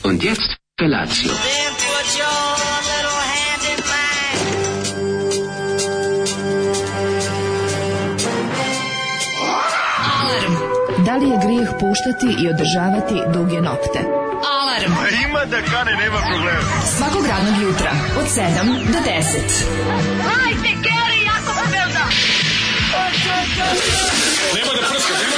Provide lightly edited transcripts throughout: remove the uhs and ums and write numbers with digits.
Und jetzt Felatio. Then put your little hand in mine. Alarm. Da li je grijeh puštati i održavati duge nokte? Alarm. Ima da kane, nema problema. Svakog radnog jutra od 7 do 10. Hajde, Geri, jako se velda. Nema da prska, nema.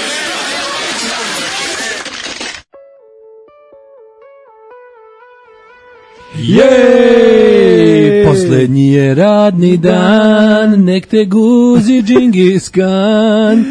Jej, poslednji je radni dan, nek te guzi Džingis Kan.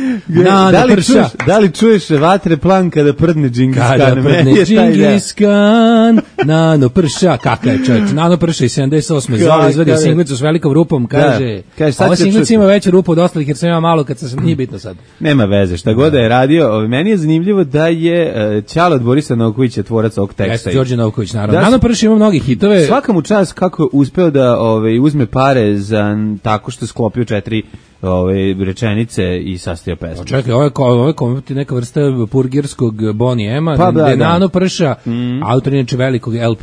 Da li čuješ vatre plan kada prdne Džingis Kan? Kada prdne Džingis Kan, nano prša, kakav je čovječ, nano prša i 78. Zoli izvadio singlicu s velikom rupom, kaže, ova singlica ima veću rupu od ostalih jer sam ima malo kad sam, nije bitno sad. Nema veze, šta god da je radio, meni je zanimljivo da je Ćale od Borisa Novkovića tvorac ovog teksta. Jeste, Đorđe Novković, naravno. Nano prša ima mnogi hitove. Svaka mu čast kako je uspeo da uzme pare za tako što je sklopio 4 rečenice i sastavio pesmu. Čekaj, ovo je neka vrsta purgirskog Bonnie M-a, pa, gde Nano prša, autor inače velikog LP,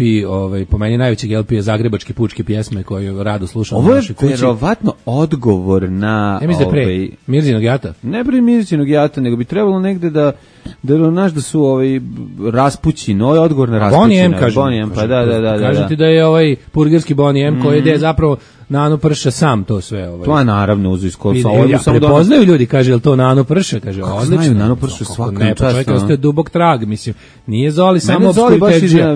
po meni najvećeg LP je Zagrebačke pučke pjesme koju rado slušam u našoj kući. Ovo je verovatno odgovor na... Ja mislim da pre Mirzinog jata. Ne pre Mirzinog jata, nego bi trebalo negde da su raspućin, ovo je odgovor na raspućina. Bonnie M, kažem. Bonnie M, pa da. Kažete da je ovaj purgirski Bonnie M koji je zapravo Nano prša sam to sve. To je naravno uzu iskolca. Prepoznaju ljudi, kaže, je li to Nano prša? Kaže, odlično. Znaju Nano prša svakom času. Ne, pa čovjek ostaje dubok trag, mislim. Nije Zoli samo obskuritetđija.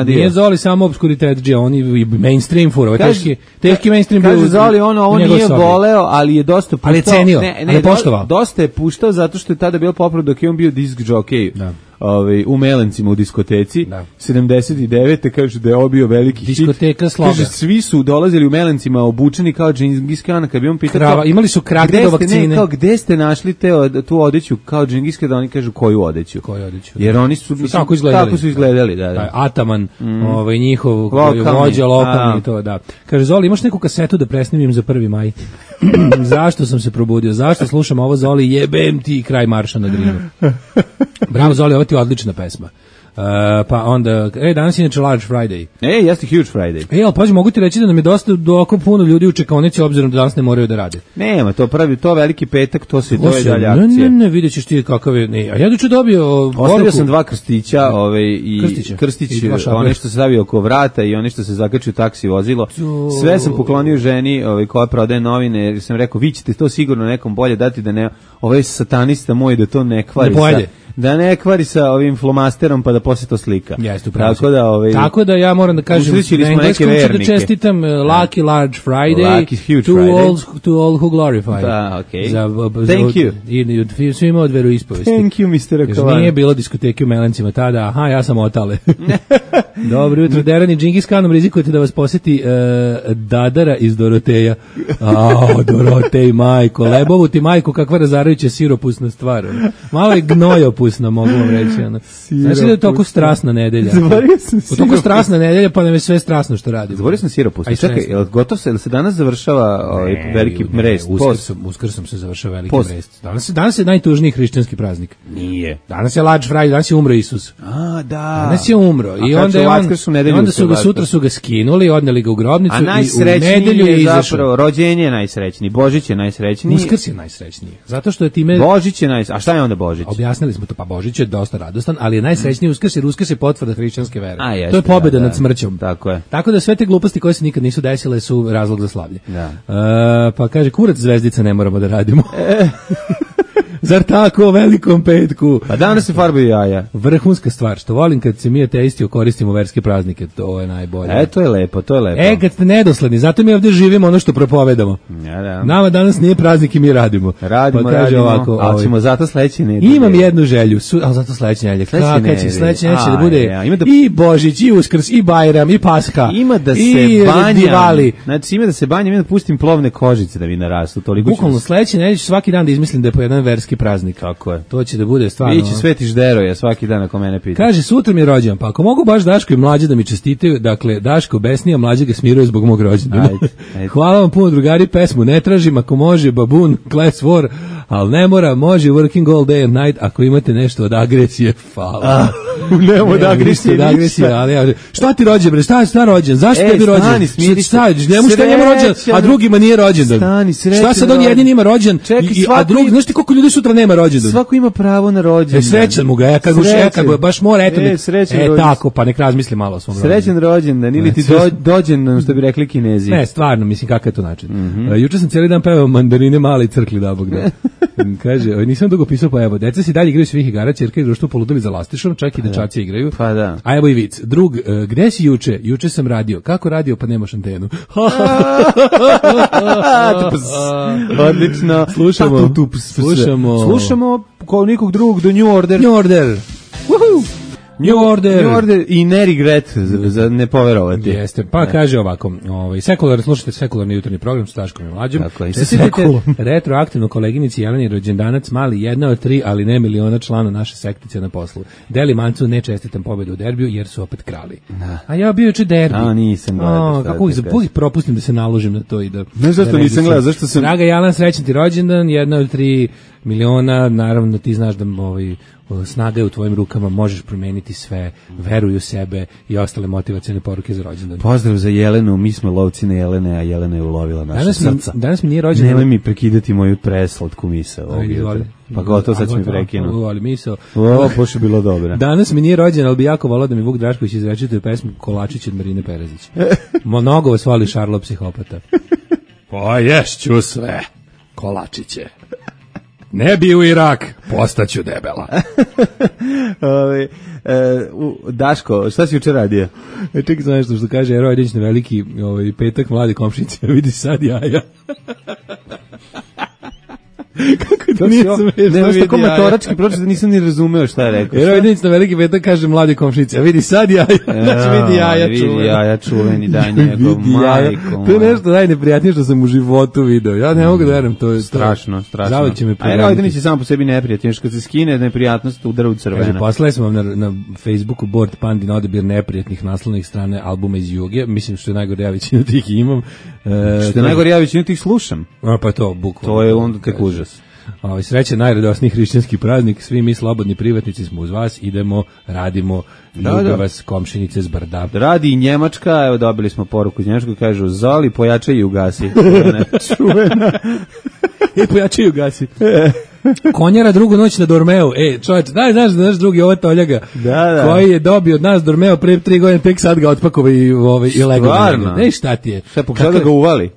Nije Zoli samo obskuritetđija, on i mainstream fura. Teški mainstream. Kaže Zoli, ovo nije voleo, ali je dosta puštao. Ali je cenio, ali je poštovao. Dosta je puštao zato što je tada bio popularno dok je on bio disk jockey. Da. U Melencima u diskoteci 79. kaže da je obio veliki diskoteka Sloga. Kaže svi su dolazili u Melencima obučeni kao Džingis Kan, kad bi on pitao imali su kratke do vakcine. Gde ste našli tu odeću kao Džingis Kan, da oni kažu koju odeću. Jer oni su tako su izgledali, da. Ataman, njihov vođa lokalni to, da. Kaže Zoli, imaš neku kasetu da presnimim za 1. maj? Zašto sam se probudio? Zašto slušam ovo, Zoli? Jebem ti kraj marša na Drinu. Bravo Zoli, ovo ti je odlična pesma. Pa onda, danas je inače Large Friday. Jeste Huge Friday. Ali pazi, mogu ti reći da nam je dosta doko puno ljudi u čekaonici, obzirom da danas ne moraju da rade. Nema, to veliki petak, to je dalje akcije. Ne, vidjet ćeš ti kakav je, ne, a ja doću dobio... Ostavio sam 2 krstića, krstić, one što se stavio oko vrata i one što se zakači u taksi vozilo. Sve sam poklonio ženi koja prodaje novine, jer sam rekao, vi ćete to sigurno nekom bolje dati, da ne, ovaj satanista moj da to ne kvari. Da ne kvari sa ovim flomasterom pa da posle to slika. Jeste, tako da ja moram da kažem na engleskom ću da čestitam Lucky Large Friday, Lucky Huge Friday, to all who glorify. Da, okay. Thank you. I svima od veroispovesti. Thank you, Mr. Kovan. Nije bilo diskoteke u Melencima tada, ja sam otale. Dobro jutro, Derani, Džingis Kanom rizikujete da vas posjeti Dadara iz Doroteja. Dorotej, majko, Lebovu ti majko, kakva razarajuća siropusna stvar. Malo je gnojopusna, mogu vam reći. Znači da je toliko strasna nedelja. Toliko strasna nedelja, pa nam je sve strasno što radimo. Zaborio sam siropusna. Čekaj, gotov se, ili se danas završava veliki mrest? Uskrsom se završava veliki mrest. Danas je najtužniji hrišćanski praznik. Nije. Danas je Large Friday, danas je umro Isus. Da. Danas je umro. I onda su ga sutra skinuli, odneli ga u grobnicu i u nedelju je izašao. Zapravo, rođenje je najsrećniji, Božić je najsrećniji. Uskrs je najsrećniji. Zato što je time... Božić je najsrećniji. A šta je onda Božić? Objasnili smo to, pa Božić je dosta radostan, ali je najsrećniji Uskrs, jer Uskrs je potvrda hrišćanske vere. To je pobjeda nad smrćom. Tako je. Tako da sve te gluposti koje se nikad nisu desile su razlog za slavlje. Pa kaže, kurac zvezdica ne moramo da radimo. Zar tako o velikom petku? Pa danas se farbaju jaja. Vrhunska stvar, što volim kad se mi ateisti koristimo verske praznike, to je najbolje. To je lepo. Kad ste nedosledni, zato mi ovdje živimo ono što propovedamo. Nama danas nije praznik i mi radimo. Radimo, ali ćemo zato sledeće nedelje. Imam jednu želju, ali zato sledeće nedelje. Sledeće nedelje da bude i Božić, i Uskrs, i Bajram, i Pasha. Ima da se banjam. Znači ima da se banjam, ima da pustim plovne kožice da mi narastu. Bukvalno sledeće nedelje svaki dan da izmislim da je po jedan verski praznik. Tako je. To će da bude stvarno. Biće Sveti Žderoja svaki dan ako mene pita. Kaže, sutra mi je rođendan, pa ako mogu baš Daško i Mlađe da mi čestitaju, dakle, Daško besnija, Mlađe ga smiruje zbog mog rođendana. Hvala vam puno, drugari, pesmu ne tražim, ako može, Babun, Class War, ali ne mora, može working all day and night ako imate nešto od agresije, hvala. Ne od agresije, ali šta ti rođen, bre, šta rođen, zašto tebi rođen? Šta, njemu rođen, a drugima nije rođendan. Stani, srećan. Šta sad on jedini ima rođen, a drugi, znaš ti koliko ljudi sutra nema rođendan? Svako ima pravo na rođendan. Srećan mu ga, kad baš mora, eto, tako, pa nek razmisli malo o svom rođendan. Srećan rođendan, ili ti dođendan, što bi rekli Kinezi. Ne, stvarno, mislim, kakav je to način. Juče sam cijeli dan pevao Mandarine male i crkli da bog da. Kaže, nisam dugo pisao, pa evo, deca se dalje igraju svih igara, ćerka i društvo poludili za lastišom, čak i dečaci igraju. Pa da. A evo i vic. Drug, gde si juče? Juče sam radio. Kako radio? Pa nemaš antenu. Odlično. Slušamo kao nikog drugog do New Order. New Order i ne regret za ne poverovati. Jeste, pa kaže ovako, slušajte sekularni jutarnji program sa Daškom i Mlađom. Čestitite retroaktivno koleginici Jeleni rođendanac mali, jedna od 3, ali ne miliona člana naše sektice na poslu. Deli Mancu ne čestitam pobedu u derbiju jer su opet krali. A ja bio juče derbi. Nisam gledao. Kako uvijek propustim da se naložim na to i da... Ne, zašto nisam gledao, zašto sam... Draga Jelan, srećan ti rođendan, jedna od 3 miliona, naravno ti znaš da snaga je u tvojim rukama, možeš promeniti sve, veruj u sebe i ostale motivacione poruke za rođendan. Pozdrav za Jelenu, mi smo lovci na Jelene, a Jelena je ulovila naše srca. Danas mi nije rođendan. Nemoj mi prekidati moju preslatku misao. Pa gotovo, sad ću mi prekinu. Pošto je bilo dobro. Danas mi nije rođendan, ali bi jako volao da mi Vuk Drašković izrečituje pesmu Kolačić od Marine Perezić. Mnogo vas voli Šarlo psihopata. Pa ješću sve, kolačiće. Ne bi u Irak, postaću debela. Daško, šta si juče radio? Čekaj sam nešto što kaže Ero Ajdić na veliki petak mlade komšnice, vidi sad jaja. Kako to nije smešno? Ne, što komatorački pročito nisam ni razumeo šta je rekao. Ero Ajdić na veliki petak kaže mlade komšnice, vidi sad jaja. Znači vidi jaja čuveni. Vidi jaja čuveni, daj njegov majko. To je nešto najneprijatnije što sam u životu video. Ja ne mogu da verujem, to je strašno. Zavod će me pregledati. A Ero Ajdić je samo po sebi neprijatnije, što kad se skine neprijatnost udara u crveno. Kaže, poslali smo vam na Facebooku board Pandin odabir neprijatnih naslovnih strane albuma iz Juge. Mislim što je najgore, ja većinu tih imam. Što je najgore, ja većinu tih slušam. Pa to, bukvalno. To je onda tek užas. Srećan najradosniji hrišćanski praznik, svi mi slobodni privatnici smo uz vas, idemo, radimo, ljubav vas komšinice z brda. Radi i Njemačka, evo dobili smo poruku iz Njemačka, kažu Zoli pojačaj i ugasi. Čuvena. Pojačaj i ugasi. Konjara drugu noć na Dormeu. Čovječ, znaš drugi ovo Toljaga, koji je dobio od nas Dormeo pre 3 godine, tek sad ga otpakova i legalno. Ne, šta ti je? Šta pokušao da ga uvali?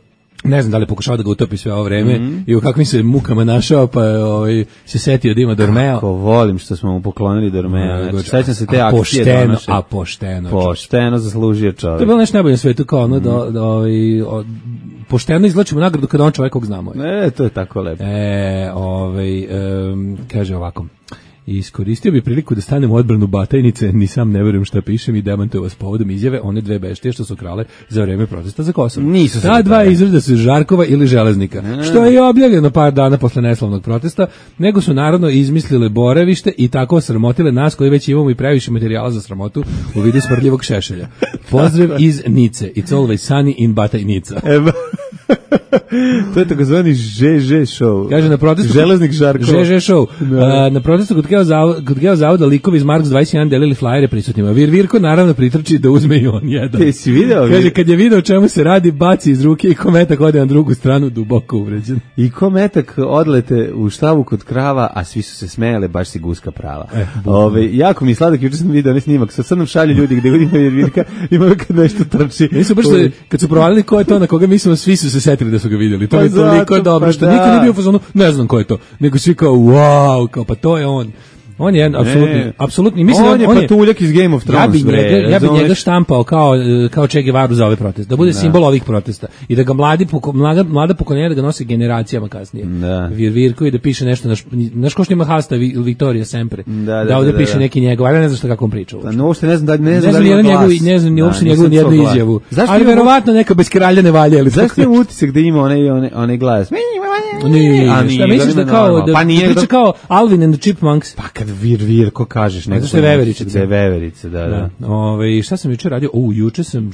Ne znam da li je pokušao da ga utopi sve ovo vreme i u kakvim se mukama našao, pa se setio da ima Dormeo. Kako volim što smo mu poklonili Dormeo. Znači, sećam se te akcije donoše. Pošteno zaslužio čovjek. To je bilo nešto najbolje na svetu, kao ono pošteno izlačimo nagradu kada on čovjek kog znamo. To je tako lepo. Kaže ovako. Iskoristio bi priliku da stanem u odbranu Batajnice, ni sam ne verujem šta pišem i demantujem vas povodom izjave one dve beštije što su krale za vreme protesta za Kosovo. Ta dva izrada su Žarkova ili Železnika, što je i objavljeno par dana posle neslavnog protesta, nego su naravno izmislile boravište i tako sramotile nas koji već imamo i previše materijala za sramotu u vidu smrdljivog šešelja. Pozdrav iz Nice. It's always sunny in Batajnica. To je takozvani ŽŽ show. Kaže na protestu Železnik Žarkova. ŽŽ show. Na protestu kod Geo zavoda likovi iz Marks 21 delili flajere prisutnima. Virko naravno pritrči da uzme i on jedan. Ti si video? Kaže kad je video o čemu se radi, baci iz ruke i kometak ode na drugu stranu duboko uvređen. I kometak odlete u štavu kod krava, a svi su se smejale, baš si guska prava. Jako mi je sladak, juče sam video onaj snimak. Sad nam šalju ljudi gde ima Virka, ima kad nešto trči. Nisu baš kad su provalili ko je to na koga mislimo, svi su se setili da su ga vidjeli. To je toliko dobro što niko nije bio u fazonu, ne znam ko je to. Nego svi kao wow, kao pa to je on. On je apsolutni, mislim on je patuljak iz Game of Thrones. Ja bi njega štampao kao Che Guevaru za ove proteste, da bude simbol ovih protesta i da ga mlada pokoljenja da ga nosi generacijama kasnije. Virko i da piše nešto naš ko što ima hasta Victoria Sempre. Da ovde piše neki njegov, ali ne znam šta kako on priča. No, ne znam ne znam ni uopšte njegovu jednu izjavu. Ali verovatno neka bez kralja ne valja, ali zašto je utisak da ima onaj glas. Šta misliš da kao da priča kao Alvin and the Chipmunks? Pa kad Virko kažeš neko što je veverica. Veverica, da. Šta sam juče radio? Juče sam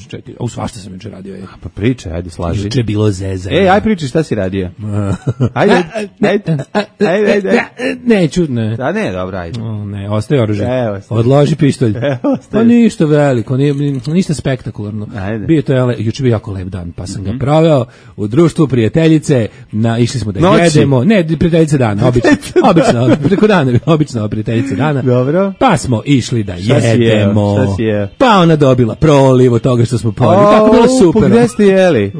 svašta sam juče radio. Pa pričaj, ajde slaži. Juče je bilo zeza. Aj priči šta si radio. Ajde. Neću, ne. Da ne, dobro, ajde. Ne, ostaje oružje. Odloži pištolj. Pa ništa veliko, ništa spektakularno. Bio to juče bio jako lep dan, pa sam ga proveo u društvu prijateljice, išli smo da jedemo. Ne, prijateljice dana, obično, preko dana, obično prijateljice dana. Dobro. Pa smo išli da jedemo. Pa ona dobila proliv od toga što smo pojeli. Tako bilo super. Gde ste jeli?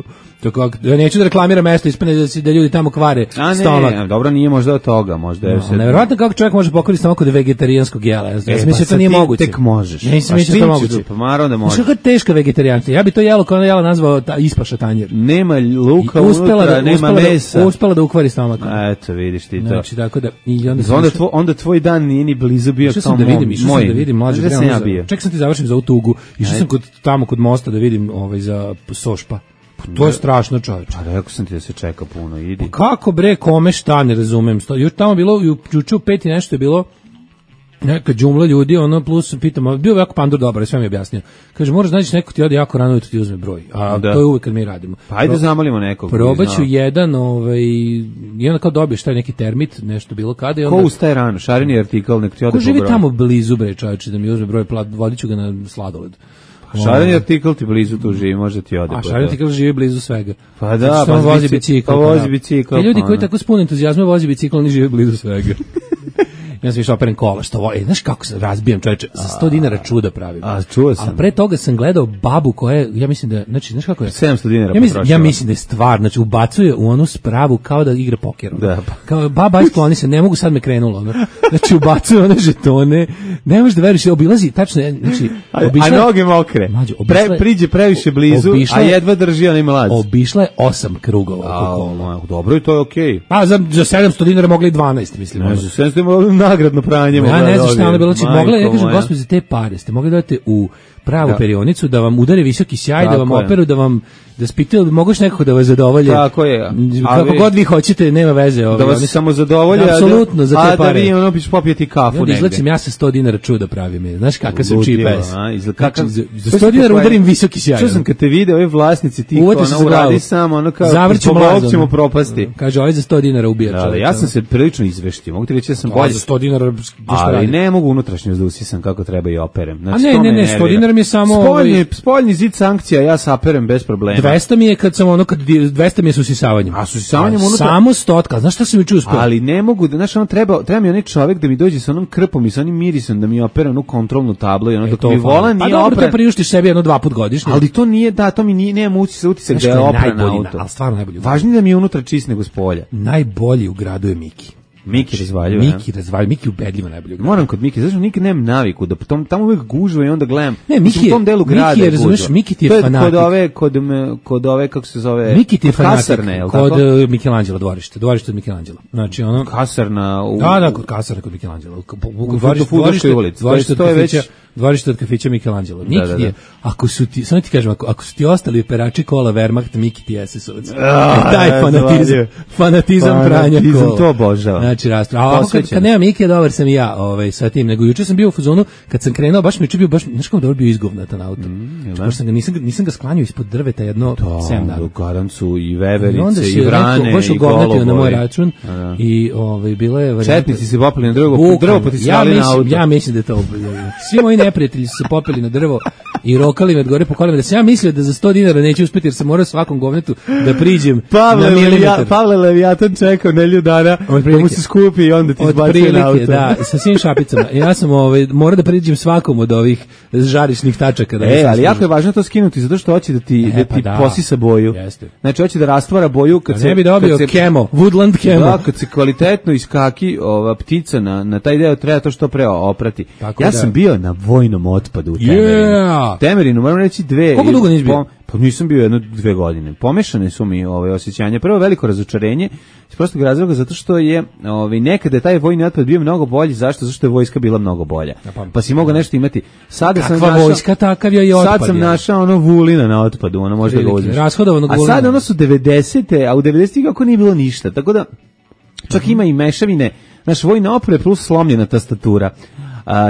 Neću da reklamiram mesto, ispane da ljudi tamo kvare stomak. Ne, dobro, nije možda od toga, možda je sve. Nevjerojatno kako čovjek može pokvariti stomak od vegetarijanskog jela. Ja sam mislio to nije moguće. Tek možeš. Ja nisam mislio to moguće. Pa naravno da možeš. Što je teška vegetarijanska. Ja bi to jelo kao ona jela nazvao ispaša tanjir. Nema luka unutra, nema mesa. Uspela da ukvari stomak. Eto, vidiš ti to. Znači, tako da onda tvoj dan nije ni blizu bio kao moj. Išao sam da vidim mlađe. Ček sam ti završim za ovu tugu. Išao sam tamo kod mosta da vidim za Sošpa. To je strašno, čovječe. Pa rekao sam ti da se čeka puno, idi. Pa kako bre, kome šta, ne razumem. Još tamo bilo, juče u 5 nešto je bilo neka džumla ljudi, plus pitamo, bio jako Pandur dobar, sve mi je objasnio. Kaže, moraš naći neko ti ode jako rano i ti uzme broj. A to je uvek kad mi radimo. Pa ajde zamolimo nekog. Probaću jedan, i onda kao dobiješ taj neki termit, nešto bilo kada. I onda, ko ustaje rano, šareni artikl, nek ti ode po broj. Ko živi tamo blizu bre, čovječe, da mi uzme broj, vodit ću ga na sladoled. Šareni artikl ti blizu tu živi, možda ti ode. A šareni artikl živi blizu svega. Pa da, pa vozi bicikl. Pa vozi bicikl. Ljudi koji tako s punim entuzijazmom vozi bicikl, oni žive blizu svega. Ja sam išao operen kola, znaš kako se razbijam, čoveče, za 100 dinara čuda pravim. A čuo sam. A pre toga sam gledao babu koja je, ja mislim da, znači, znaš kako je? 700 dinara ja mislim da je stvar, znači, ubacuje u onu spravu kao da igra poker. Da. Kao, baba, skloni se, ne mogu, sad me krenulo. Znači, ubacuje one žetone, ne možeš da veriš, obilazi, tačno, znači, a noge mokre, priđe previše blizu, a jedva drži onaj mlaz. Obišla je 8 krugova oko kola. Dobro, i to je okej. Pa za 700 dinara mogli 12, mislim. Ne, za 700 dinara nagradno pranje. Ja ne znam šta ono bilo, mogla, ja kažem, gospodи, za te pare ste mogli da date u pravu perionicu, da vam udare visoki sjaj, da vam operu, da spitaju, da moguš nekako da vas zadovolje. Tako je. Kako god vi hoćete, nema veze. Da vas samo zadovolje, apsolutno, za te pare. A da vi ono biš popijeti kafu negde. Izlacim ja sa 100 dinara čuda pravim. Znaš kakav sam cheap ass. Za 100 dinara udarim visoki sjaj. Što sam kad te video, ovi vlasnici tih, ona uradi samo, ono kao, zbog ćemo propasti. Kaže, ovaj za 100 dinara ubija čovjek. Ja sam se prilično izveštio. Mogu ti reći da sam bolje. Za 100 dinara, ali ne mogu unutrašnjost da usisam kako treba i operem. A ne, 100 dinara mi je samo... Spoljni zid sankcija, ja saperem bez problema. 200 mi je kad sam kad 200 mi je s usisavanjem. A s usisavanjem unutra? Samo 100, znaš šta sam juče uspeo? Ali ne mogu, znaš, treba mi onaj čovjek da mi dođe sa onom krpom i sa onim mirisom da mi opere onu kontrolnu tablu i ono dok mi volan nije opren. Pa dobro, to priuštiš sebi jedno 2 puta godišnje. Ali to nije, to mi nije, nemam utisak da je opren auto. Ali stvarno najbolji. Važnije da mi je unutra čist nego s polja. Najbolji u gradu je Miki. Miki razvaljuje. Miki ubedljivo najbolje. Moram kod Miki, zašto nikad nemam naviku da tamo uvek gužva i onda gledam. Ne, Miki u tom delu grada. Miki je, razumeš, Miki ti je fanatik. Kod ove kako se zove? Miki ti je fanatik. Kasarne, je l' tako? Kod Michelangelo dvorište od Michelangela. Znači ono Kasarna u Da, kod kasarne kod Michelangela. Dvorište od kafića Michelangelo. Miki je, ako su ti, samo ti kažem, ako su ti ostali perači kola Wehrmacht, Miki ti je SS-ovac. Taj fanatizam pranja kola. To obožavam. Znači rasprava. Kad nema Miki, dobar sam i ja sa tim. Nego juče sam bio u fazonu, kad sam krenuo, baš mi juče bio, znaš kako dobro bio izgovnatan auto. Nisam ga sklanjao ispod drveta jedno 7 dana. Garancu i veverice i vrane i golobovi. Na moj račun. I bilo je... Četnici se popeli na drvo pa ti svali na auto. Ja mislim da je to... Svi moji neprijatelji su se popeli na drvo i rokali me od gore po kolima, da sam ja mislio da za 100 dinara neću uspjeti jer sam morao svakom govnetu da priđem na milimetar. Pavle Leviatan čekao nelju dana da mu se skupi i onda ti izbacio na auto. Da, sa svim šapicama. Ja sam morao da priđem svakom od ovih žarišnih tačaka. Ali jako je važno to skinuti zato što hoće da ti posisa boju. Znači hoće da rastvara boju kad se... Ne bi dobio kemo, woodland kemo. Da, kad se kvalitetno iskaki ova ptica na taj deo treba to što pre oprati. Ja sam bio na vojnom otpadu u temelinu. Temerinu, moram reći 2. Koliko dugo nisi bio? Pa nisam bio 1-2 godine. Pomešane su mi osjećanja. Prvo veliko razočarenje iz prostog razloga zato što je nekada taj vojni otpad bio mnogo bolji. Zašto? Zato što je vojska bila mnogo bolja. Pa si mogao nešto imati. Sada sam našao vojska, takav je i otpad. Sad sam našao Vulina na otpadu, možda ga uzmeš. Rashodovanog Vulina. A sad ono su 90-te, a u 90-ih kako nije bilo ništa. Tako da čak ima i mešavine. Naš vojna oprema plus slomljena tastatura.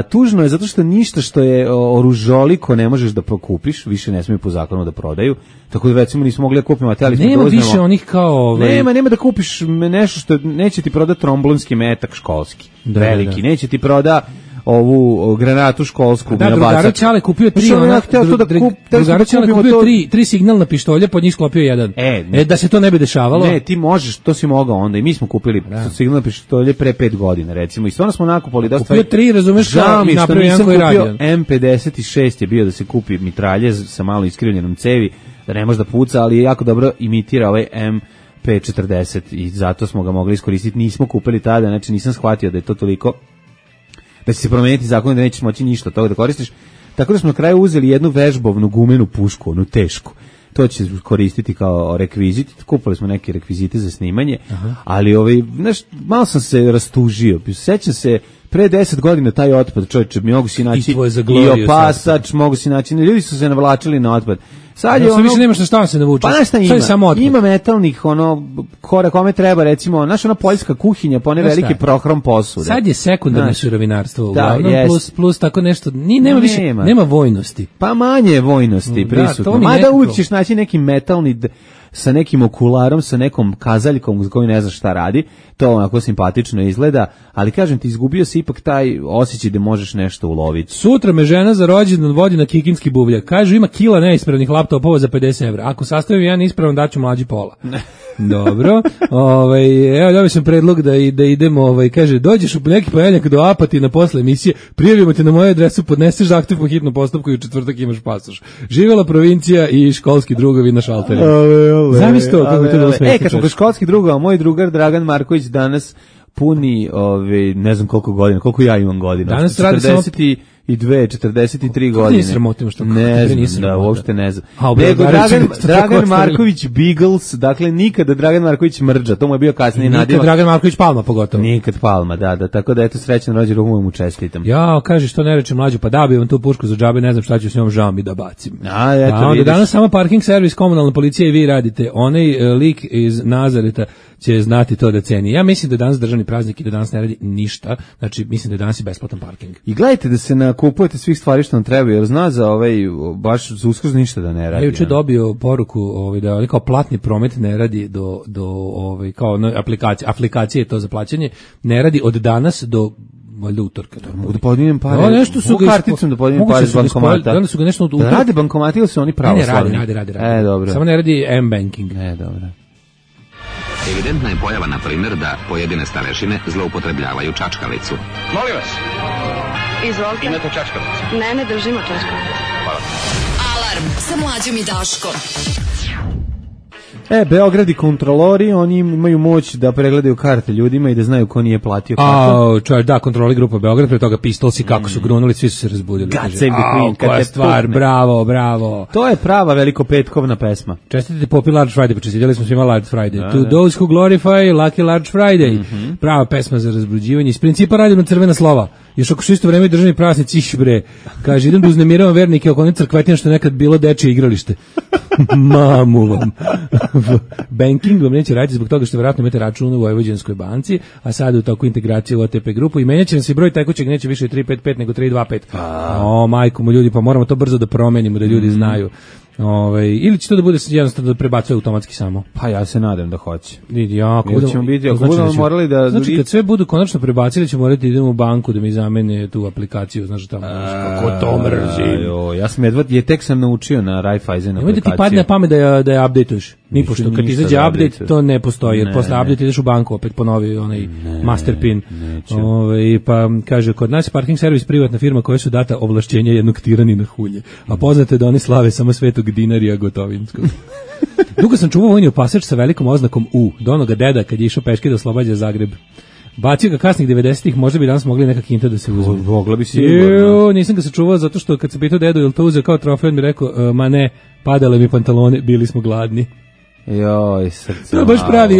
Tužno je zato što ništa što je oružoliko ne možeš da prokupiš, više ne smiju po zakonu da prodaju, tako da recimo nismo mogli da kupimo materijal. Nema više onih kao... Nema da kupiš nešto što neće ti prodati tromblonski metak školski, veliki, neće ti proda ovu granatu školsku. Da, drugara Ćale kupio 3 signalna pištolja, pod njih sklopio jedan. Da se to ne bi dešavalo. Ne, ti možeš, to si mogao onda i mi smo kupili signalna pištolje pre 5 godina, recimo, i stvarno smo nakupali dosta. Kupio 3, razumeš, kao i napravio jedan koji radi. M56 je bio da se kupi mitraljez sa malo iskrivljenom cevi, da ne može da puca, ali je jako dobro imitira ovaj MP40 i zato smo ga mogli iskoristiti. Nismo kupili tada, znači nisam shvatio da je to toliko da će se promeniti zakon da nećeš moći ništa od toga da koristiš. Tako da smo na kraju uzeli jednu vežbovnu gumenu pušku, onu tešku. To će koristiti kao rekvizit. Kupili smo neke rekvizite za snimanje, ali znaš, malo sam se rastužio. Sećam se, pre 10 godina taj otpad, čovječe, mogu si naći i opasač, mogu si naći, ljudi su se navlačili na otpad. Sad je više nemaš na šta se navučeš. Pa nešto ima metalnih, kome treba, recimo, znaš, ona poljska kuhinja, pa one velike prohrom posude. Sad je sekundarno sirovinarstvo, uglavnom, plus tako nešto, nema vojnosti. Pa manje je vojnosti prisutno. Mada uvijek ćeš naći neki metalni sa nekim okularom, sa nekom kazaljkom za koju ne znaš šta radi, to onako simpatično izgleda, ali kažem ti, izgubio si ipak taj osjećaj da možeš nešto uloviti. Sutra me žena za rođendan vodi na kikinski buvljak. Kažu ima kila neispravnih laptopova za 50 evra. Ako sastavim jedan ispravan, daću mlađi pola. Dobro. Evo dobio sam predlog da idemo, kaže, dođeš u neki ponedjeljak do Apatina posle emisije, prijavimo te na moju adresu, podneseš zahtev po hitnom postupku i u četvrtak imaš pasoš. Živjela provincija i školski drugovi na šalterima. Zamisli to, kako bi to bilo smiješno. Kad smo kod školskih drugova, moj drugar Dragan Marković danas puni, ne znam koliko ja imam godina. Danas radi samo 43 godine. Nije sramotimo što ne znam, uopšte ne znam. Nego Dragan Marković Beagles, dakle nikada Dragan Marković Mrđa, to mu je bio kasnije nadimak. Nikad Dragan Marković Palma pogotovo. Nikad Palma, da, tako da eto srećan rođendan mu čestitam. Ja, kaže što ne reče mlađu, pa da bi vam tu pušku za džabe, ne znam šta ću s njom, žao mi da bacim. Onda danas samo parking servis, komunalna policija i vi radite. Onaj lik iz Nazareta će znati to da ceni. Ja mislim da je danas državni praznik i da danas ne radi ništa, znači mislim da je danas i besplatan parking. I gledajte da se nakupujete svih stvari što vam treba, jer zna za baš za Uskrs ništa da ne radi. Ja juče dobio poruku da kao platni promet ne radi do kao aplikacije to za plaćanje, ne radi od danas do valjda utorka. Mogu da podignem pare. Nešto su karticom da podignem pare iz bankomata. Da su ga nešto da rade bankomati ili su oni pravoslavni? Ne, radi. Dobro. Samo ne radi M-banking. Dobro. Evidentna je pojava, na primjer, da pojedine starešine zloupotrebljavaju čačkalicu. Molim vas. Izvolite. Imate čačkalicu? Ne držimo čačkalicu. Hvala. Alarm sa Mlađom i Daškom. Beograd i kontrolori, oni imaju moć da pregledaju karte ljudima i da znaju ko nije platio kartu. Da, kontroli grupa Beograd, pre toga Pistolsi, kako su grunuli, svi su se razbudili. God save the Queen. Koja stvar, bravo. To je prava velikopetkovna pesma. Čestitite Popi Large Friday, počestitili smo svima Large Friday. To those who glorify Lucky Large Friday. Prava pesma za razbuđivanje. Iz principa radim na crvena slova. Još ako su isto vreme državni praznici, bre. Kaže, idem da uznemiravam vernike oko one crkvetine što je nekad bilo dečije igralište. Mamu vam. Banking vam neće raditi zbog toga što vjerojatno imate račun u Vojvođanskoj banci, a sad u toku integracije u OTP grupu i menjaće nam se broj tekućeg, neće više 355 nego 325. Majko mu ljudi, pa moramo to brzo da promenimo, da ljudi znaju. Ili će to da bude jednostavno da prebacuje automatski samo? Pa ja se nadam da hoće. Ako budemo morali da... Znači kad sve budu konačno prebacili, ćemo morati da idemo u banku da mi zamene tu aplikaciju, znaš tamo, kako to mrzim. Ja sam tek sam naučio na Raiffeisen aplikaciju. Ti padne na pamet da je update-uješ. Nipošto, kad izađe update, to ne postoji, jer posle update ideš u banku, opet ponovi onaj master pin. Pa kaže, kod nas je parking servis privatna firma koja su data ovlašćenja jednog tiranina hulje, a poznate je da oni slave samo Svetog Dinarija Gotovinskog. Dugo sam čuvao vojni opasač sa velikom oznakom U, do onoga deda kad je išao peške da oslobađa Zagreb. Bacio ga kasnih 90-ih, možda bi danas mogli neka kinta da se uzme. Mogla bi sigurno. Nisam ga sačuvao zato što kad se pitao dedu ili to uzeo kao trofej, on mi rekao, ma ne, padale mi pantalone, bili smo gladni. Joj, srce. To je baš pravi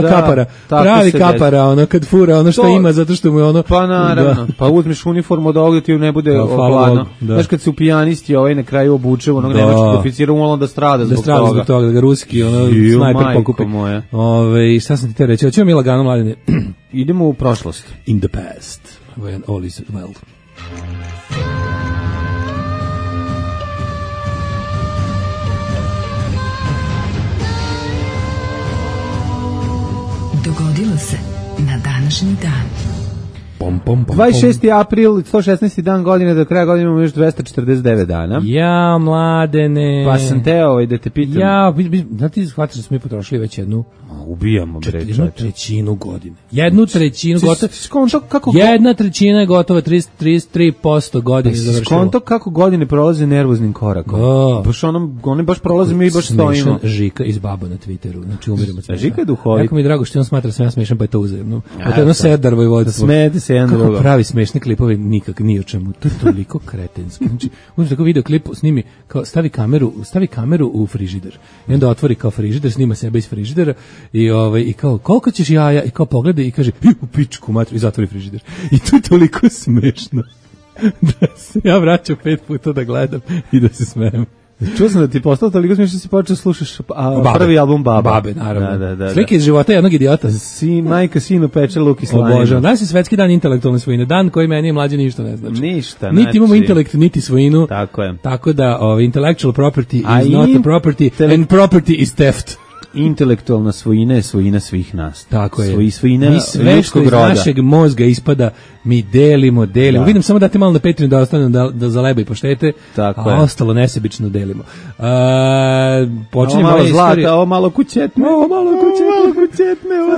kapara. Pravi kapara, ono kad fura ono što ima zato što mu je ono. Pa naravno. Pa uzmeš uniformu da ovdje ti ne bude hladno. Znaš kad se u pijanisti na kraju obuče onog nemačkog oficira, umalo da strada zbog toga. Da ga ruski snajper pokupi. Šta sam ti te reći? Hoćemo mi lagano, Mladine? Idemo u prošlost. In the past, when all is well. Dogodilo se na današnji dan. 26. april, 116. dan godine, do kraja godine imamo još 249 dana. Ja, Mladene. Pa sam te da te pitam. Ja, da ti shvatiš da smo mi potrošili već jednu ubijamo bre. Jednu trećinu godine. Jednu trećinu gotovo. Kako jedna trećina je gotova, 33% godine završilo. Skonto kako godine prolaze nervoznim korakom. Baš oni baš prolaze, mi baš stojimo. Žika iz Baba na Twitteru, znači umiramo se. Žika je duhovit. Jako mi je drago što on smatra sam ja smešan, pa je to uzajemno. Pa to je jedno Serdar Vojvodstvo. Smete se jedan drugo. Kako pravi smešne klipove nikak ni o čemu. To je toliko kretenski. Znači, uzme tako video klip, snimi kao stavi kameru u frižider. I onda otvori kao frižider, snima sebe iz frižidera i kao koliko ćeš jaja i kao pogleda i kaže u pičku matru i zatvori frižider. I to je toliko smešno da se ja vraćam 5 puta da gledam i da se smejem. Čuo sam da ti postao toliko smiješno da si počeo slušaš prvi album Babe, naravno. Da. Slike iz života jednog idiota. Majka sinu peče luk i slaninu. Bože, danas je svetski dan intelektualne svojine. Dan koji meni mlađe ništa ne znači. Ništa. Niti imamo intelekt, niti svojinu. Tako je. Tako da intellectual property is not a property and property is theft. Intelektualna svojina je svojina svih nas. Tako je. Svojina mi sve što iz našeg mozga ispada, mi delimo. Da. Vidim samo da te malo na Patreon da ostane da zaleba i poštete, tako a ostalo nesebično delimo. Počinjemo malo zlata, ovo malo kućetne. Ovo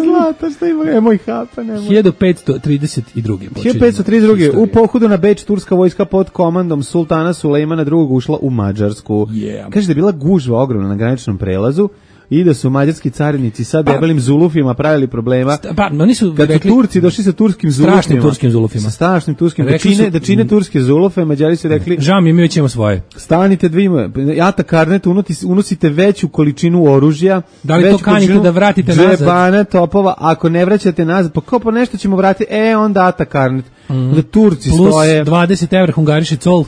zlata, što ima, moj hapa, nemoj. 1532. U pohodu na Beč turska vojska pod komandom sultana Sulejmana II ušla u Mađarsku. Kaže da je bila gužva ogromna na graničnom prelazu i da su mađarski carinici sa debelim zulufima pravili problema. Oni su kad rekli, Turci došli sa turskim zulufima. Strašnim turskim. Da čine turske zulufe, Mađari su rekli, žao mi već imamo svoje. Stanite Ata Karnet, unosite veću količinu oružja. Da li to kanite da vratite nazad? Džebana, topova, ako ne vraćate nazad, pa kao po nešto ćemo vratiti, onda Ata Karnet. Da Turci plus stoje. Plus 20 evra hungariše col.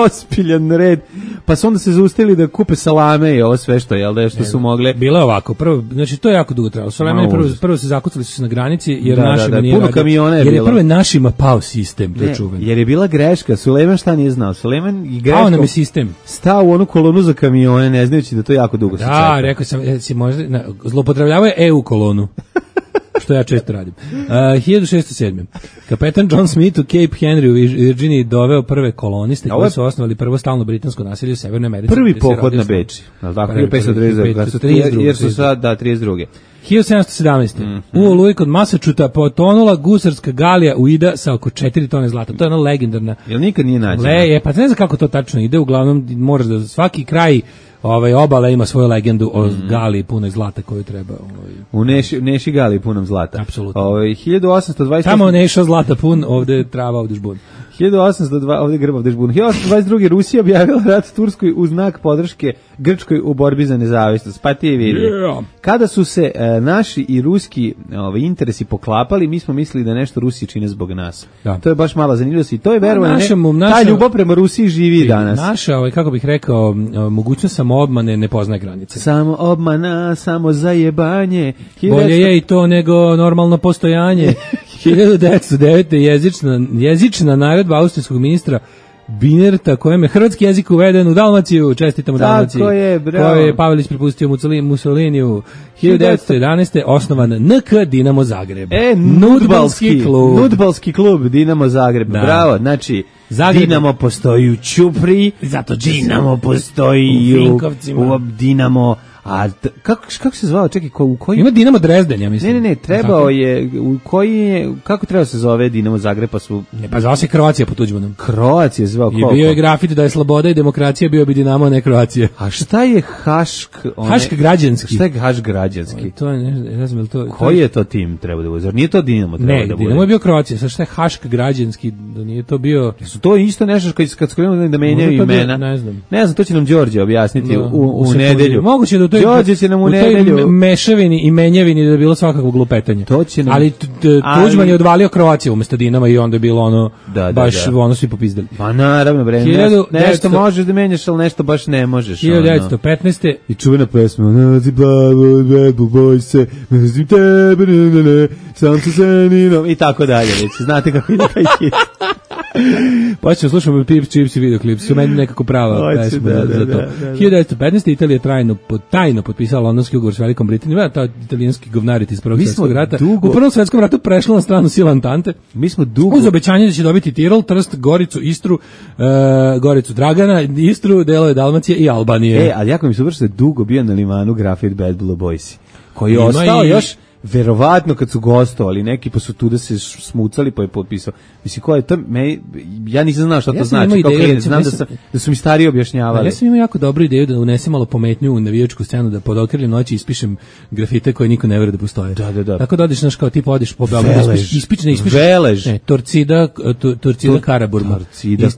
Ospiljan red. Pa su onda se zaustavili da kupe salame i ovo sve što, što su mogle. Bilo je ovako, prvo, znači to je jako dugo trajalo. Salame prvo se zakucali su se na granici jer našima nije puno kamiona je jer bilo. Je prvo našima pao sistem, to je čuveno. Jer je bila greška, Sulejman šta nije znao? Sulejman i greškom. Pao nam je sistem. Stao u onu kolonu za kamione, ne znajući da to jako dugo se čeka. Da, rekao sam, možda zloupotrebljavao je EU kolonu. Što ja često radim. 1607. Kapetan John Smith u Cape Henry u Virginiji doveo prve koloniste koji su osnovali prvo stalno britansko naselje u Severnoj Americi. Prvi pohod na Beč. Tako, 1532. Jer su sad, 32. 1717. U Oluji kod Masačuta potonula gusarska galija Uida sa oko 4 tone zlata. To je ona legendarna. Jel nikad nije nađena? Pa ne znam kako to tačno ide, uglavnom moraš da svaki kraj obala ima svoju legendu o galiji punoj zlata koju treba. U Neši galiji punom zlata. Apsolutno. 1828. Tamo Neša zlata pun, ovde trava, ovde žbun. 1802, ovdje grb, ovdje žbun. 1822. Rusija objavila rat Turskoj u znak podrške Grčkoj u borbi za nezavisnost. Pa ti je vidi. Kada su se naši i ruski interesi poklapali, mi smo mislili da nešto Rusiji čine zbog nas. Da. To je baš mala zanimljivost i to je verovanje. Ta ljubav prema Rusiji živi danas. Naša, kako bih rekao, mogućnost samoobmane ne poznaje granice. Samo obmana, samo zajebanje. Bolje je i to nego normalno postojanje. 1909. jezična naredba austrijskog ministra Binerta, kojem je hrvatski jezik uveden u Dalmaciju, čestitamo Dalmaciji. Tako je, bravo. Koje je Pavelić prepustio Mussoliniju. 1911. osnovan NK Dinamo Zagreb. Nudbalski klub Dinamo Zagreb. Da. Bravo, znači Zagreb. Dinamo postoji u Ćupriji, zato Dinamo postoji u Dinamo A kako se zvao, čekaj, u koji... Ima Dinamo Drezden, ja mislim. Ne, trebao je, kako treba se zove Dinamo Zagreb, pa su... Pa zvao se Kroacija po Tuđmanom. Kroacija zvao koliko? I bio je grafit da je sloboda i demokracija, bio bi Dinamo, a ne Kroacija. A šta je Hašk? Hašk građanski. Šta je Hašk građanski? To je, ne znam, to... Koji je to tim treba da bude? Zar nije to Dinamo treba da bude? Ne, Dinamo je bio Kroacija, sad šta je Hašk građanski, da nije to bio... Su to isto nešto kad su krenuli da menjaju imena? Ne znam, to će nam Đorđe objasniti u nedelju. Moguće da Đorđe će nam u nedelju mešavini i menjavini da je bilo svakako glupetanje. Ali Tuđman je odvalio Kroaciju umesto Dinama i onda je bilo ono baš ono svi popizdali. Pa naravno bre, nešto možeš da menjaš, al nešto baš ne možeš. 1915. I čuvena pesma Nazi plavo, Bad Boy se, mrzim tebe, sam se zeninom i tako dalje, već znate kako ide taj hit. Pa ćemo slušamo Pips, Chips i videoklip, su meni nekako prava pesma za to. 1915. Italija tajno potpisala Londonski ugovor s Velikom Britanijom, ta italijanski govnarit iz Prvog svjetskog rata. U Prvom svjetskom ratu prešla na stranu sila Antante. Mi smo dugo... Uz obećanje da će dobiti Tirol, Trst, Goricu, Istru, Goricu Dragana, Istru, delove Dalmacije i Albanije. Ali jako mi se uvršte dugo bio na limanu grafit Bad Blue Boysi, koji je ostao još... Verovatno kad su gostovali neki pa su tu da se smucali pa je potpisao. Mislim ko je to ja nisam znao šta to znači, kako je, znam da su mi stariji objašnjavali. Ja sam imao jako dobru ideju da unesem malo pometnju u navijačku scenu, da pod okriljem noći ispišem grafite koje niko ne veruje da postoje. Da. Tako da odeš kao tip odiš po Beogradu, ispišeš Velež. Torcida Karaburma.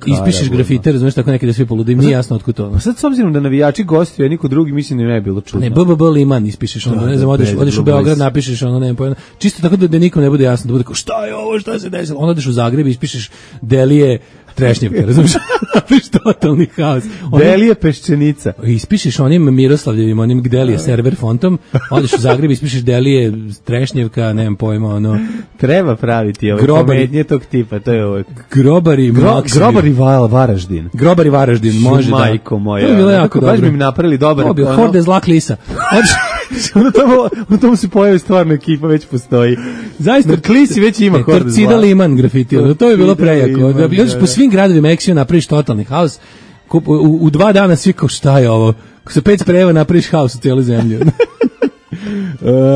Ispišeš grafite, razumeš, tako neki da svi polude, im nije jasno otkud to. Pa sad s obzirom da navijači gostuju, a niko drugi mislim da ne bi bilo čudno. Ne, BBB Liman ispišeš, onda ne znam, odeš u Beograd, napišeš ono, ne pojma. Čisto tako da nikom ne bude jasno, da bude kao šta je ovo, šta se desilo. Onda odeš u Zagreb i ispišeš Delije Trešnjevka, razumiješ? Napiš totalni haos. Delije Peščenica. Ispišeš onim Miroslavljevim, onim Delije server fontom, odeš u Zagreb i ispišeš Delije Trešnjevka, nemam pojma, ono... Treba praviti ove komednje tog tipa, to je ovo... Grobari Varaždin. Grobari Varaždin, može da. Majko moja. To je bilo jako dobro. Baš bi mi napravili dobar... To bi horde zla klisa. U tomu se pojavi stvarno ekipa, već postoji. Zaista, klisi već ima horde zla. Torcida Liman grafiti, to je bilo prejako. Da bi po svim gradovima Eksiju napraviš totalni haos. U 2 dana svi kao šta je ovo? Ko se 5 sprejeva napraviš haos u cijeloj zemlji.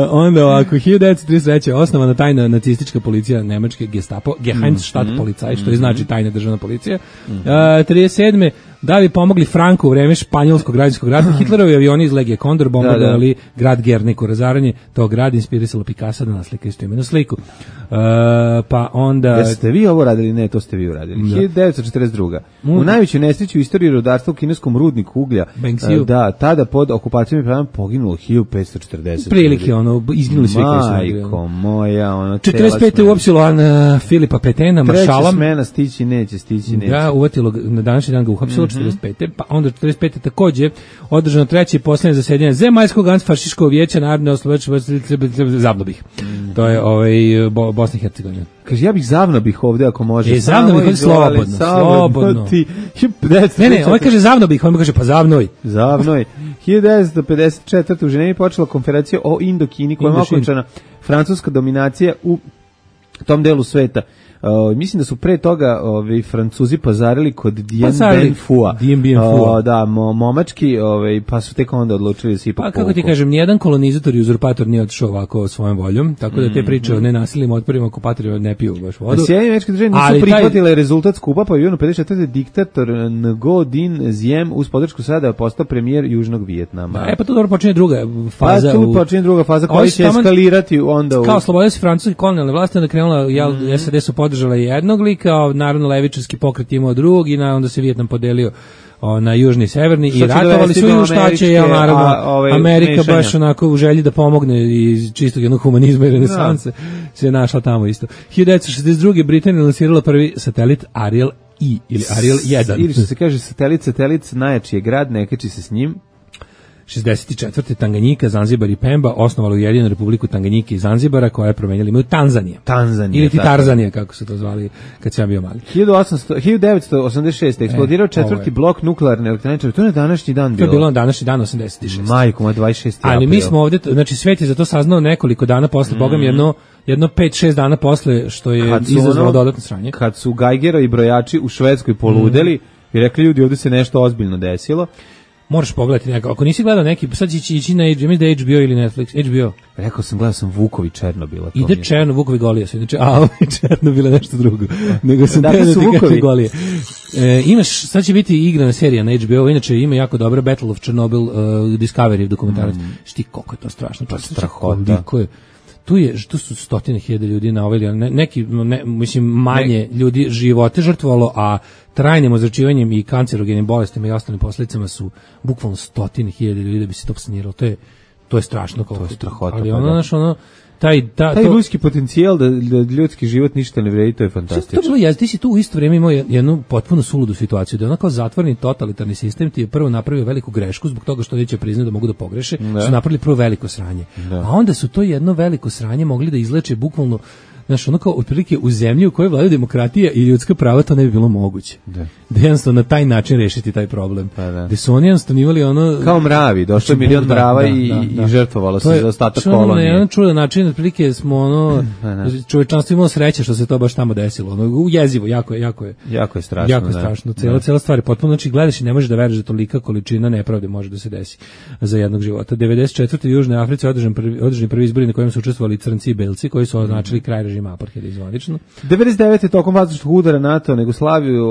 Onda ovako, 1933. osnovana tajna nacistička policija nemačke Gestapo, Geheimstattpolizei, što znači tajna državna policija. 37. da bi pomogli Franku u vreme španjolskog građanskog rata, Hitlerovi avioni iz Legije Kondor bombardovali grad Gerniku. Razaranje tog grada inspirisalo Picasso da naslika istoimenu sliku. Pa onda... Jeste vi ovo radili? Ne, to ste vi uradili. 1942. U najvećoj nesreći u istoriji rudarstva u kineskom rudniku uglja, tada pod okupacijom je poginulo 1540. Prilike, izginuli svi koji su radili. Majko moja, 45. uopsilo Filipa Petena, maršala. Treća smena stići neće. Da, uvatilo, na današnji dan ga uhapsilo, 45. Pa onda 45. takođe održano treće i posljednje zasedanje Zemaljskog antifašističkog vijeća narodne oslobođenja Zavnobih. To je Bosna i Hercegovina. Kaže, ja bih Zavnobih ovde ako može. Zavnobih, slobodno. Ne, ovaj kaže Zavnobih, on mi kaže pa Zavnoj. 1954. u Ženevi počela konferencija o Indokini koja je okončana francuska dominacija u tom delu sveta. Mislim da su pre toga Francuzi pazarili kod Dien Bien Phu. Da, momački, pa su tek onda odlučili da se ipak povuku. Kako ti kažem, nijedan kolonizator i uzurpator nije otišao ovako svojom voljom, tako da te priče o nenasilnim otporima okupatorima ne piju baš vodu. Sjedinjene američke države nisu prihvatile rezultat skupa, pa je u 54. diktator Ngo Dinh Diem uz podršku sada postao premijer Južnog Vijetnama. Pa to dobro počinje druga faza. Pa tu počinje druga faza koja će eskalirati onda u... Kao slobodili se francuski kolonijalne vlasti, onda krenula, SAD su podržala jednog lika, naravno levičarski pokret imao drugog i onda se Vijetnam podelio na južni i severni i ratovali su i šta će, naravno, Amerika baš onako u želji da pomogne iz čistog jednog humanizma i renesanse se našla tamo isto. 1962. Britanija lansirala prvi satelit Ariel I ili Ariel 1. Ili što se kaže satelit najjači je grad, ne kači se s njim. 64. Tanganjika, Zanzibar i Pemba osnovali Ujedinjenu Republiku Tanganjike i Zanzibara koja je promenjala ime u Tanzanija. Ili ti Tarzanija, kako su to zvali kad sam bio mali. 1986. eksplodirao četvrti blok nuklearne elektrane. To je na današnji dan bilo. To je bilo na današnji dan 86. Majko, 26. Ali mi smo ovdje, znači svet je za to saznao nekoliko dana posle, Boga mi jedno 5-6 dana posle što je izazvalo dodatno sranje. Kad su Geigera i brojači u Švedskoj poludeli i rekli ljudi ovdje se nešto ozbiljno desilo. Moraš pogledati neko. Ako nisi gledao neki, sad će ići na HBO ili Netflix. HBO. Rekao sam, gledao sam Vukovi Černobila. Ide Vukovi Golija su. Černobila nešto drugo. Nego sam dakle su Vukovi Golije. Imaš, sad će biti igrana serija na HBO, inače ima jako dobra Battle of Chernobyl Discovery dokumentarac. Šti koliko je to strašno. Pa strahota. Tu su stotine hiljada ljudi na ovaj, mislim manje ljudi živote žrtvovalo, a trajnim ozračivanjem i kancerogenim bolestima i ostalim posledicama su bukvalno stotine hiljada ljudi da bi se to saniralo. To je strašno. To je strahota. Ali taj ljudski potencijal da ljudski život ništa ne vredi, to je fantastično. To bilo, ti si tu u isto vrijeme imao jednu potpuno suludu situaciju, da je ono kao zatvoreni totalitarni sistem ti je prvo napravio veliku grešku zbog toga što neće priznati da mogu da pogreše, su napravili prvo veliko sranje. A onda su to jedno veliko sranje mogli da izleče bukvalno. Znaš, ono kao otprilike u zemlji u kojoj vladaju demokratija i ljudska prava to ne bi bilo moguće. Da jednostavno na taj način rešiti taj problem. Gde su oni jednostavno imali ono... Kao mravi, došlo je milion mrava i žrtvovalo se za ostatak kolonije. Na jedan čudan način, otprilike smo čovečanstvo imalo sreće što se to baš tamo desilo. Jezivo, jako je strašno. Jako je strašno. Cijela stvar je potpuno, znači gledaš i ne možeš da veruješ da tolika količina nepravde može da se desi za jednog života. 94. u Južnoj Africi održani prvi izbori na kojem su učestvovali crnci i belci koji su označili kraj režima apartheida izvanično. 99. tokom vazdušnog udara NATO na Jugoslaviju,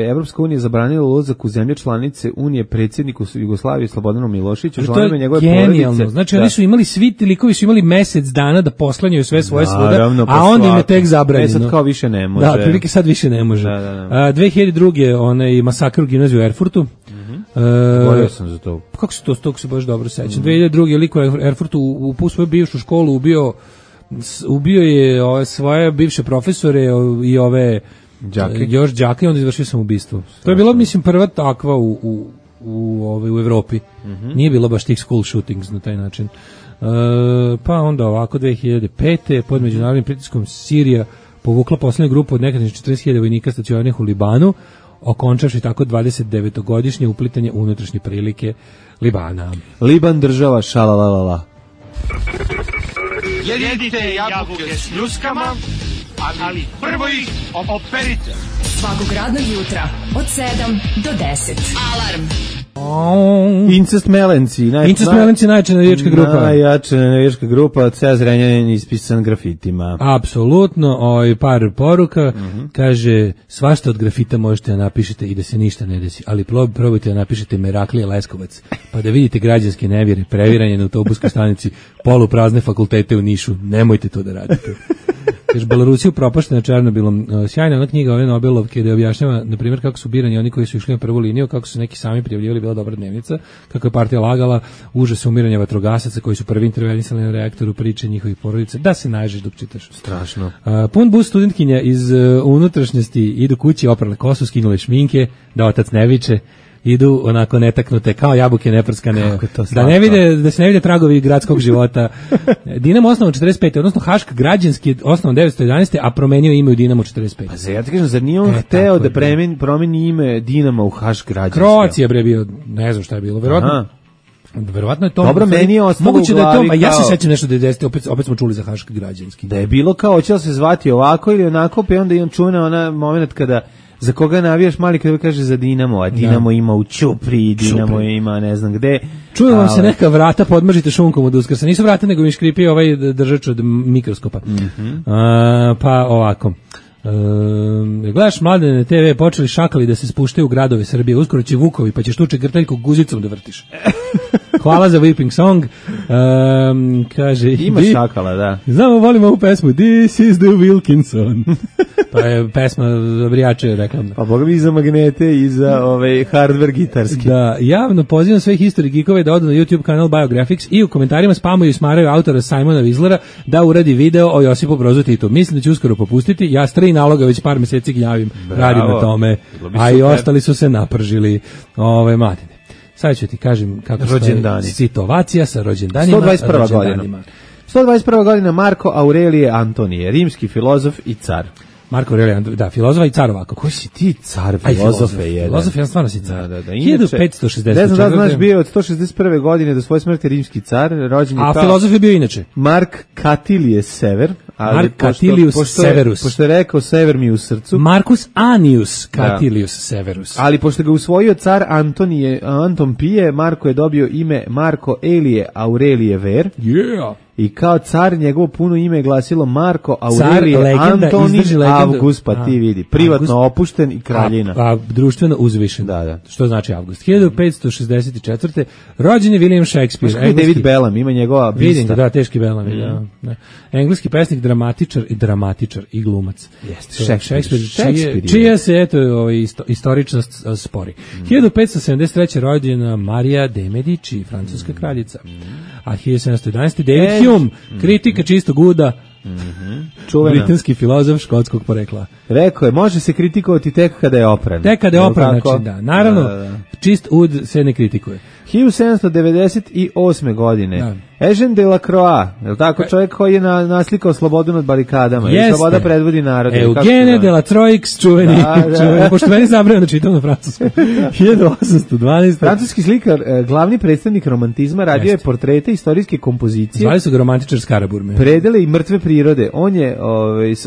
Evropska unija zabranila ulazak u zemlje članice Unije predsjedniku Jugoslavije Slobodanu Miloševiću, ženama njegove porodice. Znači oni su imali, svi ti likovi su imali mesec dana da posklanjaju sve svoje svuda, a onda im je tek zabranjeno. Sad kao više ne može. Da, prilike sad više ne može. 2002. onaj masakr u gimnaziju u Erfurtu. Govorio sam za to. Kako se to, tog se baš dobro sećam. 2002. liko u Erfurtu u svoju bivšu školu ubio je svoje bivše profesore i ove još đake i onda izvršio sam ubistvo. To je bilo, mislim, prva takva u Evropi. Nije bilo baš tih school shootings na taj način. Pa onda ovako 2005. pod međunarodnim pritiskom Sirija povukla posljednju grupu od nekadašnjih 40.000 vojnika stacioniranih u Libanu, okončavši tako 29-godišnje uplitanje unutrašnje prilike Libana. Liban država šalalalala. Jedite jabuke s ljuskama, ali prvo ih operite. Svakog radnog jutra od 7 do 10. Alarm. Incest Melenci. Incest Melenci najjača navijačka grupa. Najjača navijačka grupa, ceo Zrenjanin ispisan grafitima. Apsolutno, par poruka. Kaže, svašta od grafita možete da napišete i da se ništa ne desi, ali probajte da napišete Meraklije Leskovac, pa da vidite građanske nevjere, previranje na autobuskoj stanici, poluprazne fakultete u Nišu. Nemojte to da radite. Kaže, Belorusija upropaštena Černobilom. Sjajna ona knjiga ove Nobelovke gde objašnjava, na primjer, kako su birani oni koji su išli na prvu liniju, kako su neki sami prijavljivali, bila dobra dnevnica, kako je partija lagala, užas umiranja vatrogasaca koji su prvi intervenisali na reaktoru, priče njihovih porodica, da se naježiš dok čitaš. Strašno. Pun bus studentkinja iz unutrašnjosti idu kući, oprale kosu, skinule šminke, da otac ne viče, idu onako netaknute kao jabuke neprskane, da se ne vide tragovi gradskog života. Dinamo osnovan 45. odnosno Hašk građanski je osnovan 911. a promenio ime u Dinamo 45. Pa ja ti kažem, zar nije on hteo da promeni ime Dinama u Hašk građanski? Kroacija bre bio, ne znam šta je bilo, verovatno je to. Dobro, meni je ostalo moguće da je to, a ja se sećam nešto da je 10, opet smo čuli za Hašk građanski. Da je bilo kao hoće se zvati ovako ili onako, pa onda i on čuna ona moment kada za koga navijaš mali kada kaže za Dinamo, a Dinamo ima u Ćupri, Dinamo ima ne znam gde. Čuju vam se neka vrata, podmržite šunkom od Uskrsa. Nisu vrata, nego mi škripi ovaj držač od mikroskopa. Pa ovako. Gledaš Mladene TV, počeli šakali da se spuštaju u gradove Srbije, uskoro će Vukovi, pa ćeš tuče grteljku guzicom da vrtiš. Hvala za whipping song. Kaže, ima šakala, da. Znamo, volim ovu pesmu, This is the Wilkinson. Pa je pesma Brijače reklamna. Pa boga mi za magnete i za hardware gitarski. Da, javno pozivam sve history geekove da odu na YouTube kanal Biographics i u komentarima spamuju i smaraju autora Simona Wislera da uradi video o Josipu Brozu Titu. Mislim da će uskoro popustiti. Ja s 3 naloga već par meseci gnjavim, radim na tome, a i ostali su se napržili Mladine. Sad ću ti kažem kako je situacija sa rođendanima. 121. godina Marko Aurelije Antonije, rimski filozof i car. Marko Aurelije, da, filozofa i car ovako. Koji si ti car, filozofe jedan? Filozof, ja stvarno si car. Da. 1560. Ne znam da znaš, bio od 161. godine do svoje smrti rimski car, rođen je a filozof je bio inače? Mark Katilije Sever, Mark Catilius Severus. Pošto je rekao Sever mi u srcu. Marcus Annius Catilius Severus. Ali pošto ga usvojio car Anton Pije, Marko je dobio ime Marko Elije Aurelije Ver. Yeah. I kao car njegovo puno ime je glasilo Marko Aurelije Antoni Avgust, pa ti vidi. Privatno opušten i kraljina. A društveno uzvišen. Da. Što znači Avgust? 1564. Rođen je William Shakespeare. Engleski, David Bellam, ima njegova bista. Vidim ga, da, teški Bellam. Da. Engleski pesnik, dramatičar i glumac. Jeste, Shakespeare. Čija se, eto, istoričnost spori. 1573. rođena Marija de Medici, francuska kraljica. A 1711. David Hume, kritika čistog uda, britanski filozof škotskog porekla. Rekao je, može se kritikovati tek kada je opran. Tek kada je opran, znači da. Naravno, čist ud se ne kritikuje. 1798. godine. Eugène Delacroix, je li tako čovjek koji je naslikao slobodu nad barikadama? Jeste. I sloboda predvodi narod. Eugène Delacroix, čuveni. Pošto meni zabrano da čitam na francuskom. 1812. Francuski slikar, glavni predstavnik romantizma, radio je portrete, istorijske kompozicije. Zvali su ga romantičar Skaraburme. Predele i mrtve prirode.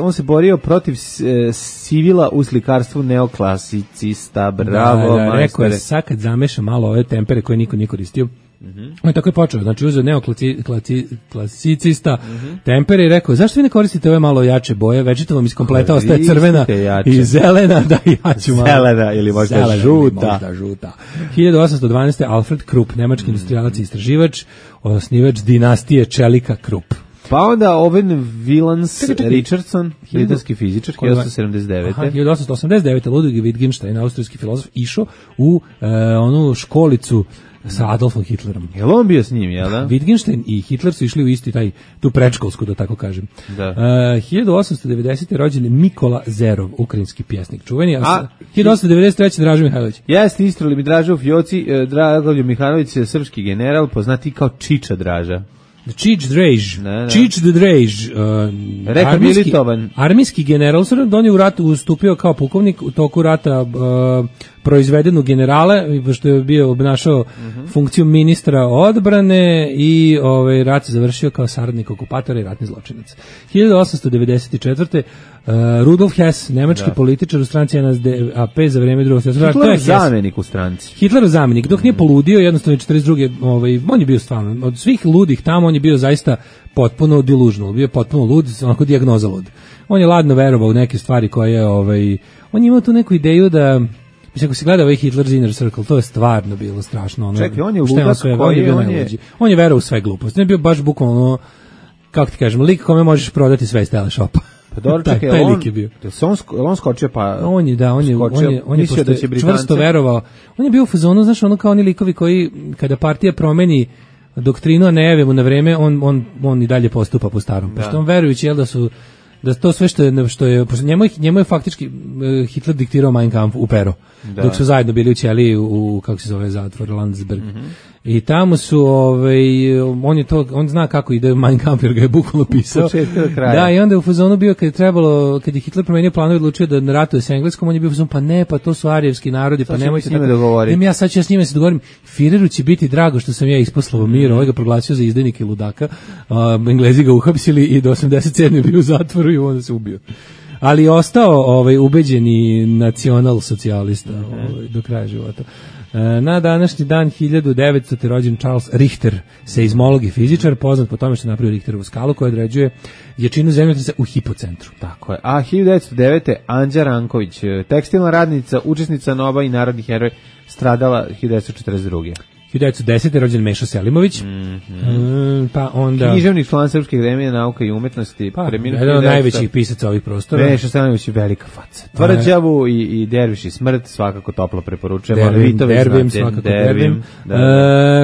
On se borio protiv civila u slikarstvu neoklasicista. Bravo, majstore. Rekao je, sad kad zameša malo ove tempere koje niko nije koristio, on je tako je počeo, znači uzeo neoklasicista tempere i rekao, zašto vi ne koristite ove malo jače boje, večito vam iz kompleta ostaje crvena i zelena, da ja ću malo. Zelena ili možda žuta. 1812. Alfred Krupp, nemački industrijalac i istraživač, osnivač dinastije čelika Krupp. Pa onda Owen Willans Richardson, britanski fizičar, 1879. 1889. Ludwig Wittgenstein, austrijski filozof, išao u onu školicu sa Adolfom Hitlerom. Je li on bio s njim, jel da? Wittgenstein i Hitler su išli u isti tu predškolsku, da tako kažem. Da. 1890. rođen Mikola Zerov, ukrajinski pjesnik čuveni, a 1893. Dražo Mihajlović. Jeste, istrali mi Dražo Fjoci, Dragoljub Mihajlović je srpski general, poznati kao Čiča Draža. Čič Drejž, Čič the Drejž, armijski general, on je u ratu ustupio kao pukovnik, u toku rata proizveden u generale, pošto je bio obnašao funkciju ministra odbrane i rat se završio kao saradnik okupatora i ratni zločinac. 1894. Rudolf Hess, nemački političar u stranci NSDAP za vreme drugog svjetskog rata. Hitlerov zamenik u stranci. Hitlerov zamenik, dok nije poludio, jednostavno 42. On je bio stvarno, od svih ludih tamo, on je bio zaista potpuno delusional, bio potpuno lud, onako dijagnoza lud. On je ladno verovao u neke stvari koje, on je imao tu neku ideju da, mislim, ako se gleda ovaj Hitler's Inner Circle, to je stvarno bilo strašno. Čekaj, on je ludak on je verovao u sve gluposti. On je bio baš bukvalno, kako ti kažem, lik kome možeš prodati sve iz teleshopa. Pa dobro, čekaj, taj lik je bio. On skočio pa... On je čvrsto verovao. On je bio u fazonu, znaš, ono kao oni likovi koji, kada partija promeni doktrinu, a ne jave mu na vreme, on i dalje postupa po starom. Pošto on verujući, da to sve što je njemu je faktički Hitler diktirao Mein Kampf u pero. Dok su zajedno bili u ćeliji u kako se zove zatvor Landsberg. I tamo su on zna kako ide Mein Kampf jer ga je bukvalno pisao. Da, i onda je u fazonu bio kad je Hitler promenio planove i odlučio da ratuje s Engleskom, on je bio u fazonu, pa ne, pa to su arijevski narodi, pa nemojte tako. Ja sad ću s njima se dogovorim. Führeru će biti drago što sam ja isposlao mir, ovaj ga proglasio za izdajnika i ludaka. Englezi ga uhapsili i do 87. bio u zatvoru i onda se ubio. Ali je ostao ubeđeni nacional socijalista do kraja života. Na današnji dan 1900. rođen Charles Richter, seizmolog i fizičar, poznat po tome što je napravio Richterovu skalu koja određuje jačinu zemljotresa u hipocentru. Tako je. A 1909. Anđa Ranković, tekstilna radnica, učesnica NOBA i narodni heroj, stradala 1942. 1910. rođen Meša Selimović, pa onda... Književnik, član Srpske akademije nauka i umetnosti. Jedan od najvećih pisaca ovih prostora. Meša Selimović je velika faca. Tvrđavu i Derviš i smrt, svakako toplo preporučujemo. Dervim, svakako Dervim.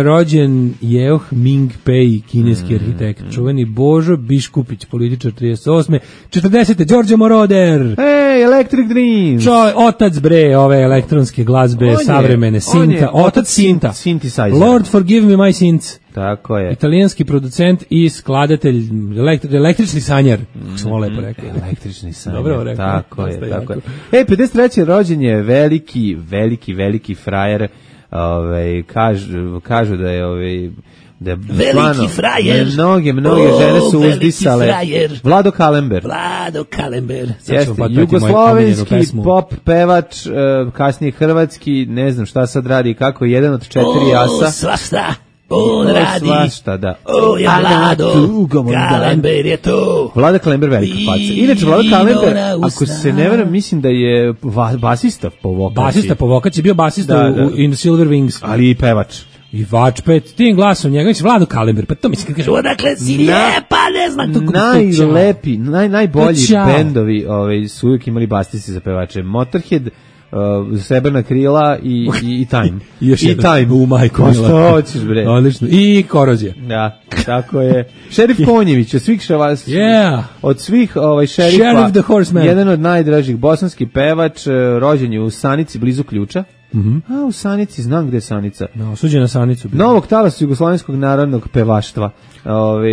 Rođen Jeoh Ming-pei, kineski arhitekt. Čuveni Božo Biškupić, političar 38. 40. Đorđe Moroder. Hey, Electric Dreams. Otac bre, ove elektronske glazbe, savremene, Sinta. Otac Sinta. Lord forgive me my sins. Tako je. Italijanski producent i skladatelj, električni sanjar. Što lepo rekao. Električni sanjar. Dobro rekao. Tako je. 53. rođen je veliki frajer. Kažu da je Da, veliki frajer. Mnoge žene su uzdisale. Vlado Kalember. Jeste, jugoslovenski pop pevač, kasnije hrvatski, ne znam šta sad radi, kako jedan od 4 asa. Svašta. On radi. Svašta, da. Ja Vlado, Kalember je to. Vlada Kalember velika faca. Inače, Vlada Kalember, ako se ne veram, mislim da je basista po vokaciji. Basista po vokaciji, bio basista u In the Silver Wings. Ali i pevač. I vačpet, tim glasom njega, mislim, Vlado Kalember, pa to mislim kad kaže, odakle si lijepa, ne znam, tu najlepi, najbolji bendovi su uvijek imali basiste za pevače. Motorhead, Srebrna krila i Time. I Time. U majku. Pa što hoćeš, bre? Odlično. I Korozija. Da, tako je. Šerif Konjević, od svih od svih šerifa, Sheriff the Horseman. Jedan od najdražih, bosanski pevač, rođen je u Sanici, blizu Ključa. A u Sanici, znam gde je Sanica. Osuđen na Sanicu. Novog talasa jugoslovenskog narodnog pevaštva,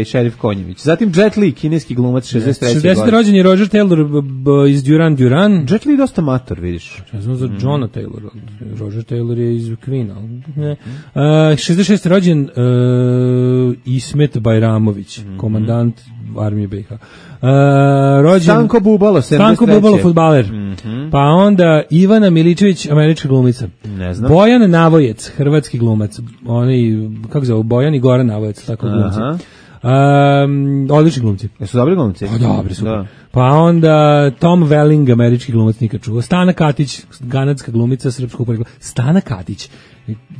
Šerif Konjević. Zatim Jet Li, kineski glumac, 63. 60. rođen je Roger Taylor iz Duran Duran. Jet Li je dosta mator, vidiš. Ja znam za Johna Taylor. Roger Taylor je iz Queen. 66. rođen Ismet Bajramović, komandant armije BiH. Rođen Stanko Bubalo, 73. Stanko Bubalo, fudbaler. Pa onda Ivana Miličević, američka glumica. Ne znam. Bojan Navojec, hrvatski glumac. Oni, kako zove, Bojan i Goran Navojec, tako glumci. Odlični glumci. Jesu dobri glumci? Dobri, super. Da. Pa onda Tom Welling, američki glumac, nikad čuo. Stana Katić, kanadska glumica, srpskog porekla. Stana Katić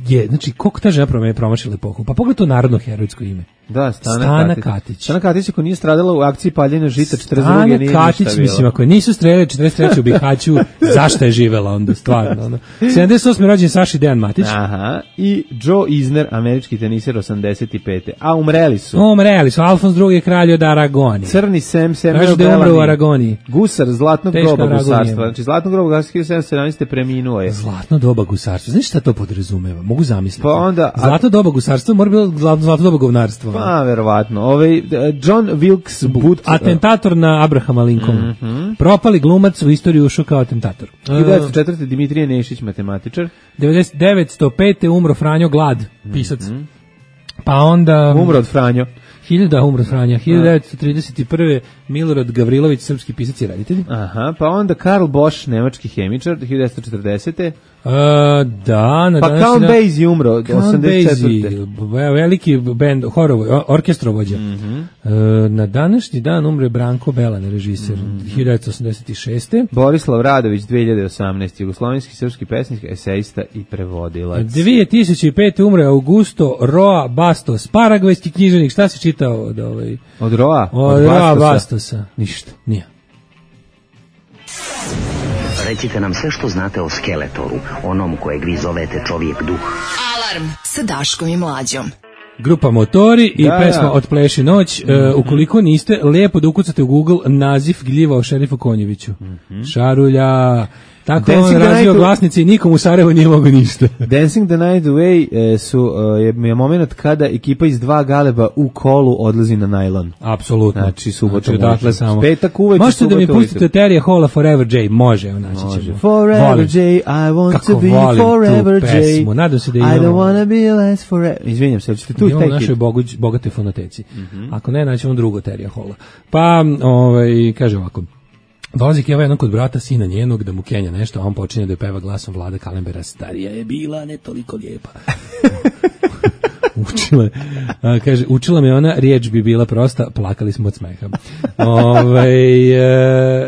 je, znači, koliko ta žena promašila epohu? Pa pogledaj to narodno herojsko ime. Da, Stana Katić. Stana Katić, ako nije stradala u akciji paljenja žita 42. nije ništa Katić, bilo. Mislim, ako nisu streljali 43. u Bihaću, zašto je živela onda, stvarno? Onda. 78. rođen Saši Dejan Matić. Aha, i Joe Isner, američki teniser, 85. A umreli su, Alfons II. kralj od Aragonije. Crni Samuel Bellamy. U Aragoniji. Gusar Zlatnog doba gusarstva. Znači, Zlatnog doba gusarstva 1717. preminuo je. Zlatno doba gusarstva. Znaš šta to podrazumeva? Mogu zamisliti. Pa onda, Zlatno doba gusarstva mora biti zlatno doba govnarstva. Pa, verovatno. John Wilkes Booth. Atentator na Abrahama Lincolna. Propali glumac u istoriju ušao kao atentator. 1904. Dimitrije Nešić, matematičar. 1905. umro Franjo Glad, pisac. Pa onda... Umro od Franjo. 1931. Milorad Gavrilović, srpski pisac i reditelj. Aha, pa onda Karl Bosch, nemački hemičar, 1940. Da, pa Count Basie umro, 84. Veliki band, orkestrovođa. Na današnji dan umre Branko Belan, režiser, 1986. Borislav Radović, 2018. Jugoslovenski srpski pesnik, esejista i prevodilac. 2005. umre Augusto Roa Bastos, paragvajski književnik. Šta si čitao od Roa? Od Roa Bastosa. Ništa. Nije. Recite nam sve što znate o Skeletoru, onom kojeg vi zovete čovjek duh. Alarm sa Daškom i Mlađom. Grupa Motori i pesma Otpleši noć. Ukoliko niste, lijepo da ukucate u Google naziv gljiva o šerifu Konjeviću. Šarulja. Tako on razvio glasnice i nikom u Sarajevu nije mogo ništa. Dancing the Night Away je moment kada ekipa iz dva galeba u kolu odlazi na najlon. Apsolutno. Znači, subota dakle, samo. Petak uveče, možete da mi pustite Terija Halla Forever J? Može, naći ćemo. Forever J, I want to be Forever J. Nadam se da I don't wanna be less forever. Izvinjam se, hoćete tu i taj u našoj bogatoj fonoteci. Ako ne, naćemo drugog Terija Halla. Pa, kaže ovako. Dolazi Keva jednom kod brata, sina njenog, da mu kenja nešto, a on počinje da je peva glasom Vlada Kalembera. Starija je bila, ne toliko lijepa. Učila me ona, riječ bi bila prosta, plakali smo od smeha.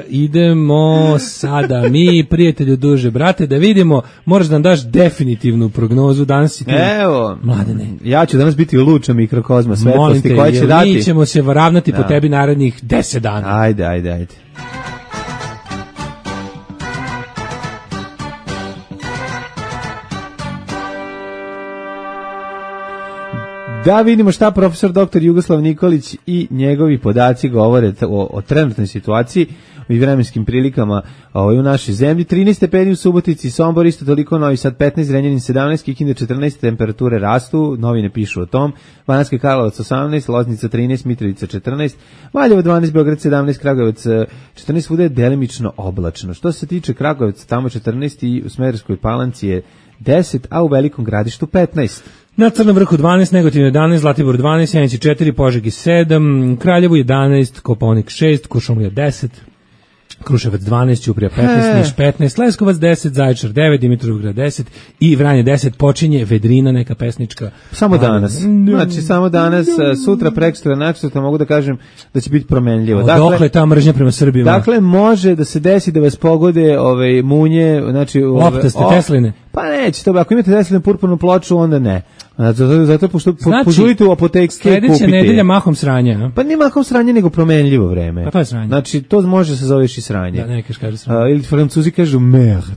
Idemo sada mi, prijatelju duže brate, da vidimo, moraš da nam daš definitivnu prognozu danas i ti. Evo, Mladene. Ja ću danas biti luča mikrokozma svetlosti koja će dati. Mi ćemo se ravnati po tebi narednih 10 dana. Ajde. Da vidimo šta profesor dr. Jugoslav Nikolić i njegovi podaci govore o trenutnoj situaciji i vremenskim prilikama u našoj zemlji. 13 stepeni u Subotici, Sombor isto toliko, Novi Sad 15, Zrenjanin 17, Kikinda 14, temperature rastu, novine pišu o tom, Banatski Karlovac 18, Loznica 13, Mitrovica 14, Valjevo 12, Beograd 17, Kragujevac 14, svuda je delimično oblačno. Što se tiče Kragujevca, tamo 14 i u Smederevskoj Palanci je 10, a u Velikom Gradištu 15. Na Crnom vrhu 12, Negotin 11, Zlatibor 12, Sjenici 4, Požegi 7, Kraljevo 11, Kopaonik 6, Kuršumlija 10, Kruševac 12, Ćuprija 15, Niš 15, Leskovac 10, Zaječar 9, Dimitrovgrad 10 i Vranje 10. Počinje vedrina, neka pesnička. Samo danas. Znači, samo danas, sutra, prekosutra, naksutra, mogu da kažem da će biti promenljivo. Dokle ta mržnja prema Srbima? Dakle, može da se desi da vas pogode munje, znači... Loptaste, Tesline. Pa neće, to, ako imate Teslinu purpurnu ploču, onda ne. Zato požurite u apotekske kupite. Sledeća nedelja mahom sranja. Pa nije mahom sranje, nego promenljivo vreme. Pa to je sranje. Znači, to može se zoveš i sranje. Da, nekaj kaže sranje. Ili Francuzi kažu merde.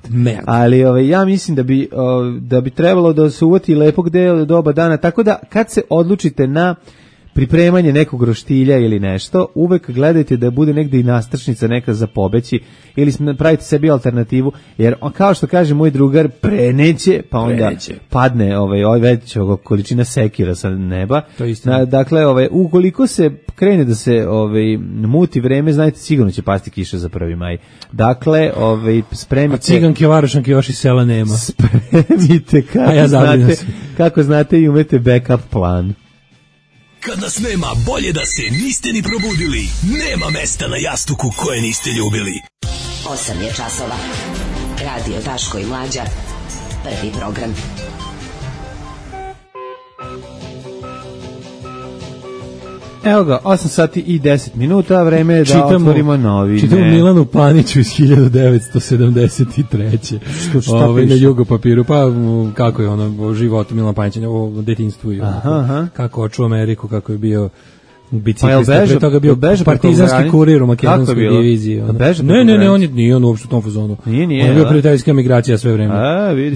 Ali ja mislim da bi trebalo da se uvati lepog doba dana, tako da kad se odlučite na pripremanje nekog roštilja ili nešto, uvek gledajte da bude negde i nastrčnica neka za pobeći ili pravite sebi alternativu, jer kao što kaže moj drugar, preneće, pa onda padne već količina sekira sa neba. Dakle, ukoliko se krene da se muti vreme, znajte, sigurno će pasti kiša za 1. maj. Dakle, spremite... A ciganke, varošanke još i sela nema. Spremite kako znate i umete backup plan. Kad nas nema, bolje da se niste ni probudili. Nema mesta na jastuku koje niste ljubili. 8 je časova. Radio Daško i Mlađa. Prvi program. Evo ga, 8 sati i 10 minuta, vreme je da otvorimo novine. Čitamo Milanu Paniću iz 1973. Šta piše? Na jugopapiru, pa kako je ono, životu Milana Panića, o detinjstvu i kako očuo Ameriku, kako je bio biciklista, pre toga bio partizanski kurir u makedonskoj diviziji. Ne, on nije uopšte u tom fazonu. On je bio prijateljska migracija sve vreme.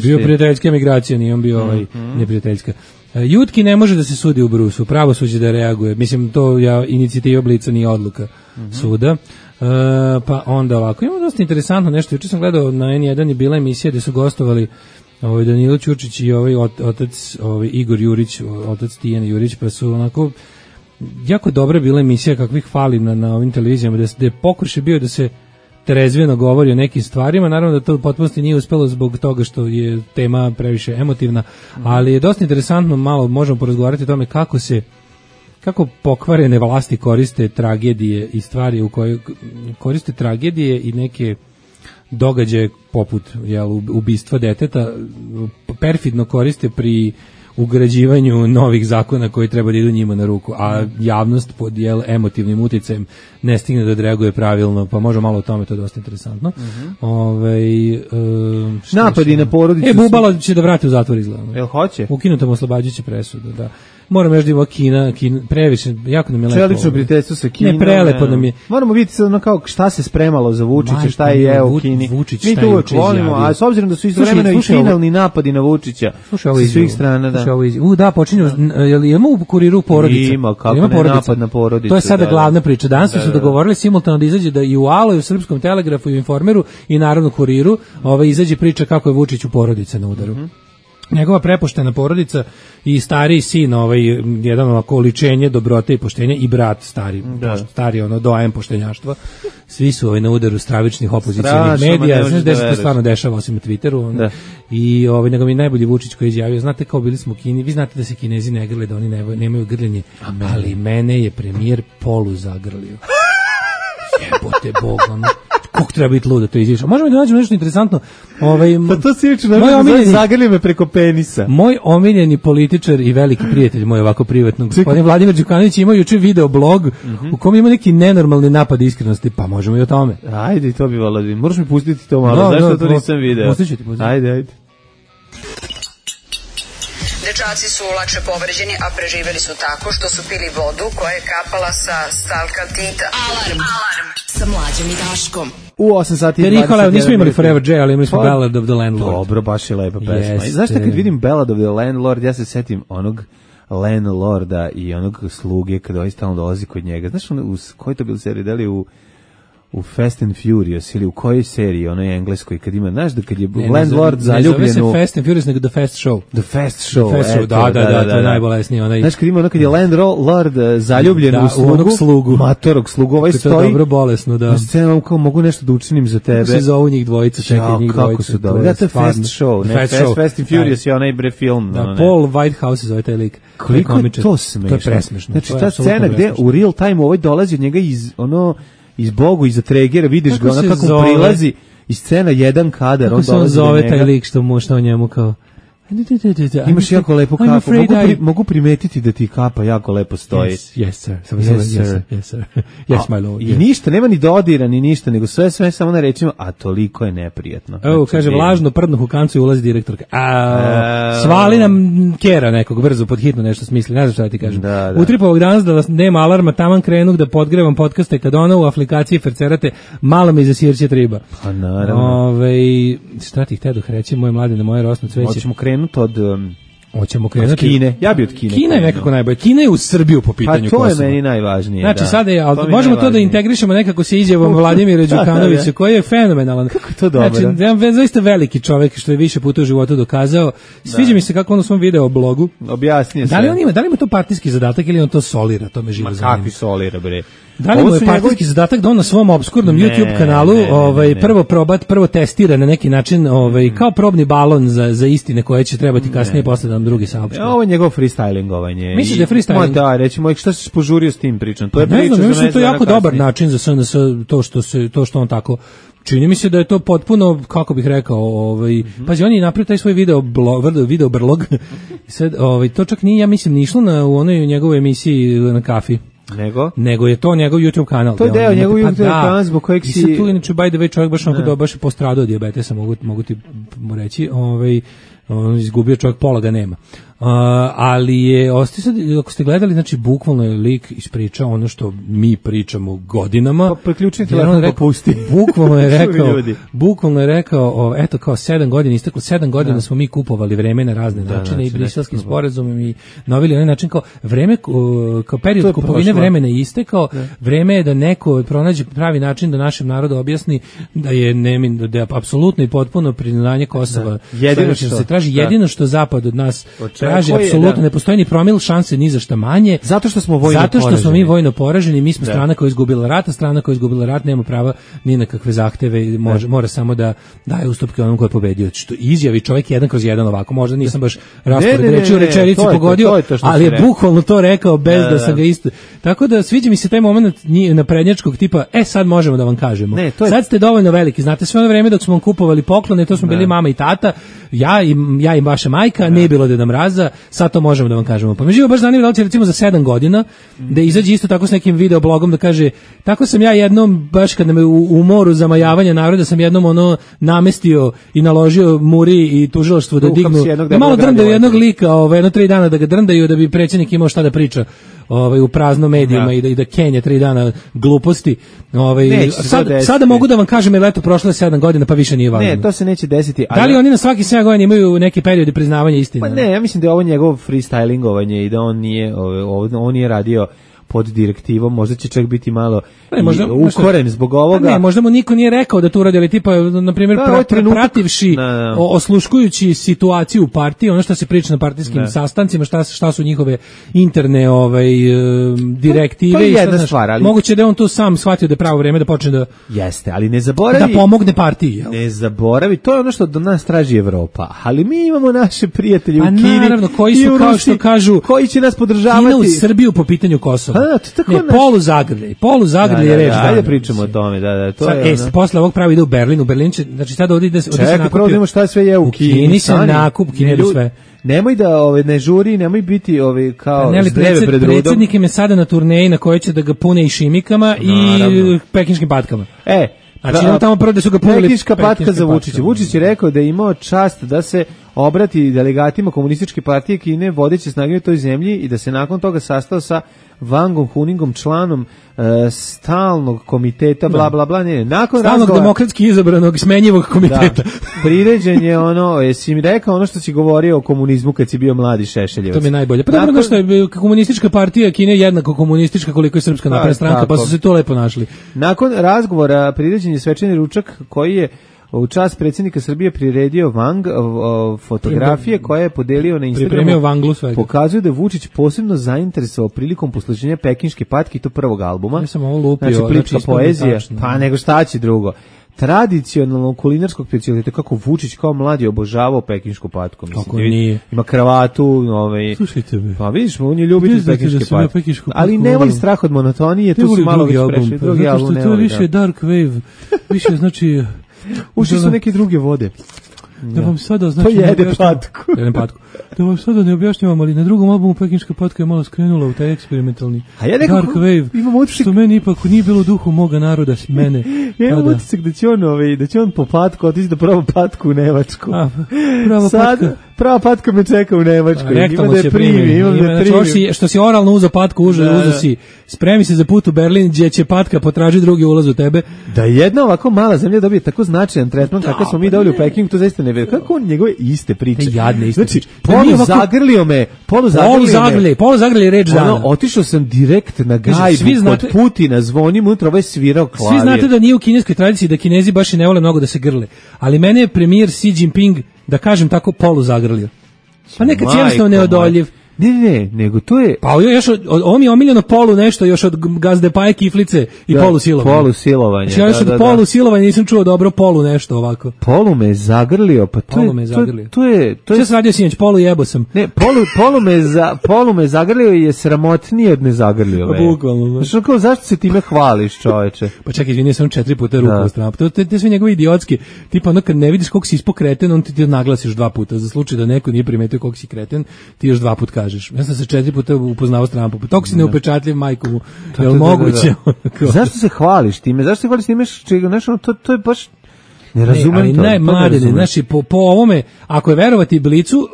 Bio prijateljska migracija, nije on bio neprijateljska. Jutki ne može da se sudi u Brusu, pravosuđe da reaguje. Mislim, to inicijativa Blica nije odluka suda. Pa onda ovako, imamo dosta interesantno nešto. Juče sam gledao na N1 je bila emisija gde su gostovali Danilo Ćurčić i otac Igor Jurić, otac Tijana Jurić, pa su onako jako dobra bila emisija kakvih fali na ovim televizijama, da je pokušaj bio da se trezveno govori o nekim stvarima, naravno da to u potpunosti nije uspelo zbog toga što je tema previše emotivna, ali je dosta interesantno, malo možemo porazgovarati o tome kako pokvarene vlasti koriste tragedije i stvari u kojoj koriste tragedije i neke događaje poput ubistva deteta, perfidno koriste pri ugrađivanju novih zakona koji treba da idu njima na ruku, a javnost pod emotivnim uticajem ne stigne da odreaguje pravilno, pa može malo o tome, to je dosta interesantno. Napadi na porodicu. Bubalo će da vrati u zatvor izgledano. Jel hoće? Ukinuta mu oslobađajuća presuda, da. Moram još da ima Kina previše, jako nam je lepo. Čelično prijateljstvo sa Kinom. Ne, prelepo nam je. Moramo vidjeti sad kao šta se spremalo za Vučića, šta je u Kini. Mi to uvijek volimo, a s obzirom da su istovremeno i finalni napadi na Vučića sa svih strana. Da, počinju, imamo u Kuriru porodice. Ima, kako ne napad na porodice. To je sada glavna priča. Danas su dogovorili simultano da izađe da i u Alo, i u Srpskom telegrafu, i u Informeru, i naravno Kuriru, izađe priča kako je Vučić u porodice na udaru. Njegova prepoštena porodica i stariji sin, jedan ovako oličenje dobrote i poštenja, i brat stari doajem poštenjaštva. Svi su na udaru stravičnih opozicionih medija. Znaš da se to stvarno dešava osim na Twitteru. I nego mi najbolji Vučić koji je izjavio, znate kao bili smo u Kini, vi znate da se Kinezi ne grle, da oni nemaju grljenje, ali mene je premijer polu zagrlio. Jebote Bog, kako treba biti luda to izviš. Možemo da nađemo nešto interesantno. Pa to si juče zagrlio me preko penisa. Moj omiljeni političar i veliki prijatelj, moj ovako privatno, gospodin Vladimir Đukanović, imao juče video blog u kom ima neki nenormalni napad iskrenosti, pa možemo i o tome. Ajde, to bi volao. Možeš mi pustiti to malo, zašto to nisam video? Pustit ću ti. Ajde. Dečaci su lakše povređeni, a preživeli su tako što su pili vodu koja je kapala sa stalkaltita. Alarm sa Mlađom i Daškom. U 8 sati i 20. Nismo imali Forever J, ali imali smo Ballad of the Landlord. Dobro, baš je lepa pesma. Znaš kad vidim Ballad of the Landlord, ja se setim onog landlorda i onog sluge kada ovaj stalno dolazi kod njega. Znaš koji to bilo seriji, da li u Fast and Furious ili u kojoj seriji, onoj engleskoj, kad ima, znaš da kad je landlord zaljubljen u... Ne zove se Fast and Furious, nego The Fast Show. The Fast Show, da, to je najbolesniji onaj. Znaš, kad ima ono kad je landlord zaljubljen u onog slugu. Matorog slugu, ovaj stoji. To je dobro bolesno, da. Scena, kao mogu nešto da učinim za tebe. Kako se zovu njih dvojica, čekaj njih dvojica. Kako su dobro. Da, to je Fast Show, ne Fast and Furious je onaj bre film. Da, Paul Whitehouse zove taj lik. Koliko je to smešno. To je presmešno. Znači, ta scena gde u real time ovaj dolazi od njega iz Bogu, iza Tregera, vidiš ga, ona kako prilazi iz scena jedan kadar, on dolazi do njega. Kako se zove taj lik što on njemu kao... Imaš jako lepo kapu, mogu primetiti da ti kapa jako lepo stoji. Yes, sir. Yes, sir. Yes, my lord. I ništa, nema ni dodira, ni ništa, nego sve samo na rečima, a toliko je neprijatno. Evo, kaže, vlažno prdnuh u kancu i ulazi direktorka. Svali nam kera nekog, brzo, pod hitno nešto smisli, ne znam šta ti kažem. Utripovog danas da vas nema alarma, taman krenu da podgrevam podcaste, kad ona u aplikaciji fercerate, malo mi zasirće triba. Pa naravno. Šta ti htedoh reći, moje mladine, moje rosno cveće. Hoćemo krenuti Hoćemo krenuti od Kine. Ja bi od Kine. Kina je nekako najbolje. Kina je u Srbiju po pitanju Kosova. Pa to je meni najvažnije. Znači sada je, ali možemo to da integrišemo nekako sa izjavom Vladimira Đukanovića, koji je fenomenalan. Kako je to dobro? Znači, jedan zaista veliki čovjek što je više puta u životu dokazao. Sviđa mi se kako on u svom video blogu objasnije sve. Da li ima to partijski zadatak ili on to solira, to me živo zanima. Kakvi solira, bre? Da li mu je partijski zadatak da on na svom obskurnom YouTube kanalu prvo testira na neki način kao probni balon za istine koje će trebati kasnije posle da nam drugi saopšte. Ovo je njegov freestylingovanje. Misliš da je freestyling? Da, recimo, šta si požurio s tim pričom? To je priča za mislim, to je jako dobar način za SNS, to što on tako. Čini mi se da je to potpuno, kako bih rekao, pazi, on je napravio taj svoj video brlog. Sad, to čak nije, ja mislim, ni išlo u onoj njegovoj emisiji na Kafi. Nego je to njegov YouTube kanal. To je deo njegov YouTube kanal zbog kojeg si... I sad tu, inače, by the way, čovjek baš je postradao dijabetesa, mogu ti reći, on izgubio čovjek, pola ga nema. Ali je, ako ste gledali, znači, bukvalno je lik ispričao ono što mi pričamo godinama. Pa priključni telefon pa pusti. Bukvalno je rekao, eto, kao 7 godina, isteklo 7 godina smo mi kupovali vreme na razne načine i briselskim sporazumom i novili onaj način kao vreme, kao period kupovine vremena je istekao, vreme je da neko pronađe pravi način da našem narodu objasni da je apsolutno i potpuno priznanje Kosova. Jedino što se traži, jedino što zapad od nas traži, apsolutno ne postoji ni promil šanse ni za šta manje. Zato što smo mi vojno poraženi, mi smo strana koja je izgubila rat, a strana koja je izgubila rat nema prava ni na kakve zahteve, mora samo da daje ustupke onom ko je pobedio. Što izjavi čovjek 1/1 ovako, možda nisam baš raspored reči u rečenici pogodio, ali je bukvalno to rekao bez da sam ga isto. Tako da sviđa mi se taj moment naprednjačkog tipa, sad možemo da vam kažemo. Sad ste dovoljno veliki, znate, sve ono vreme dok smo vam kupovali poklone, to smo bili mama i tata, ja i vaša majka, nije bilo Deda Mraza, sad to možemo da vam kažemo. Pa me živo baš zanima da li će recimo za 7 godina da izađe isto tako s nekim videoblogom da kaže, tako sam ja jednom, baš kad me u moru zamajavanja naroda sam jednom namestio i naložio Muri i tužilaštvo da dignu, da malo drndaju jednog lika, jedno 3 dana da ga drndaju da bi predsjednik imao šta da priča u prazno medijima i da Kenja 3 dana gluposti. Sada mogu da vam kažem, jer eto prošlo je 7 godina pa više nije važno. Ne, to se neće desiti. Da li oni na svaki 7 godina imaju neki periodi priznavanja istine? Pa ne, ja mislim da je ovo njegov freestylingovanje i da on nije radio pod direktivom, možda će čak biti malo ukoren zbog ovoga. Ne, možda mu niko nije rekao da to uradi, ali tipa, na primjer, prativši, osluškujući situaciju u partiji, ono što se priča na partijskim sastancima, šta su njihove interne direktive. To je jedna stvar, ali... Moguće da je on tu sam shvatio da je pravo vreme da počne da... Jeste, ali ne zaboravi... Da pomogne partiji, jel? Ne zaboravi, to je ono što do nas traži Evropa, ali mi imamo naše prijatelje u Kini. A naravno, koji su, kao što kažu... Koji će nas podržavati? Kina u Srbiju po pitanju Kosova. Poluzagrlje je reč. Ajde pričamo o tome, to je. Posle ovog pravi ide u Berlin, znači sad ovdje ide se nakupio. Čekaj, prvo vidimo šta sve je u Kini. U Kini se nakup, Kini jedu sve. Nemoj da ne žuri, nemoj biti kao zdreve pred rudom. Predsjednik im je sada na turneji na kojoj će da ga pune i šimikama i pekinškim patkama. Znači imamo tamo prvo da su ga punili pekinška patka za Vučića. Vučić je rekao da je imao čast da se obrati delegatima komunističke partije Kine, vodeće snage u toj zemlji, i da se nakon toga sastao sa Vangom Huningom, članom stalnog komiteta, bla, bla, bla, ne. Nakon stalnog razgovora, demokratski izabranog smenjivog komiteta. Da, priređen je ono, jesi mi rekao ono što si govorio o komunizmu kad si bio mladi Šešeljevac. To mi je najbolje. Pa dobro, što je komunistička partija Kine jednako komunistička koliko je Srpska napredna stranka, pa su se to lepo našli. Nakon razgovora priređen je svečani ručak koji je u čast predsjednika Srbije priredio Wang, fotografije koje je podelio na Instagramu. Pokazuju da je Vučić posebno zainteresovao prilikom posluženja pekinške patke i to prvog albuma. Ja sam ovo lupio. Znači plitka poezija, pa nego šta će drugo. Tradicionalnog kulinarskog specialiteta, kako Vučić kao mladi obožavao pekinšku patku. Mislim, kako nije. Ima kravatu, slušajte me. Pa vidiš, on je ljubitelj pekinške patke. Ali ne voli strah od monotonije, tu su malo već prešli. Drugi album ne voli. To je više dark wave, više znači... Ušli su neke druge vode. Da vam sada znači... To jede patku. Da vam sada ne objašnjavam, ali na drugom albumu pekinška patka je malo skrenula u taj eksperimentalni dark wave, što meni ipak nije bilo duhu moga naroda, mene. Ja imam utisak da će on po patku otići da prava patku u Nemačku. Prava patka me čeka u Nemačkoj. Ima da je primi. Što si oralno uzeo patku, uzeo si, spremi se za put u Berlin, gdje će patka potraži drugi ulaz u tebe. Da jedna ovako mala zemlja dobije tako značajan tretman kakav smo mi dobili u Pekingu, to zaista ne vidi. Kako on njegove iste priče? Jadne iste priče. Poluzagrlje reč dana. Otišao sam direkt na gajbu kod Putina, zvonim unutra, ovaj svirao klavir. Svi znate da nije u kineskoj tradiciji da Kinezi baš i ne vole mnogo da se grle. Ali mene je premijer Xi Jinping, da kažem tako, poluzagrlio. Pa nekad jednostavno neodoljiv. Ne, nego to je... Pa ovo mi je omiljeno polu nešto još od gazde paje kiflice i polusilovanja. Polusilovanje, ja još od polusilovanja nisam čuo dobro polu nešto ovako. Polu me zagrlio, pa to je... Šta sam radio sinoć, polu jebo sam. Ne, polu me zagrlio je sramotnije od ne zagrlio. Bukvalno. Zašto se time hvališ, čoveče? Pa čekaj, izvini, sam 4 puta ruku u stranu. Te sve njegove idiotski, tipa ono kad ne vidiš koliko si ispod kreten, on ti naglasiš 2 puta. Za slučaj da neko nije primetio koliko si kreten, ti još 2 puta kažeš. Ja sam se 4 puta upoznao s Trumpom. Toko si neupečatljiv, majko mu. Je li moguće? Zašto se hvališ time? Zašto se hvališ time? To je baš... Ne razumem to. Ali mladene, znači po ovome, ako je verovati Blicu,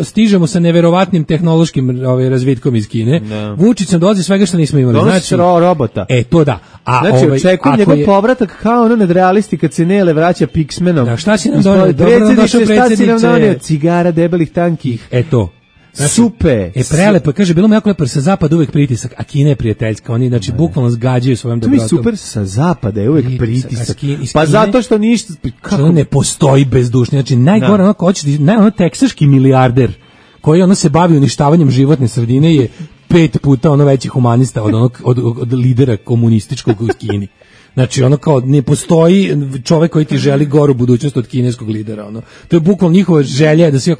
stižemo sa neverovatnim tehnološkim razvitkom iz Kine. Vučić nam dolazi svega što nismo imali. Znači robota. To da. Znači očekujem njegov povratak kao ono nadrealisti kad se Nele vraća Pixmenom. Da, šta si nam donio? Šta si nam donio? Cigara debelih tankih. To. Znači, super. Prelepo, kaže, bilo mi jako lepo, sa zapada uvek pritisak, a Kina je prijateljska, oni znači bukvalno zgađaju svojom dobrotom. To mi super, sa zapada je uvek pritisak. Pa zato što ništa... Što ne postoji bezdušni, znači najgore onako hoćeš, ono teksaški milijarder, koji ono se bavi uništavanjem životne sredine je 5 puta ono veći humanista od lidera komunističkog u Kini. Znači, ono kao, ne postoji čovek koji ti želi goru budućnost od kineskog lidera, ono. To je bukvalno njihova želja da svi,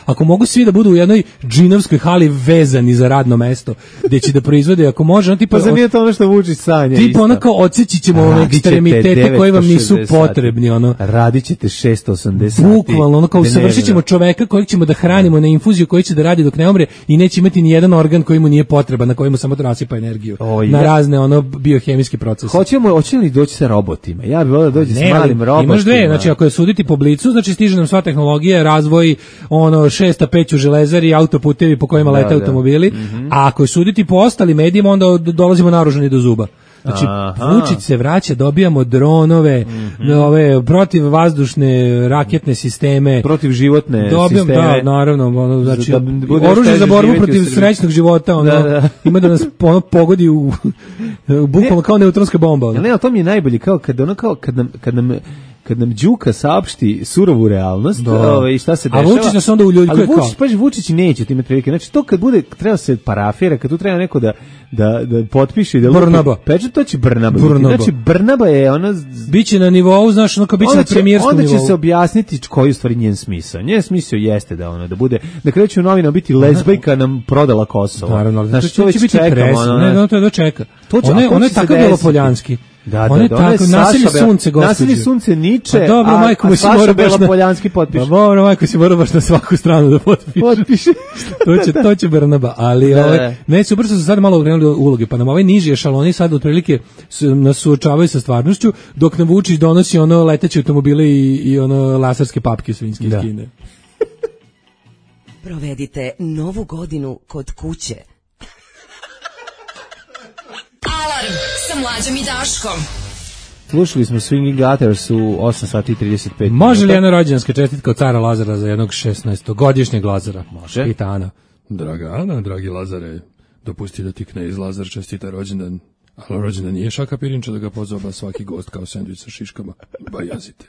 ako mogu svi da budu u jednoj džinovskoj hali vezani za radno mesto, gde će da proizvode, ako može, ono tipa... Pa za nije to ono što Vučić sanja, tipa ono kao, odseći ćemo ekstremitete koji vam nisu potrebni, ono. Radit ćete 680 sati. Bukvalno, ono kao, usavršit ćemo čoveka kojeg ćemo da hranimo na infuziju, koji će da radi dok ne umre i neće imati ni jedan organ koji mu nije potreban, na kojemu samo nasipa energiju. Na razne, ono, biohemijske procese. Hoće li doći sa robotima? Ja bih volio da dođe s malim robotima. Imaš dve, znači ako je suditi po Blicu, znači stiže nam sva tehnologija, razvoj, 6-5 u železari, autoputevi po kojima lete automobili, a ako je suditi po ostalim medijima, onda dolazimo naoružani do zuba. Znači, Vučić se vraća, dobijamo dronove, protivvazdušne raketne sisteme, protivživotne sisteme. Da, naravno, znači, oružje za borbu protiv srećnog života, ima da nas pogodi u bukvalno kao neutronska bomba. Ne, to mi je najbolje, kao kad nam Đuka saopšti surovu realnost, i šta se dešava. A Vučić nas onda uljuljkuje kao. Ali Vučić neće time prilike. Znači to kad bude, treba se parafira, kad tu treba neko da potpiše, da Brnaba. Peče, to će Brnaba. Znači Brnaba je ona... Biće na nivou, znaš, ono kao biće na premijerskom nivou. Onda će se objasniti koji je stvari njen smisao. Njen smisao jeste da bude, da kreću novina biti lezbajka nam prodala Kosovo. Naravno, znači to već čekamo. Ne, to je dočeka. Ono je tako Belopoljanski. On je tako, nasilje sunce, gospođe. Nasilje sunce Niče, dobro, a Saša Belopoljanski potpiše. Dobro, majko, si mora baš na svaku stranu da potpiše. To će Brnaba, ali ne, super su se sad malo okrenuli uloge, pa nam ovaj niži ešaloni sad otprilike nas suočavaju sa stvarnošću, dok nam Vučić donosi ono leteće automobile i ono laserske papke svinjske iz Kine. Provedite novu godinu kod kuće. Alarm sa Mlađom i Daškom. Slušali smo Swinging Gutters u 8 sati i 35. Može li jedna rođendanska čestitka od cara Lazara za jednog 16-godišnjeg Lazara? Može. Pita Ana. Draga Ana, dragi Lazare, dopusti da ti knez Lazar čestita rođendan. Ali rođendan nije Šaka Pirinča da ga pozoba svaki gost kao sendvič sa šiškama. Bajazite.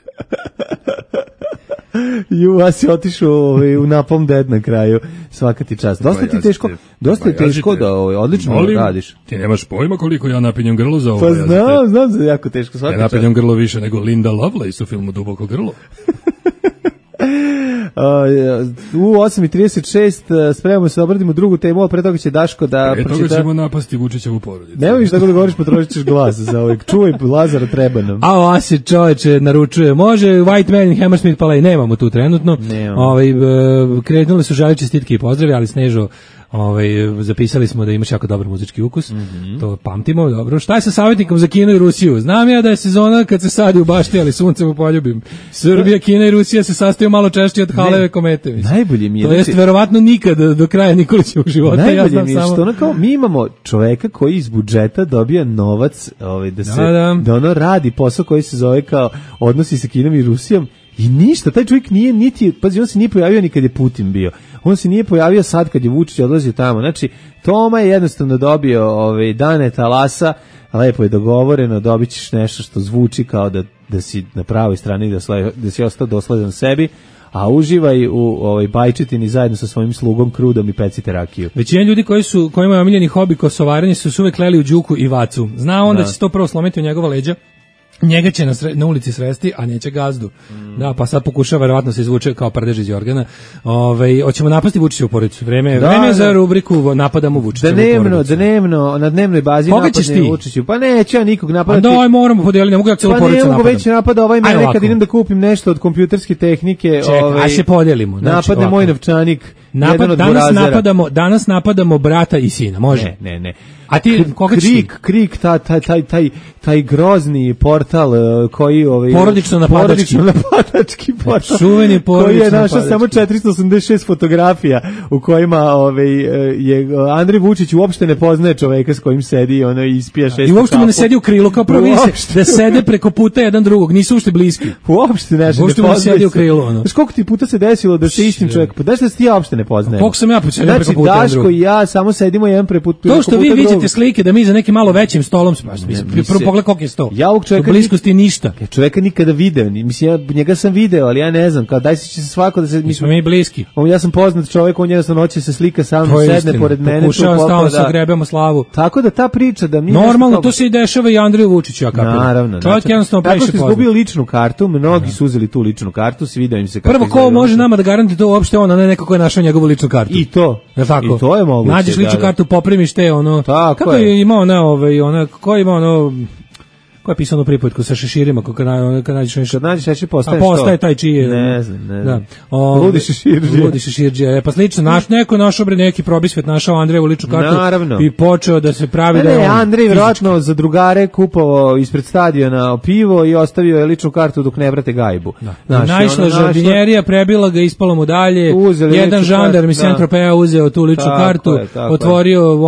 Ja si otišao u napom ded na kraju. Svaka ti čast. Dosta ti teško, dosta je teško da odlično radiš. Ti nemaš pojma koliko ja napinjem grlo za ovo. Pa znam da je jako teško. Svaka ja napinjem grlo više nego Linda Lovelace u filmu Duboko grlo. U 8:36 spremamo se da obradimo drugu temu, a pre toga će Daško da pročita. Pre toga ćemo napasti Vučićevu porodicu. Nemoj više tako da govoriš, potrošit ćeš glas za ovaj. Čuvaj, Lazara, treba nam. A se čoveče naručuje. Može White Man i Hammersmith Palais, nemamo tu trenutno. Krenuli su žali čestitke i pozdravi, ali Snežo, zapisali smo da imaš jako dobar muzički ukus. To pamtimo, dobro. Šta je sa savjetnikom za Kinu i Rusiju? Znam ja da je sezona kad se sadi u bašti, ali suncem u poljubim. Srbija, Kina i Rusija se sastaju malo češće od Haleve komete. Mislim. Najbolje mi je. To jest verovatno nikad do kraja Nikolićevog života. Najbolje mi je što kao, mi imamo čoveka koji iz budžeta dobija novac da ono radi posao koji se zove kao odnosi sa Kinom i Rusijom. I ništa, taj čovjek nije niti, pazi, on se nije pojavio ni kad je Putin bio. On se nije pojavio sad kad je Vučić odlazio tamo. Znači, Toma je jednostavno dobio dane talasa, lepo je dogovoreno, dobit ćeš nešto što zvuči kao da si na pravoj strani, da si ostao dosledan sebi, a uživaj u bajčetini zajedno sa svojim slugom Krudom i pecite rakiju. Većina ljudi koji imaju omiljeni hobi kosovarenje su uvek kleli u Đuku i Vacu. Zna on da će se to prvo slomiti u njegova leđa. Njega će na ulici sresti, a neće gazdu. Da, pa sad pokušava, verovatno se izvuče kao prdež iz Jorgana. Hoćemo napasti Vučićevu porodicu. Vreme je za rubriku napadamo Vučićevu porodicu. Dnevno, na dnevnoj bazi napadne Vučiću. Pa neću ja nikog napadati. Pa moram podeliti, ne mogu ja celu porodicu napadam. Pa ne mogu već napada mene kad idem da kupim nešto od kompjuterske tehnike. Čekaj, aj se podelimo. Napadne moj novčanik. Danas napadamo brata i sina, može? Ne. A ti Krik, taj grozni portal koji porodično napadački portal. Čuveni porodično koji je našao samo 486 fotografija u kojima je Andrej Vučić uopšte ne poznaje čoveka s kojim sedi i ispija 6 kapu. I uopšte mu ne sedi u krilu, kao prvo vidi se da sede preko puta jedan drugog, nisu uopšte bliski. Uopšte ne sedi u krilu. Znaš koliko ti puta se desilo da se istim čovjek, da se ti ja uopšte ne poznajem. Koliko sam ja posedio preko puta. Znači Daško i ja samo sedimo jedan preko puta. To što vi vidite slike da mi za nekim malo većim stolom prvo pogled koliko je sto. Ja ovog čovjeka bliskosti ništa. Ja čovjeka nikada video, mislim ja njega sam video, ali ja ne znam, kao daj se će se svako da se mi smo mi bliski. Ja sam poznat čovjek, on jednostavno hoće se slika sa mnom, sedne pored mene, pokušava stalno da grebemo slavu. Tako da ta priča da mi normalno to se i dešava i Andreju Vučiću, ja kapiram. Naravno. Čovjek jednostavno previše poznat. Izgubio ličnu kartu, mnogi su uzeli tu ličnu kartu, svidio im se kako. Prvo ko može nama da garantuje to uopšte on, a ne neko ko je našao njegovu ličnu kartu. I to. I to je moguće. Nađeš ličnu kartu, poprimiš te kako je imao ko ima ko je pisano pripovetku sa šeširima, kad nađeš nešto. Kad nađeš šešir, postaje što? A postaje taj čiji je. Ne znam. Da. Ludi šeširđe. Pa slično, neko našao neki probisvet, našao Andrejevu ličnu kartu. Naravno. I počeo da se pravi da je on Andrej vjerojatno za drugare kupovao ispred stadiona pivo i ostavio je ličnu kartu dok ne vrate gajbu. Naišla žardinjerija, prebila ga, ispalo mu dalje. Jedan žandarm iz Saint-Tropeza uzeo tu ličnu kartu, otvorio,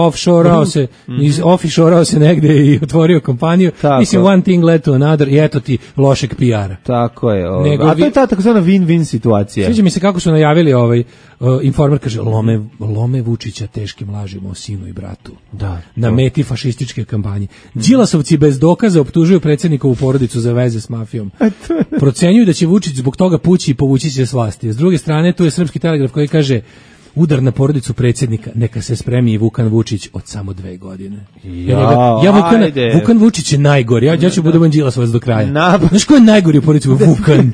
offshore se negde i otvorio kompaniju. Mislim, one thing led to another i eto ti lošeg PR-a. Tako je. A to je ta takozvana win-win situacija. Sviđa mi se kako su najavili Informer kaže, lome Vučića teškim lažima o sinu i bratu. Da. Na meti fašističke kampanje. Đilasovci bez dokaza optužuju predsjednikovu porodicu za veze s mafijom. Procenjuju da će Vučić zbog toga pući i povući se s vlasti. S druge strane, tu je Srpski telegraf koji kaže udar na porodicu predsjednika, neka se spremi i Vukan Vučić od samo 2 godine. Vukan Vučić je najgori, ja ću budem Đilasovac do kraja. Znaš ko je najgori u porodici? Vukan.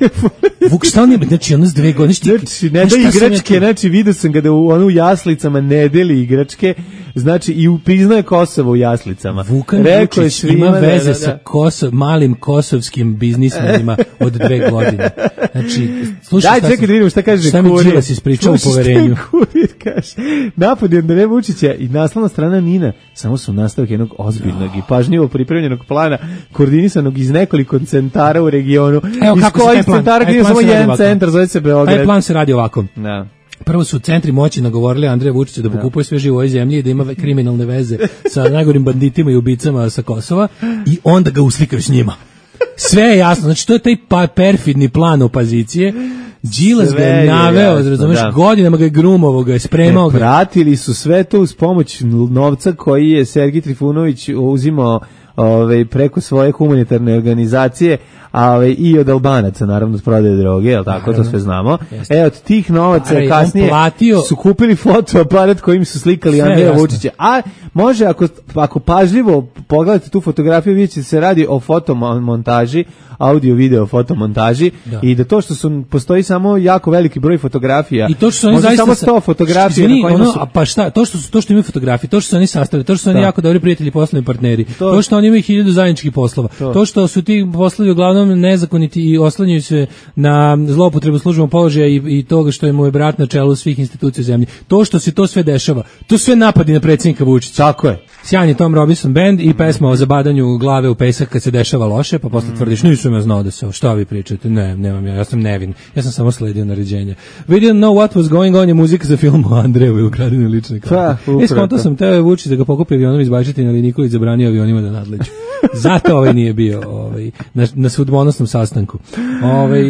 Šta on je, znači ono s 2 godine. Znači, ne da igračke, znači vidio sam ga da u jaslicama ne deli igračke, znači i priznaje Kosovo u jaslicama. Vukan Vučić ima veze sa malim kosovskim biznismenima od 2 godine. Znači, slušaj, čekaj da vidimo šta kaže Kurir. Šta mi Đilas ispričao u poverenju. Kurir kaže, napad je Andreja Vučića i naslovna strana Nina samo su nastavak jednog ozbiljnog i pažljivo pripremljenog plana koordinisanog iz nekoliko centara u regionu. Evo kako se taj plan, samo jedan centar, zove se Beograd. Taj plan se radi ovako. Da. Prvo su centri moći nagovorili Andreja Vučića da pokupuje sve živo u ovoj zemlji i da ima kriminalne veze sa najgorim banditima i ubicama sa Kosova i onda ga uslikaju s njima. Sve je jasno, znači to je taj perfidni plan opozicije. Đilas ga je naveo, razumeš, godinama ga je grumovo, ga je spremao ga. Pratili su sve to uz pomoć novca koji je Sergij Trifunović uzimao preko svoje humanitarne organizacije, i od Albanaca, naravno, s prodaje droge, jel tako, to sve znamo. Od tih novaca kasnije su kupili fotoaparat kojim su slikali Andreja Vučića. A može, ako pažljivo pogledate tu fotografiju, vidite da se radi o fotomontaži, audio-video fotomontaži i da to što postoji samo jako veliki broj fotografija. I to što su oni zaista samo 100 fotografija na kojima su... Pa šta, to što imaju fotografije, to što su oni sastavili, to što su oni jako dobri prijatelji, poslovni partneri, to što oni imaju 1000 zajedničkih poslova, to što su ti poslovi uglavnom nezakoniti i oslanjaju se na zloupotrebu službenog položaja i toga što je mu je brat na čelu svih institucija u zemlji. To što se to sve dešava, to sve napadi na predsjednika Vučića. Tako je. Sjajni Tom Robinson Band i pesma o zabadanju glave u pesak kad se dešava loše, pa posle tvrdiš, nisam ja znao da se, šta vi pričate, nemam ja sam nevin, ja sam samo sledio naređenja. We didn't know what was going on je muzika za film o Andreju i ukradenoj ličnoj karti. Skonto sam teo je Vučić da ga pokupi avionom iz Bajčetine, ali Nikolić zabranio avionima da nadleću. Zato nije bio na sudbonosnom sastanku.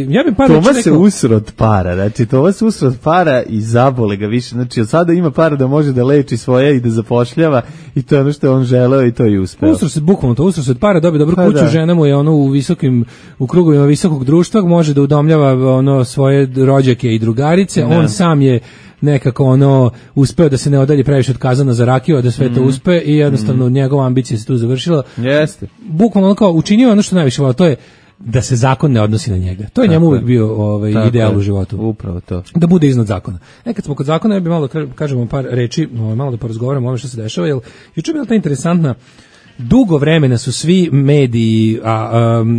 Ja bih Toma se usro od para, znači Toma se usro od para i zabole ga više, znači od sada ima para da može da leči svoje i da zapošljava i to je ono što je on želeo i to je uspeo. Usro se bukvalno to, usro se od para, dobije dobru kuću, žena mu je u krugovima visokog društva, može da udomljava svoje rođake i drugarice, on sam je nekako uspeo da se ne odalji previše od Kazana za rakiju, da sve to uspe i jednostavno njegova ambicija se tu završila. Jeste. Bukvalno kao učinio ono što najviše volao, to je da se zakon ne odnosi na njega. To je njemu uvijek bio ideal u životu. Upravo to. Da bude iznad zakona. Kad smo kod zakona, ja bih malo kažemo par reči, malo da porazgovaramo o ovome što se dešava, jer juče je bila ta interesantna. Dugo vremena su svi mediji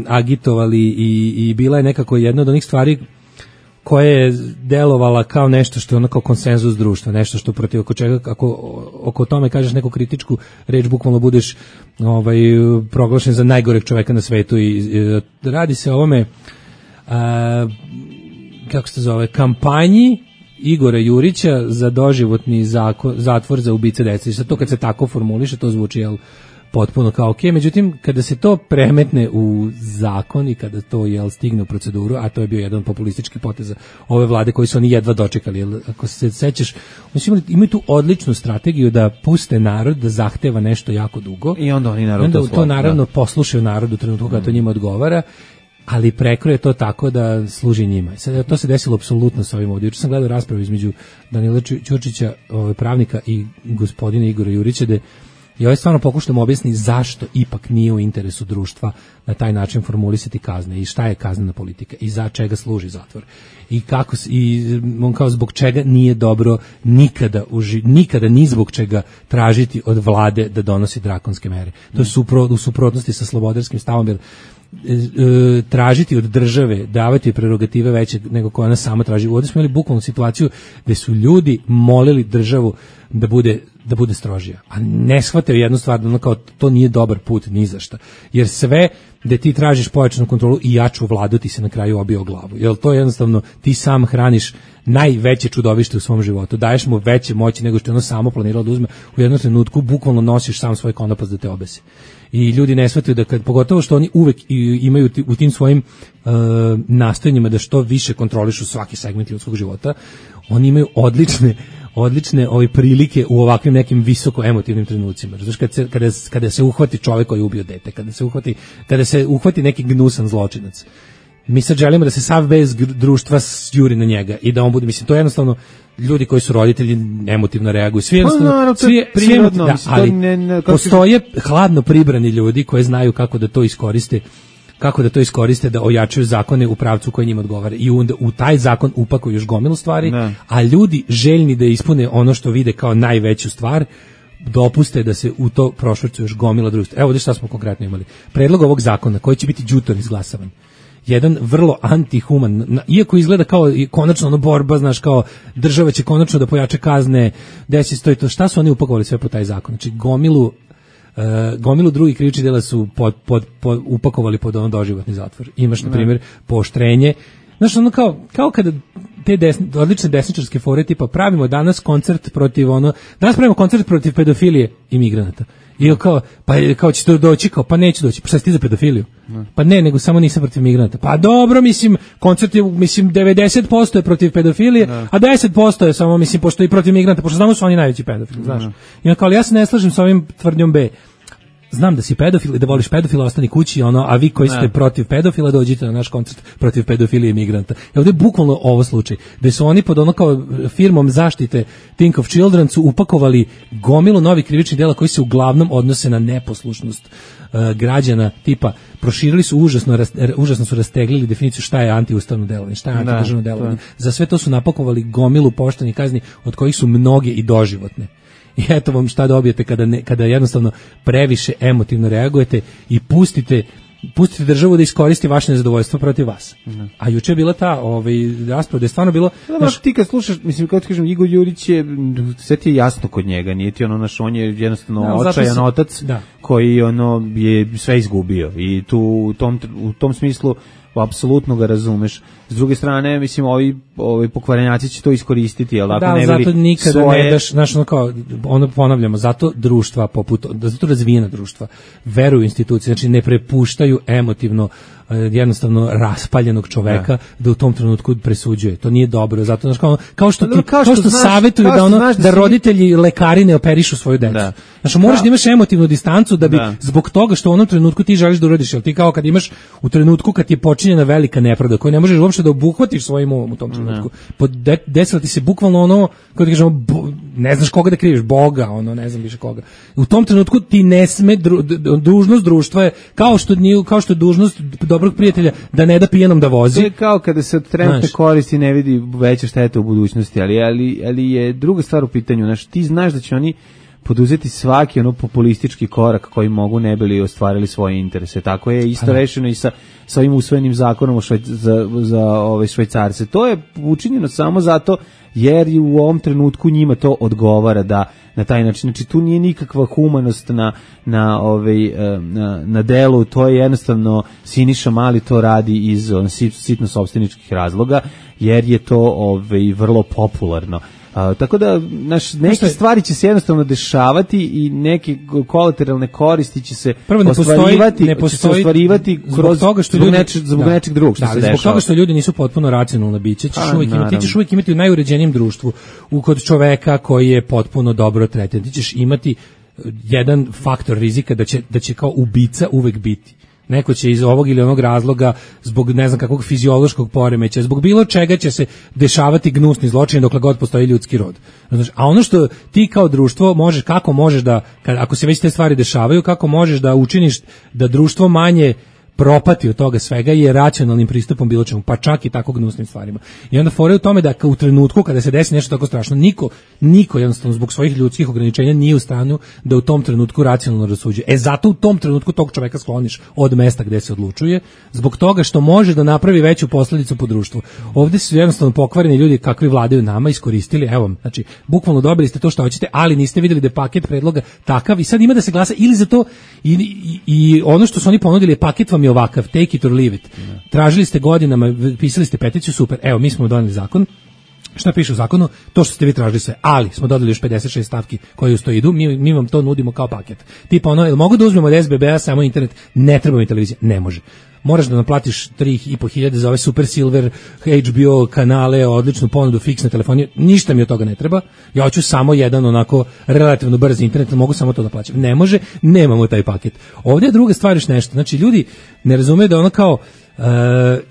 agitovali i bila je nekako jedna od onih stvari koja je delovala kao nešto što je ono kao konsenzus društva, nešto što protiv oko čega, ako oko tome kažeš neku kritičku reč, bukvalno budeš proglašen za najgoreg čoveka na svetu i radi se o ovome kako se zove, kampanji Igora Jurića za doživotni zatvor za ubice dece. Sad to kad se tako formuliše, to zvuči potpuno kao ok, međutim kada se to premetne u zakon i kada to stigne u proceduru, a to je bio jedan populistički potez ove vlade koji su oni jedva dočekali, ako se sećaš, oni imaju tu odličnu strategiju da puste narod da zahteva nešto jako dugo i onda oni narod to naravno poslušaju narodu u trenutku kada to njima odgovara, ali prekroje to tako da služi njima. Sad, to se desilo apsolutno sa ovim ovdje. Juče sam gledao raspravu između Danila Ćurčića, pravnika, i gospodina Igora Jurića, da i stvarno pokušamo objasniti zašto ipak nije u interesu društva na taj način formulisati kazne i šta je kaznena politika i za čega služi zatvor i kako i on kao zbog čega nije dobro nikada ni zbog čega tražiti od vlade da donosi drakonske mere. To je u suprotnosti sa slobodarskim stavom, jer tražiti od države, davati prerogative veće nego koja ona sama traži. Ovdje smo imali bukvalnu situaciju gdje su ljudi molili državu da bude strožija, a ne shvataju jednu stvar, da kao to nije dobar put ni za šta, jer sve da ti tražiš pojačanu kontrolu i jaču vladu ti se na kraju obije o glavu, jer to je jednostavno ti sam hraniš najveće čudovište u svom životu, daješ mu veće moći nego što je ono samo planiralo da uzme, u jednom trenutku bukvalno nosiš sam svoj konopac da te obese. I ljudi ne shvataju da pogotovo što oni uvek imaju u tim svojim nastojanjima da što više kontrolišu svaki segment ljudskog života, oni imaju odlične prilike u ovakvim nekim visoko emotivnim trenucima. Znači kada se uhvati čovjek koji je ubio dete, kada se uhvati neki gnusan zločinac. Mi sad želimo da se sav bez društva juri na njega i da on bude, mislim, to je jednostavno ljudi koji su roditelji emotivno reaguju. Svi jednostavno, ali postoje hladno pribrani ljudi koji znaju kako da to iskoriste da ojačaju zakone u pravcu koji njima odgovara i onda u taj zakon upakuju još gomilu stvari, a ljudi željni da ispune ono što vide kao najveću stvar dopuste da se u to prošvrću još gomila društva. Evo ovdje šta smo konkretno imali. Predlog ovog zakona koji će biti đutor izglasavan. Jedan vrlo antihuman, iako izgleda kao konačno borba, znaš, kao država će konačno da pojača kazne, desi stoji to, šta su oni upakovali sve po taj zakon? Znači gomilu drugih krivičnih dela su upakovali pod doživotni zatvor. Imaš, na primjer, pooštrenje. Znaš, ono kao kada te odlične desničarske fore tipa pravimo danas koncert protiv danas pravimo koncert protiv pedofilije i migranata. I kao će to doći, pa neće doći. Pa šta si ti za pedofiliju? Pa ne, nego samo nisam protiv migranata. Pa dobro, mislim, koncert je, 90% je protiv pedofilije, a 10% je samo, pošto je i protiv migranta, pošto znamo su oni najveći pedofili, znaš. I on kao, ali ja se ne slažem sa ovim tvrdnjom B. Znam da si pedofil i da voliš pedofila, ostani kući, a vi koji ste protiv pedofila dođite na naš koncert protiv pedofilije i migranta. I ovdje je bukvalno ovo slučaj, gde su oni pod kao firmom zaštite Think of Children su upakovali gomilu novih krivičnih dela koji se uglavnom odnose na neposlušnost građana, tipa proširili su užasno su rasteglili definiciju šta je antiustavno delovanje, šta je antidržavno delovanje. Za sve to su napakovali gomilu poštenih kazni od kojih su mnoge i doživotne. I eto vam šta dobijete kada jednostavno previše emotivno reagujete i pustite državu da iskoristi vaše nezadovoljstvo protiv vas. A juče je bila ta rasprava da je stvarno bilo... ti kad slušaš, kako ti kažem, Igor Đurić je, sve ti je jasno kod njega, nije ti on je jednostavno očajan otac koji je sve izgubio i tu u tom smislu apsolutno ga razumeš. S druge strane, ovi pokvarenjaci će to iskoristiti, jel tako? Da, zato nikada ne daš, ponavljamo, zato društva zato razvijena društva veruju institucije, znači ne prepuštaju emotivno jednostavno raspaljenog čoveka da u tom trenutku presuđuje. To nije dobro, zato kao što savjetuju da roditelji lekari ne operišu svoju decu. Znači moraš da imaš emotivnu distancu da bi zbog toga što u onom trenutku ti želiš da uradiš, jel ti kao kad imaš u trenutku kad je počinjena velika nepravda koju ne možeš uopšte da obuhvatiš svojim umom u tom trenutku. Desilo ti se bukvalno kako da kažemo, ne znaš koga da kriviš, Boga, ne znam više koga. U tom trenutku ti ne sme dužnost društva je kao što je dužnost dobrog prijatelja da ne da pijenom da vozi. To je kao kada se od trenutne koristi ne vidi veća šteta u budućnosti, ali je druga stvar u pitanju. Znači, ti znaš da će oni poduzeti svaki populistički korak koji mogu ne bili ostvarili svoje interese. Tako je isto rešeno i sa ovim usvojenim zakonom za Švajcarce. To je učinjeno samo zato jer u ovom trenutku njima to odgovara da na taj način. Znači tu nije nikakva humanost na delu, to je jednostavno Siniša Mali to radi iz sitno sopstveničkih razloga, jer je to vrlo popularno. Tako da neke stvari će se jednostavno dešavati i neke kolateralne koristi će se ostvarivati zbog nečeg drugog što se dešava. Zbog toga što ljudi nisu potpuno racionalne biće, ti ćeš uvijek imati u najuređenijem društvu kod čoveka koji je potpuno dobro tretiran. Ti ćeš imati jedan faktor rizika da će kao ubica uvek biti. Neko će iz ovog ili onog razloga, zbog ne znam kakvog fiziološkog poremeća, zbog bilo čega će se dešavati gnusni zločini dokle god postoji ljudski rod. A ono što ti kao društvo kako možeš da, ako se već te stvari dešavaju, kako možeš da učiniš da društvo manje propati od toga svega je racionalnim pristupom bilo čemu, pa čak i tako gnusnim stvarima. I onda fore u tome da u trenutku kada se desi nešto tako strašno, niko jednostavno zbog svojih ljudskih ograničenja nije u stanju da u tom trenutku racionalno rasuđuje. Zato u tom trenutku tog čoveka skloniš od mesta gde se odlučuje, zbog toga što može da napravi veću posledicu po društvu. Ovdje su jednostavno pokvareni ljudi kakvi vladaju nama iskoristili, evo, znači, bukvalno dobili ste to što hoćete, ali niste vidjeli da je paket predloga takav i sad ima da se glasa ili za to i ono što su oni ponudili je paket vam je ovakav, take it or leave it. Tražili ste godinama, pisali ste peticiju, super, evo mi smo doneli zakon. Šta piše u zakonu? To što ste vi tražili sve, ali smo dodali još 56 stavki koje uz to idu, mi vam to nudimo kao paket. Tipa jel mogu da uzmemo od SBB-a samo internet? Ne treba mi televizija, ne može. Moraš da naplatiš 3.500 za ove Super Silver, HBO kanale, odličnu ponudu, fiksne telefonije, ništa mi od toga ne treba, ja hoću samo jedan onako relativno brz internet, mogu samo to da plaćam. Ne može, nemamo taj paket. Ovdje je druga stvar još nešto, znači ljudi ne razumeju da ono kao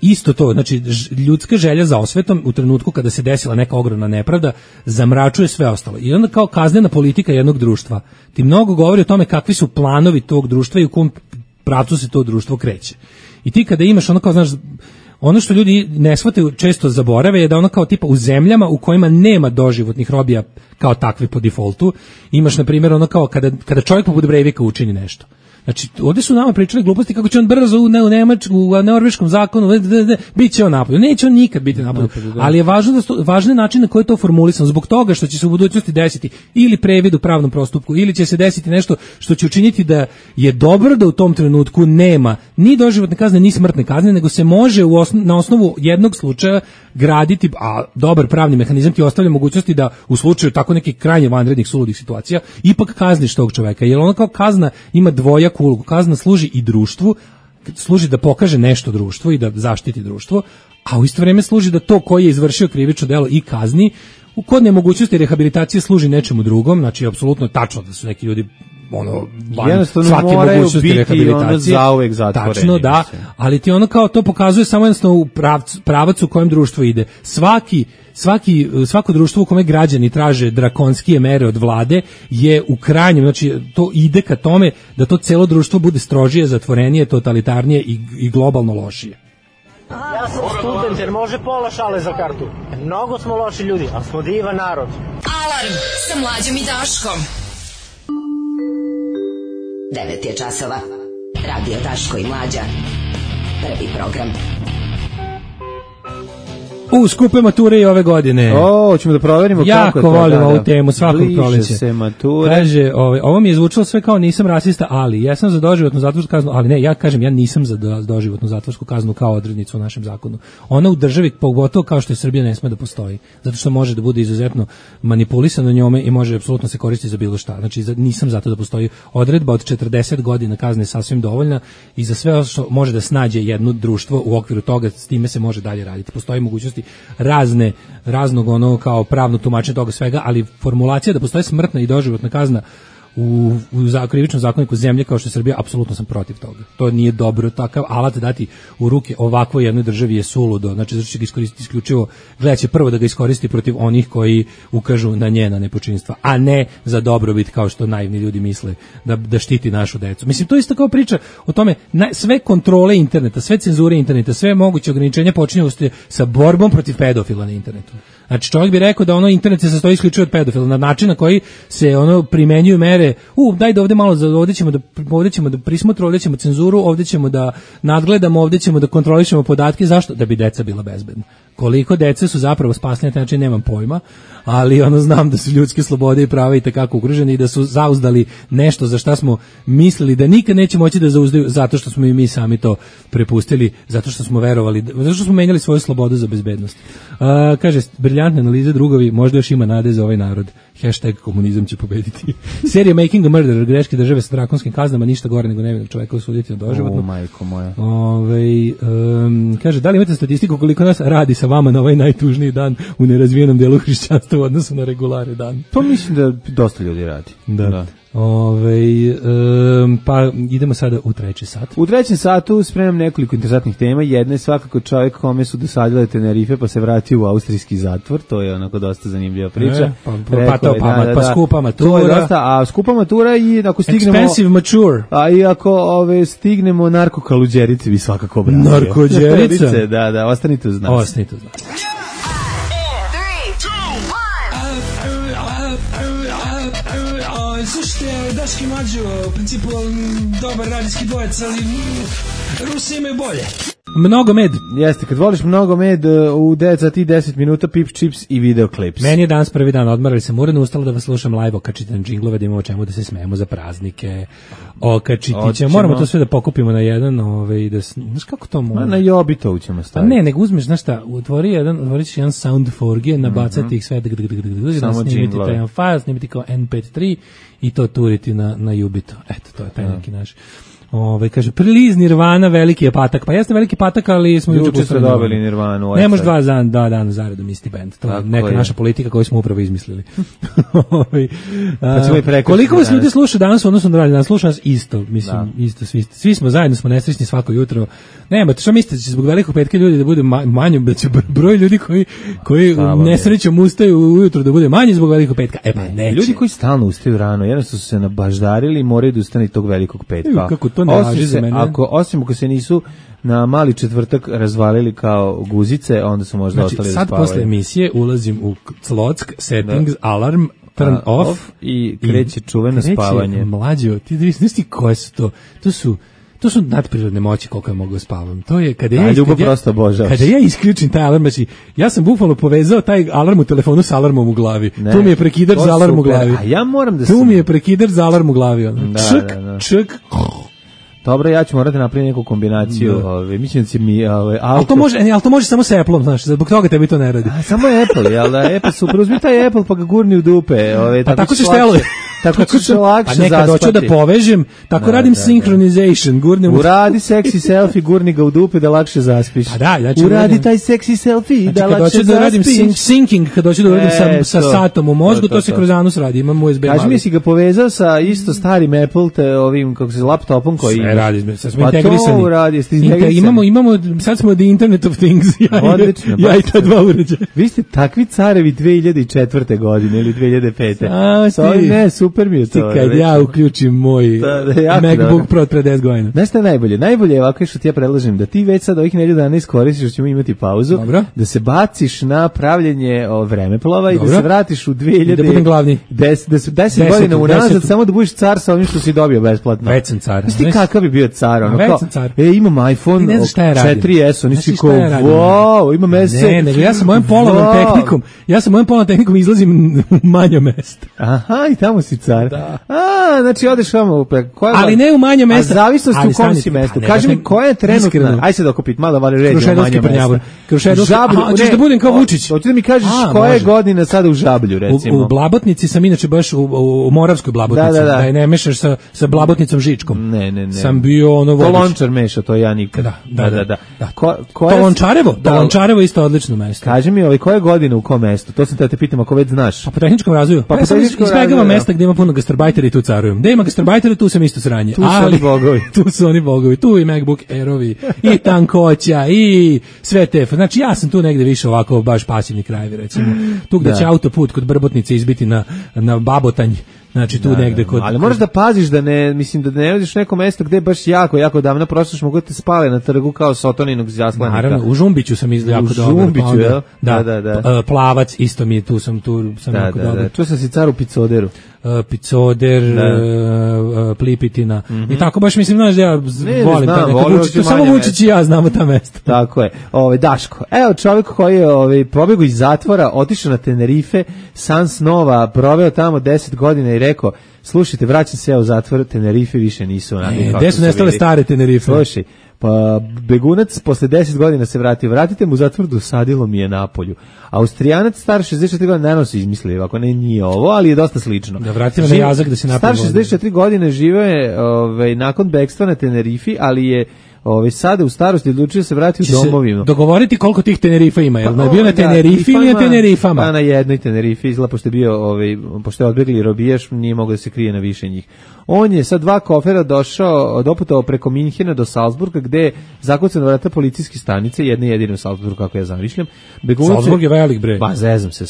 isto to, znači ljudska želja za osvetom u trenutku kada se desila neka ogromna nepravda zamračuje sve ostalo. I onda kao kaznena politika jednog društva ti mnogo govori o tome kakvi su planovi tog društva i u kom pravcu se to društvo kreće. I ti kada imaš ono kao, znaš, ono što ljudi ne shvataju, često zaborave je da ono kao tipa u zemljama u kojima nema doživotnih robija kao takvi po defaultu, imaš na primjer ono kao kada čovjek poput Breivika učini nešto. Znači, ovdje su nama pričali gluposti kako će on brzo u norveškom zakonu, bit će on napolju. Neće on nikad biti napolju. Ali je važan način na koji je to formulisano, zbog toga što će se u budućnosti desiti ili previd u pravnom postupku, ili će se desiti nešto što će učiniti da je dobro da u tom trenutku nema ni doživotne kazne, ni smrtne kazne, nego se može na osnovu jednog slučaja graditi, a dobar pravni mehanizam ti ostavlja mogućnosti da u slučaju tako nekih krajnje vanrednih suludih situacija ipak kazniš tog čoveka, jer ono kao kazna ima dvojaku ulogu. Kazna služi i društvu, služi da pokaže nešto društvu i da zaštiti društvo, a u isto vrijeme služi da to koji je izvršio krivično delo i kazni, kod nemogućnosti rehabilitacije služi nečemu drugom. Znači, apsolutno tačno da su neki ljudi svake mogućnosti rehabilitacije zauvek zatvoreni. Tačno, da, ali ti ono kao to pokazuje samo jednostavno u pravac u kojem društvo ide. Svako društvo u kome građani traže drakonskije mere od vlade je u krajnjem, znači to ide ka tome da to celo društvo bude strožije, zatvorenije, totalitarnije i globalno lošije. Ja sam student jer može pola šale za kartu. Mnogo smo loši ljudi, ali smo divan narod. Alarm sa Mlađom i Daškom. 9 je časova. Radio Daško i Mlađa. Prvi program. Skupe mature i ove godine. Hoćemo da proverimo jako kako je to. Jako volimo ovu temu, svakog proleća. Bliže se mature. Kaže, ovo mi je zvučalo sve kao nisam rasista, ali ja sam za doživotnu zatvorsku kaznu, ali ne, ja kažem, ja nisam za doživotnu zatvorsku kaznu kao odrednicu u našem zakonu. Ona u državi, pogotovo kao što je Srbija, ne sme da postoji. Zato što može da bude izuzetno manipulisano njome i može apsolutno se koristiti za bilo šta. Znači, nisam zato da postoji odredba od 40 godina kazne sasvim dovoljna i za sve što može da snađe jedno društvo u okviru toga, s time se može dalje raditi. Postoji mogućnosti raznog ono kao pravno tumačenje toga svega, ali formulacija da postoji smrtna i doživotna kazna u krivičnom zakoniku zemlje kao što je Srbija, apsolutno sam protiv toga. To nije dobro, takav alat dati u ruke ovakvoj jednoj državi je suludo. Znači, zato će ga iskoristiti isključivo, gledat će prvo da ga iskoristi protiv onih koji ukažu na njena nepočinstva, a ne za dobrobit kao što naivni ljudi misle da štiti našu decu. Mislim, to je isto kao priča o tome, sve kontrole interneta, sve cenzure interneta, sve moguće ograničenja počinju sa borbom protiv pedofila na internetu. Znači, čovjek bi rekao da internet se sastoji isključivo od pedofila, na način na koji se primenjuju mere, daj da ovdje malo, ovdje ćemo da prismotru, ovdje ćemo cenzuru, ovdje ćemo da nadgledamo, ovdje ćemo da kontrolišemo podatke. Zašto? Da bi deca bila bezbedna. Koliko dece su zapravo spasljene, znači nemam pojma, ali znam da su ljudske slobode i prava i takako ugrožene i da su zauzdali nešto za šta smo mislili da nikad neće moći da zauzdaju, zato što smo i mi sami to prepustili, zato što smo verovali, zato što smo menjali svoju slobodu za bezbednost. Kaže, briljantne analize, drugovi, možda još ima nade za ovaj narod. #komunizam će pobediti. Serija Making a Murderer, greške države sa drakonskim kaznama, ništa gore nego nevinog čoveka osuditi na doživotno. Majko moja. Kaže, da li imate statistiku koliko nas radi sa vama na ovaj najtužniji dan u nerazvijenom delu hrišćanstva u odnosu na regulare dan? Pa mislim da dosta ljudi radi. Da. Pa idemo sada u treći sat. U trećem satu spremam nekoliko interesantnih tema. Jedna je svakako čovjek kome su dosadile Tenerife pa se vratio u austrijski zatvor. To je onako dosta zanimljiva priča. Pa skupa matura. To je dosta, a skupa matura i ako stignemo... Expensive mature. A i ako stignemo narkokaluđerice bi svakako obratio. Narkođerica? Da, ostanite uz nas. Ostanite uz nas. Slušajte, Daški Mlađo, u principu dobar radijski dvojec, ali Rusi imaju bolje. Mnogo med. Jeste, kad voliš mnogo med, u 9 sati 10 minuta Pips, Chips i videoklips. Meni je danas prvi dan, odmarali sam uredno, ustalo da vas slušam live, okačite na džinglove, da imamo čemu da se smijemo za praznike. Okačiti ćemo, moramo to sve da pokupimo na jedan, znaš kako to može? Na Jobitovu ćemo staviti. Ne, nego uzmeš, znaš šta, otvorit ćeš jedan sound forge, nabacati ih sve, snimiti taj jedan file, snimiti kao MP3 i to turiti na Jubito. Eto, to je taj neki naš. Kaže, priliz Nirvana, veliki je patak. Pa jeste veliki patak, ali smo juče ste dobili Nirvanu. Ne može dva dana zaredom isti bend. To je neka naša politika koju smo upravo izmislili. Koliko vas ljudi sluša danas, odnosno da danas sluša nas isto, mislim, isto, svi smo zajedno, smo nesrećni svako jutro. Nema, što mislite, će zbog velikog petka ljudi da bude manje, da će broj ljudi koji nesrećom ustaju ujutro da bude manje zbog velikog petka? E pa neće. Ljudi koji stalno ustaju rano, jednostavno su se nabaždarili i moraju da ustane tog velikog petka. Kako to ne važi za mene? Osim ako se nisu na mali četvrtak razvalili kao guzice, onda su možda ostali da spavaju. Sad posle emisije ulazim u Clock, settings, alarm, turn off i kreće čuveno spavanje. Mlađo, ti znaš ti koje su to? To su nadprirodne moći koliko ja mogu spavam. To je kada ja isključim taj alarm, znači ja sam bukvalno povezao taj alarm u telefonu sa alarmom u glavi. Tu mi je prekidač za alarm u glavi. A ja moram da tu mi je prekidač za alarm u glavi. Čk. Dobro, ja ću morati napraviti neku kombinaciju. Mislim da će mi ali to može samo sa Apple-om, znaš, zbog toga tebi to ne radi. Samo Apple, jel da? Apple super, uzmi taj Apple pa ga gurni u dupe. Tako ćeš teluje. Tako ćeš lakše zaspati. Nekad hoću da povežem, tako radim synchronization, gurnem. Uradi seksi selfie, gurni ga u dupe da lakše zaspiš. Uradi taj seksi selfie da lakše zaspiš. Da radim syncing, kad hoću da uradim sa satom u mozgu, to se kroz anus radi, imam USB. Kaži mi si ga povezao sa isto starim Apple, ovim, kako se, laptopom koji sve radi, sad smo integrisani. Pa to uradi, jeste integrisani. Imamo, sad smo the Internet of Things, ja i ta dva uređaja. Vi ste takvi carevi 2004. godine ili 2005. Ne, super mi je to. Kad ja uključim moj MacBook Pro od pre 10 godina. Znaš šta je najbolje? Najbolje je ovako što ti ja predlažem, da ti već sad ovih nedelju dana iskoristiš, ćemo imati pauzu, da se baciš na pravljenje vremeplova i da se vratiš u 2000... Da budem glavni. 10 godina unazad, samo da budeš car sa ovim što si dobio besplatno. Već sam car. Znaš ti kakav bi bio car? Već sam car. Imam iPhone 4S, oni si kao, wow, imam S7. Ne, ja sam mojom polovnom tehnikom izlazim u manje mesta. Aha, i tamo si car. Znači odeš tamo, ali ne u manje mesta. A zavisnosti u kom si mestu. Kaži mi koja je trenutna, aj sad okupit, malo vali ređe u manje mesta. Žablju, hoćeš da budem kao Vučić. Hoćeš da mi kažeš koja je godina sada u Žablju, recimo. U Blabotnici sam inače baš u Moravskoj Blabotnici, da je ne mešaš sa Blabotnicom Žičkom. Ne. Sam bio ono vodeći. To Lončar meša, to ja nikad. Da. To Lončarevo isto odlično mesto. Kaži mi koja je godina u kom mestu, to sam te pitam ako već znaš. Pa po tehničkom razvoju. Ja sam izbegava mesta gdje ima puno gastarbajtera i tu carujem. Da ima gastarbajtera, tu sam isto sranje. Tu su oni bogovi. Tu i MacBook Airovi, i tankoća, i sve te. Znači ja sam tu negde više ovako baš pasivni krajevi, recimo. Tu gde će autoput kod Brbotnice izbiti na Babotanj. Znači tu negde kod... Ali moraš da paziš da ne, mislim da ne odiš neko mesto gde je baš jako davno prošloš, mogu te spale na trgu kao Sotoninog zaslanika. Naravno, u Žumbiću sam jako dobro. U Žumbiću, jel? Da. Plavac, isto mi je, tu sam jako dobro. Da. Čuo sam si car u Picoderu. Picoder, Plipitina. I tako baš mislim, znaš da ja volim to samo Vučić i ja znamo ta mesta. Tako je. Daško. Evo čovjek koji je pobegao iz zatvora, otišao na Tenerife, san snova, proveo tamo 10 godina i rekao, slušajte, vraćam se u zatvor, Tenerife više nisu onakvi. Gde su nestale stare Tenerife? Slušaj, pa begunac posle 10 godina se vratio. Vratite mu u zatvor, dosadilo mi je napolju. Austrijanac star 64 godine, naravno se izmislio, ako ne nije ovo, ali je dosta slično. Da vratimo na jazak da se napravi. Star 64 godine živeo je nakon bekstva na Tenerifi, ali je sada u starosti odlučio se vratiti u domovinu. Dogovoriti koliko tih Tenerifa ima, je li bio na Tenerifi ili na Tenerifama? Pa na jednoj Tenerifi, izgleda pošto je bio, pošto je odbegli robijaš, nije mogao da se krije na više njih. On je sa 2 kofera doputovao preko Minhena do Salzburga, gde je zakucano vrata policijske stanice, jedna jedina u Salzburgu, kako ja zamišljam. Salzburg je velik bre. Pa zezam se,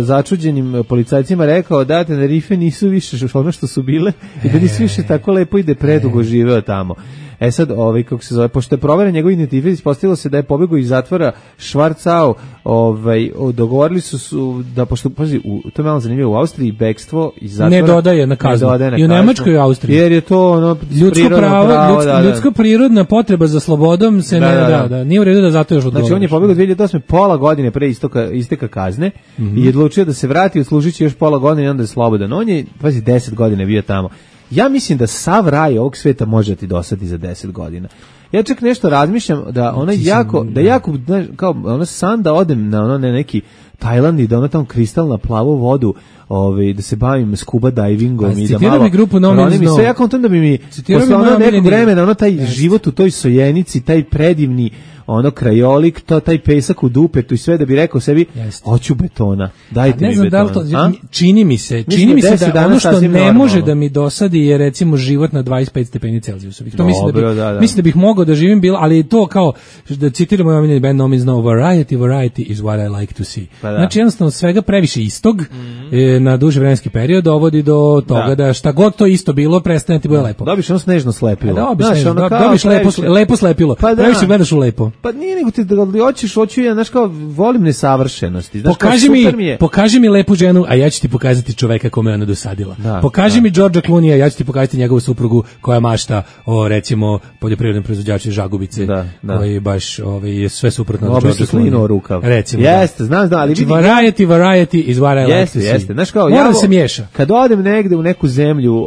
začuđenim policajcima rekao da Tenerife nisu više ono što su bile i da nisu više tako lepo i da je predugo živeo tamo. Sad, kako se zove, pošto je proveren njegov identitet, ispostavilo se da je pobegao iz zatvora Schwarzau, dogovorili su da, pošto, pazi, to je malo zanimljivo, u Austriji bekstvo iz zatvora... Ne dodaje na kaznu. I u Nemačkoj i Austriji. Jer je to ljudsko prirodna potreba za slobodom se nije u redu da zato još odgovoriš. Znači, on je pobegao 2008. pola godine pre isteka kazne i odlučio da se vrati, odslužit će još pola godine i onda je slobodan. On je, pazi, 10 godina bio tamo. Ja mislim da sav raj ovog sveta može ti dosadi za 10 godina. Ja čak nešto razmišljam da ono jako, kao ono san da odem na neki Tajland i da ono tamo kristalna plavu vodu, da se bavim scuba divingom i da malo pronim i sve, ja kontam da bi mi posle ono nekog vremena, taj život u toj Sojenici, taj predivni krajolik, taj pesak u dupetu i sve, da bi rekao sebi, hoću betona, dajte mi betona. Čini mi se da ono što ne može da mi dosadi je recimo život na 25 stepeni Celzijusovih. To mislim da bih mogao da živim, ali to kao, da citiramo ovaj band No Means No, variety is what I like to see. Znači jednostavno svega previše istog na duži vremenski period dovodi do toga da šta god to isto bilo prestane ti bude lepo. Dobiš ono snežno slepilo. Dobiš lepo slepilo. Previše gledaš u lepo. Pa nije nego ti hoću ja, znaš kao, volim nesavršenosti. Znaš, pokaži mi lepu ženu, a ja ću ti pokazati čoveka kome ona dosadila. Pokaži mi Đorđa Klunija, ja ću ti pokazati njegovu suprugu koja mašta o, recimo, poljoprivrednom proizvođaču Žagubice, koji baš je sve suprotno od Đorđa Klunija. Recimo. Jeste, znam, ali vidi. Variety is what I like to see. Jeste, znaš kao, mora da se miješa. Kad odem negde u neku zemlju,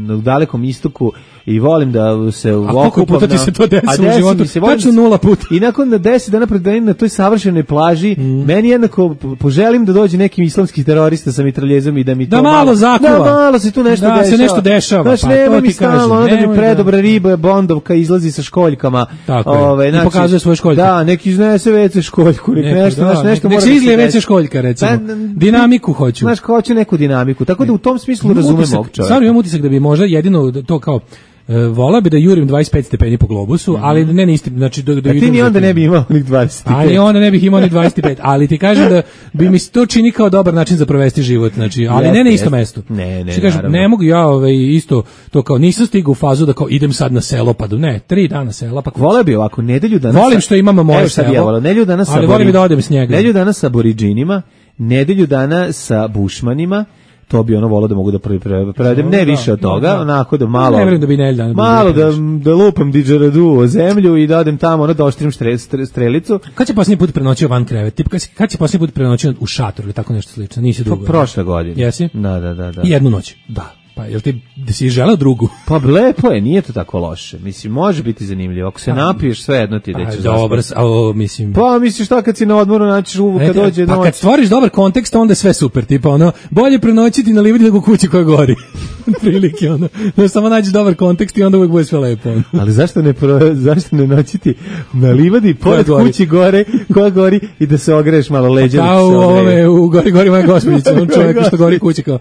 na dalekom istoku, i volim da se okupam. A koliko puta ti se to desi u životu? Tačno 0 puta. I nakon 10 dana pred danim na toj savršenoj plaži, meni jednako poželim da dođe neki islamski terorista sa mitraljezom i da mi to malo zakuva. Da malo se tu nešto dešava. Da se nešto dešava. Znaš, nema mi stalno, onda mi predobra riba, bondovka izlazi sa školjkama. Tako je. I pokazuje svoje školjke. Da, neki iznese WC školjku. Nešto mora da se nek se izlije WC školjka, recimo. Dinamiku hoću. Znaš, hoću neku dinamiku. Tako da u tom smislu razumem ovog čovjeka. Stvarno imam utisak da bi možda jedino to kao volao bi da jurim 25 stepeni po globusu, ali ne istim, znači ti ni onda ne bi imao onih 25. Ali onda ne bih imao ni 25, ali ti kažem da bi mi to čini kao dobar način za provesti život, znači, ali ne na isto mesto. Ne, ne mogu ja isto to kao nisam stigao u fazu da kao idem sad na selo, pa 3 dana sela, pa voleo bi ovako nedelju dana. Volim što imamo moje selo. Nedelju dana sa, ali volim da odem s njega. Nedelju dana sa Aboriđinima, nedelju dana sa Bušmanima. To bi ono volao da mogu da prevedem, ne više od toga, onako da malo, ne da bi malo da lupam didžeradu o zemlju i da odem tamo, ono da oštrim strelicu. Kad će posljednji put prenoćio van krevet? Kad će posljednji put prenoćio u šatoru ili tako nešto slično? Nisi dugo. Prošle godine. Jesi? Da. I jednu noć? Da. Pa jel ti da si želeo drugu? Pa lepo je, nije to tako loše. Mislim, može biti zanimljivo. Ako se napiješ, sve jedno ti da ćeš zaspati. Mislim. Pa misliš šta kad si na odmoru naćiš kad dođe noć. Pa kad stvoriš dobar kontekst, onda je sve super. Tipa ono, bolje prenoćiti na livadi nego kući koja gori. Prilike ono. No, samo nađeš dobar kontekst i onda uvijek bude sve lepo. Ali zašto ne noćiti na livadi pored kući koja gori i da se ogreješ malo leđa? Kao u ovome, u gori moja gospođica, on čovjek što gori kuća kao,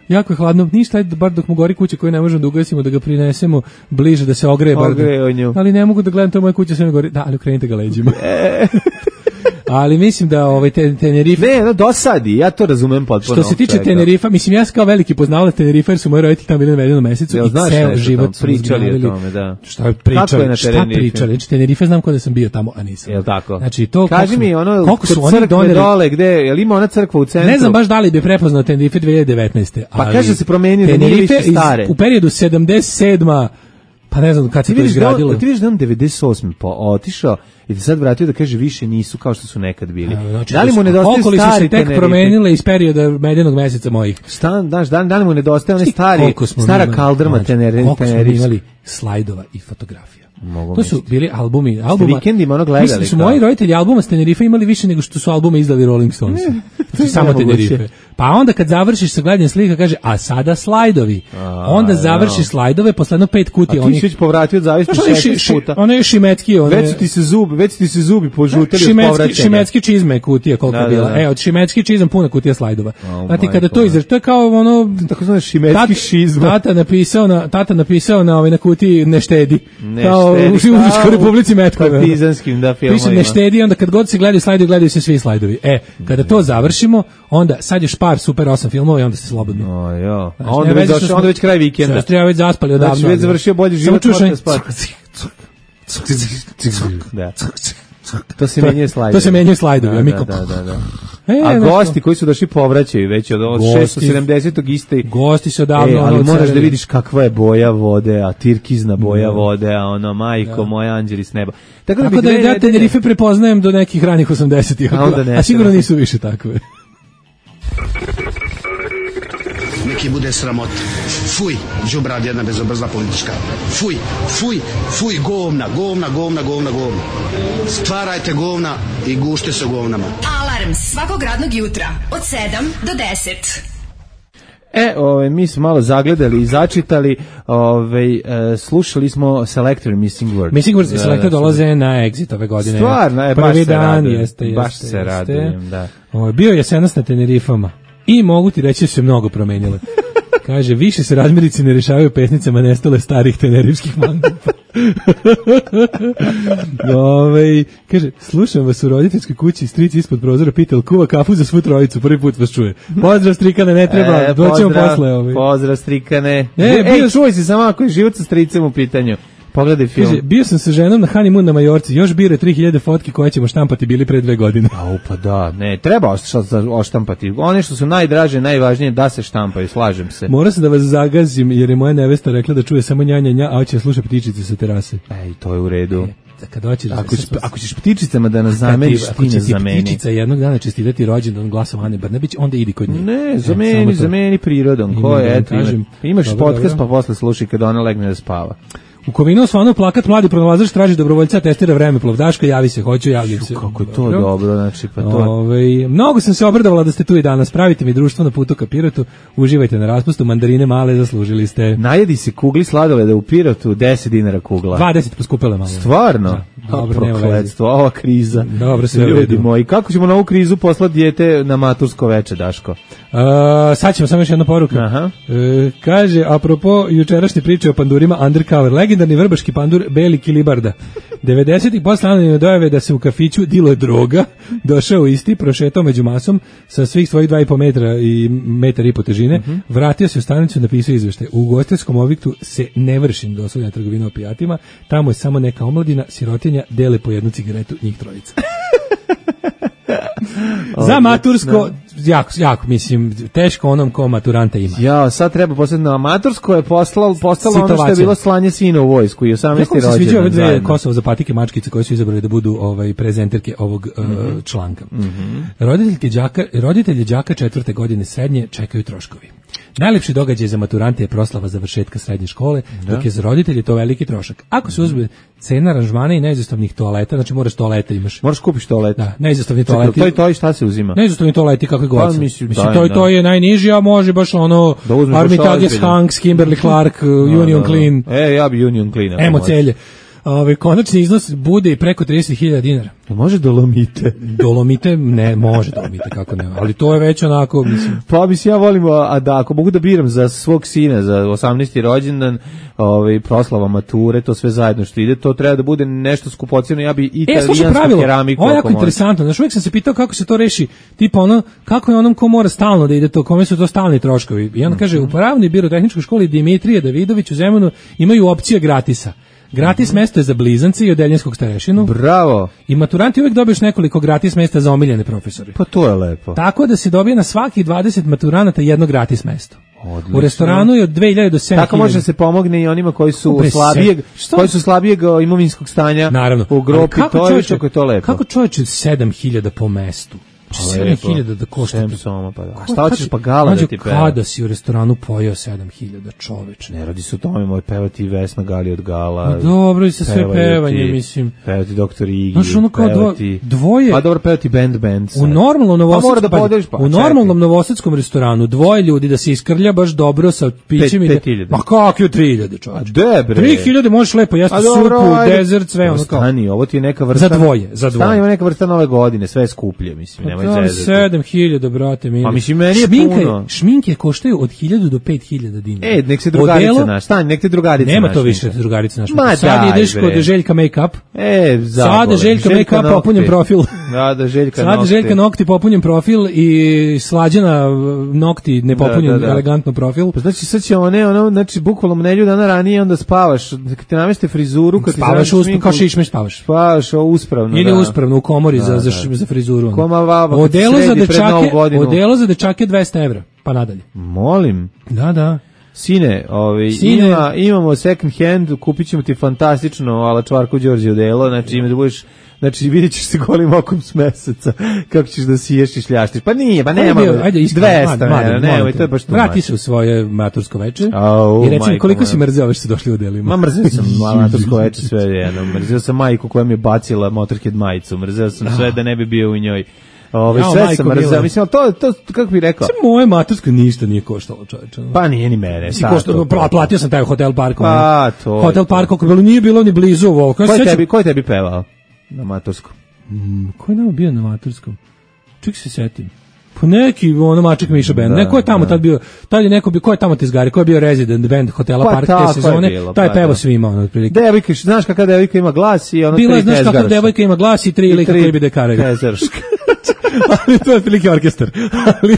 jako je hladno, ništa, ajde bar dok mu gori kuća koju ne možemo da ugasimo, da ga prinesemo bliže, da se ogreje. Ali ne mogu da gledam, to je moja kuća, sve ne gori. Da, ali okrenite ga leđima. Ali mislim da Tenerife... Ne, dosadi, ja to razumem potpuno. Što se tiče Tenerifa, mislim, ja sam kao veliki poznavalac Tenerifa, jer su moji roditelji tamo bili na mesecu i ceo život su pričali o tome, da. Šta pričali? Znači, Tenerife znam kod da sam bio tamo, a nisam. Jel tako? Znači, to... Kaži mi, ono, kod crkve dole, gde, jel ima ona crkva u centru? Ne znam baš da li bi prepoznao Tenerife 2019. Pa kaže se promenio, da nije više stare. U periodu 77. Pa ne znam kad se to izgradilo. Ti vidiš da on 98. otišao i da sad vratio da kaže više nisu kao što su nekad bili. Znači, da li mu nedostaje stari Tenerife? Su se tek promenile iz perioda medenog meseca mojih. Da li mu nedostaje one stara kaldrma Tenerife? Koliko smo imali slajdova i fotografija. To su bili albumi. Vikendima ono gledali. Mislim da su moji roditelji albuma s Tenerife imali više nego što su albume izdali Rolling Stones. Samo Tenerife. Pa onda kad završiš sa gledanjem slika kaže, a sada slajdovi. Onda završiš slajdove, posle jedno 5 kutija. A ti si već povratio od zavisnosti 16 puta. Ono je šimetski. Već ti se zubi požutili od povraćenja. Šimetski čizme kutija koliko je bila. Od šimetski čizam puna kutija slajdova. Znate, kada to izraži, to je kao ono... Tako zove šimetski šizma. Tata napisao na kutiji ne štedi. Kao u Užičkoj Republici Metkove. Partizanskim, da, filmovima. Piše ne štedi, onda kad god se gledaju slajdovi, gledaju se svi slajdovi. Kada to završimo, onda sad je par super 8 filmova i onda se slobodno. A onda već kraj vikenda. Treba već zaspali odavno. Znači već završio bolji život, možete spati. To se menjaju slajdovi. To se menjaju slajdovi. Da. A gosti koji su došli povraćaju već od 670. iste. Gosti su odavno. Ali moraš da vidiš kakva je boja vode, a tirkizna boja vode, a ono, majko moja, anđeli s neba. Tako da ja Tenerife prepoznajem do nekih ranih 80-ih, a sigurno nisu više takve. Neki bude sramot. Fuj, đubrad jedna bezobrazna politička. Fuj, govna. Stvarajte govna i gušte se govnama. Alarm svakog radnog jutra od 7 do 10. Mi smo malo zagledali i začitali, slušali smo Selector Missing Word. Missing Word i Selector dolaze na Exit ove godine. Stvarno, baš se radujem, da. Bio je jesenas na Tenerifama i mogu ti reći da su se mnogo promenile. Kaže, više se razmirice ne rešavaju pesnicama nestale starih tenerivskih mangupa. Kaže, slušam vas u roditeljskoj kući, stric ispod prozora pita, kuva kafu za svu trojicu, prvi put vas čuje. Pozdrav strikane, ne treba, doćemo posle. Pozdrav strikane. Čuvaj se samo ako je život sa stricem u pitanju. Pogledaj film. Kaže, bio sam sa ženom na honeymoon na Majorci, još bire 3000 fotki koje ćemo štampati bili pre 2 godine. Pa da, ne, treba oštampati. One što su najdraže, najvažnije da se štampaju, slažem se. Mora se da vas zagazim, jer je moja nevesta rekla da čuje samo njanja, a hoće sluša ptičice sa terase. Ej, to je u redu. Kad hoćeš, ako ćeš ptičicama da nas zameniš, ti ne zameni. Ako će ti ptičica jednog dana čestitati rođendan glasom Ane Brnabić, onda idi kod nje. Ne, zameni prirodom. Ko je, imaš podcast pa posle slušaj kad ona legne da spava. U Kovinu osvanu plakat mladi pronalazač traži dobrovoljca, testira vremeplov. Daško, javi se, hoću, javljam se. Kako je to dobro, znači pa to. Mnogo sam se obradovala da ste tu i danas. Pravite mi društvo na putu ka Pirotu. Uživajte na raspustu, mandarine male zaslužili ste. Najedi si kugli sladoleda u Pirotu, 10 dinara kugla. 20 poskupele malo. Stvarno? Da. Dobro, prokletstvo, ova kriza. Dobro, sve ljudi moji. Kako ćemo na ovu krizu poslati dijete na matursko veče, Daško? Sad ćemo samo još jedna poruka. Kaže, apropo jučerašnje priče o pandurima Undercover, legendarni vrbaški pandur Beli Kilibarda. 90-ih posle anonimne dojave da se u kafiću diluje droga, došao isti, prošetao među masom sa svih svojih 2,5 metra i metar i po težine, vratio se u stanicu i napisao izveštaj. U ugostiteljskom objektu se ne vrši doslovna trgovina opijatima, tamo je samo neka omladina, sirotinja, dele po jednu cigaretu, njih trojica. Za matursko, jako, mislim, teško onom ko maturanta ima. Ja, sad treba poslati na matursko je postalo ono što je bilo slanje sina u vojsku i 18. rođendan. Kako se sviđa ove dve Kosovo zapatike mačkice koje su izabrali da budu prezenterke ovog članka. Roditelji đaka 4. godine srednje čekaju troškovi. Najlepši događaj za maturante je proslava završetka srednje škole, dok je za roditelje to veliki trošak. Ako se uzme cena aranžmana i neizostavnih toaleta, znači moraš toalete imaš. Moraš kupiš toalet. Da, neizostavni toaleti. To i šta se uzima? Neizostavni toaleti kakve god. Mislim, to je najniži, a može baš ono Armitages, Hanks, Kimberly Clark, Union Clean. Ja bi Union Clean. Emo celje. Konačni iznos bude i preko 30.000 dinara. Može Dolomite? Dolomite, ne, može Dolomite, kako ne, ali to je već onako, mislim. Pa mislim, ja volim, a da, ako mogu da biram za svog sina, za 18. rođendan, proslava mature, to sve zajedno što ide, to treba da bude nešto skupocjeno, ja bi italijansku keramiku. Ovo je jako interesantno, znaš, uvijek sam se pitao kako se to reši, tipa ono, kako je onom ko mora stalno da ide to, kome su to stalni troškovi. I on kaže, u Pravnoj birotehničkoj školi Dimitrije Davidović u Zemunu imaju opcije gratisa. Gratis mesto je za blizance i odeljenskog starešinu. Bravo. I maturanti uvijek dobiješ nekoliko gratis mesta za omiljene profesore. Pa to je lepo. Tako da se dobije na svaki 20 maturanata jedno gratis mesto. Odlično. U restoranu je od 2000 do 7000. Tako može se pomogne i onima koji su slabijeg imovinskog stanja. Naravno. U grupi, to je što je to lepo. Kako čovječe 7000 po mestu? 7.000 da košta. Šta hoćeš pa gala da ti peva? Kada si u restoranu pojeo 7.000 čoveče? Ne radi se o tome, moj pevati Vesna Gali od Gala. No dobro, i sa sve pevanje, mislim. Pevati Doktor Igi. Znaš, ono kao dvoje. Pa dobro, pevati band. U normalnom novosadskom restoranu dvoje ljudi da se iskrlja baš dobro sa pićem. 5.000. Ma kakve 3.000 čoveče? A debre. 3.000 možeš lepo jesti supu, dezert, sve ono kao. Stani, ovo ti je neka vrsta. Za dvoje. Stani, ovo neka vrsta nove godine, sve je skuplje, mislim. 7.000, brate, mili. Pa mislim, meni je puno. Šminke koštaju od 1.000 do 5.000 dinara. Nek se drugarica naš. Stani, nek te drugarica naš. Nema to više drugarica naš. Sad ideš kod Željka Make-up. Sada Željka Make-up popunjen profil. Da, Željka Nokti. Sada Željka Nokti popunjen profil i Slađana Nokti nepopunjen elegantno profil. Pa znači sad će znači bukvalno nedelju dana ranije onda spavaš. Kad te nameste frizuru, kad spavaš uspravno, kao šišmeš spavaš. Spavaš uspravno. Ili uspravno u komori za frizuru. Odelo za dečake 200 evra, pa nadalje. Molim. Da. Sine, imamo second hand, kupit ćemo ti fantastično Ala Čvarko Đorđe odelo, znači ime da budeš, znači vidjet ćeš se golim okom s meseca, kako ćeš da siješ i šljaštiš. Pa nije, pa nema, 200, nemoj, to je baš tu. Vrati se u svoje matursko veče i recimo koliko si mrzeo ove što su došli u delima. Mrzeo sam matursko veče sve jedno, mrzeo sam majku koja mi je bacila Motorhead majicu, mrzeo sam sve da ne bi bio u njoj. Sve sam mrzeo, mislim, to kako bih rekao? Moje matursko ništa nije koštalo, čoveče. Pa nije ni mene. Platio sam taj Hotel Park. Pa to. Hotel Park, nije bilo ni blizu ovo. Ko je tebi pevao na maturskom? Ko je nama bio na maturskom? Ček se setim. Pa neki ono Maček Miša band. Neko je tamo tad bio, tad je neko bio, ko je tamo tezgari, ko je bio Resident band hotela pa Park te sezone, taj pevo svima ono otprilike. Devojka, znaš kakva devojka ima glas i ono bila, znaš kakva devojka ima glas i 3 lika koji bi dekaraju. Ali to je otprilike orkestar. Ali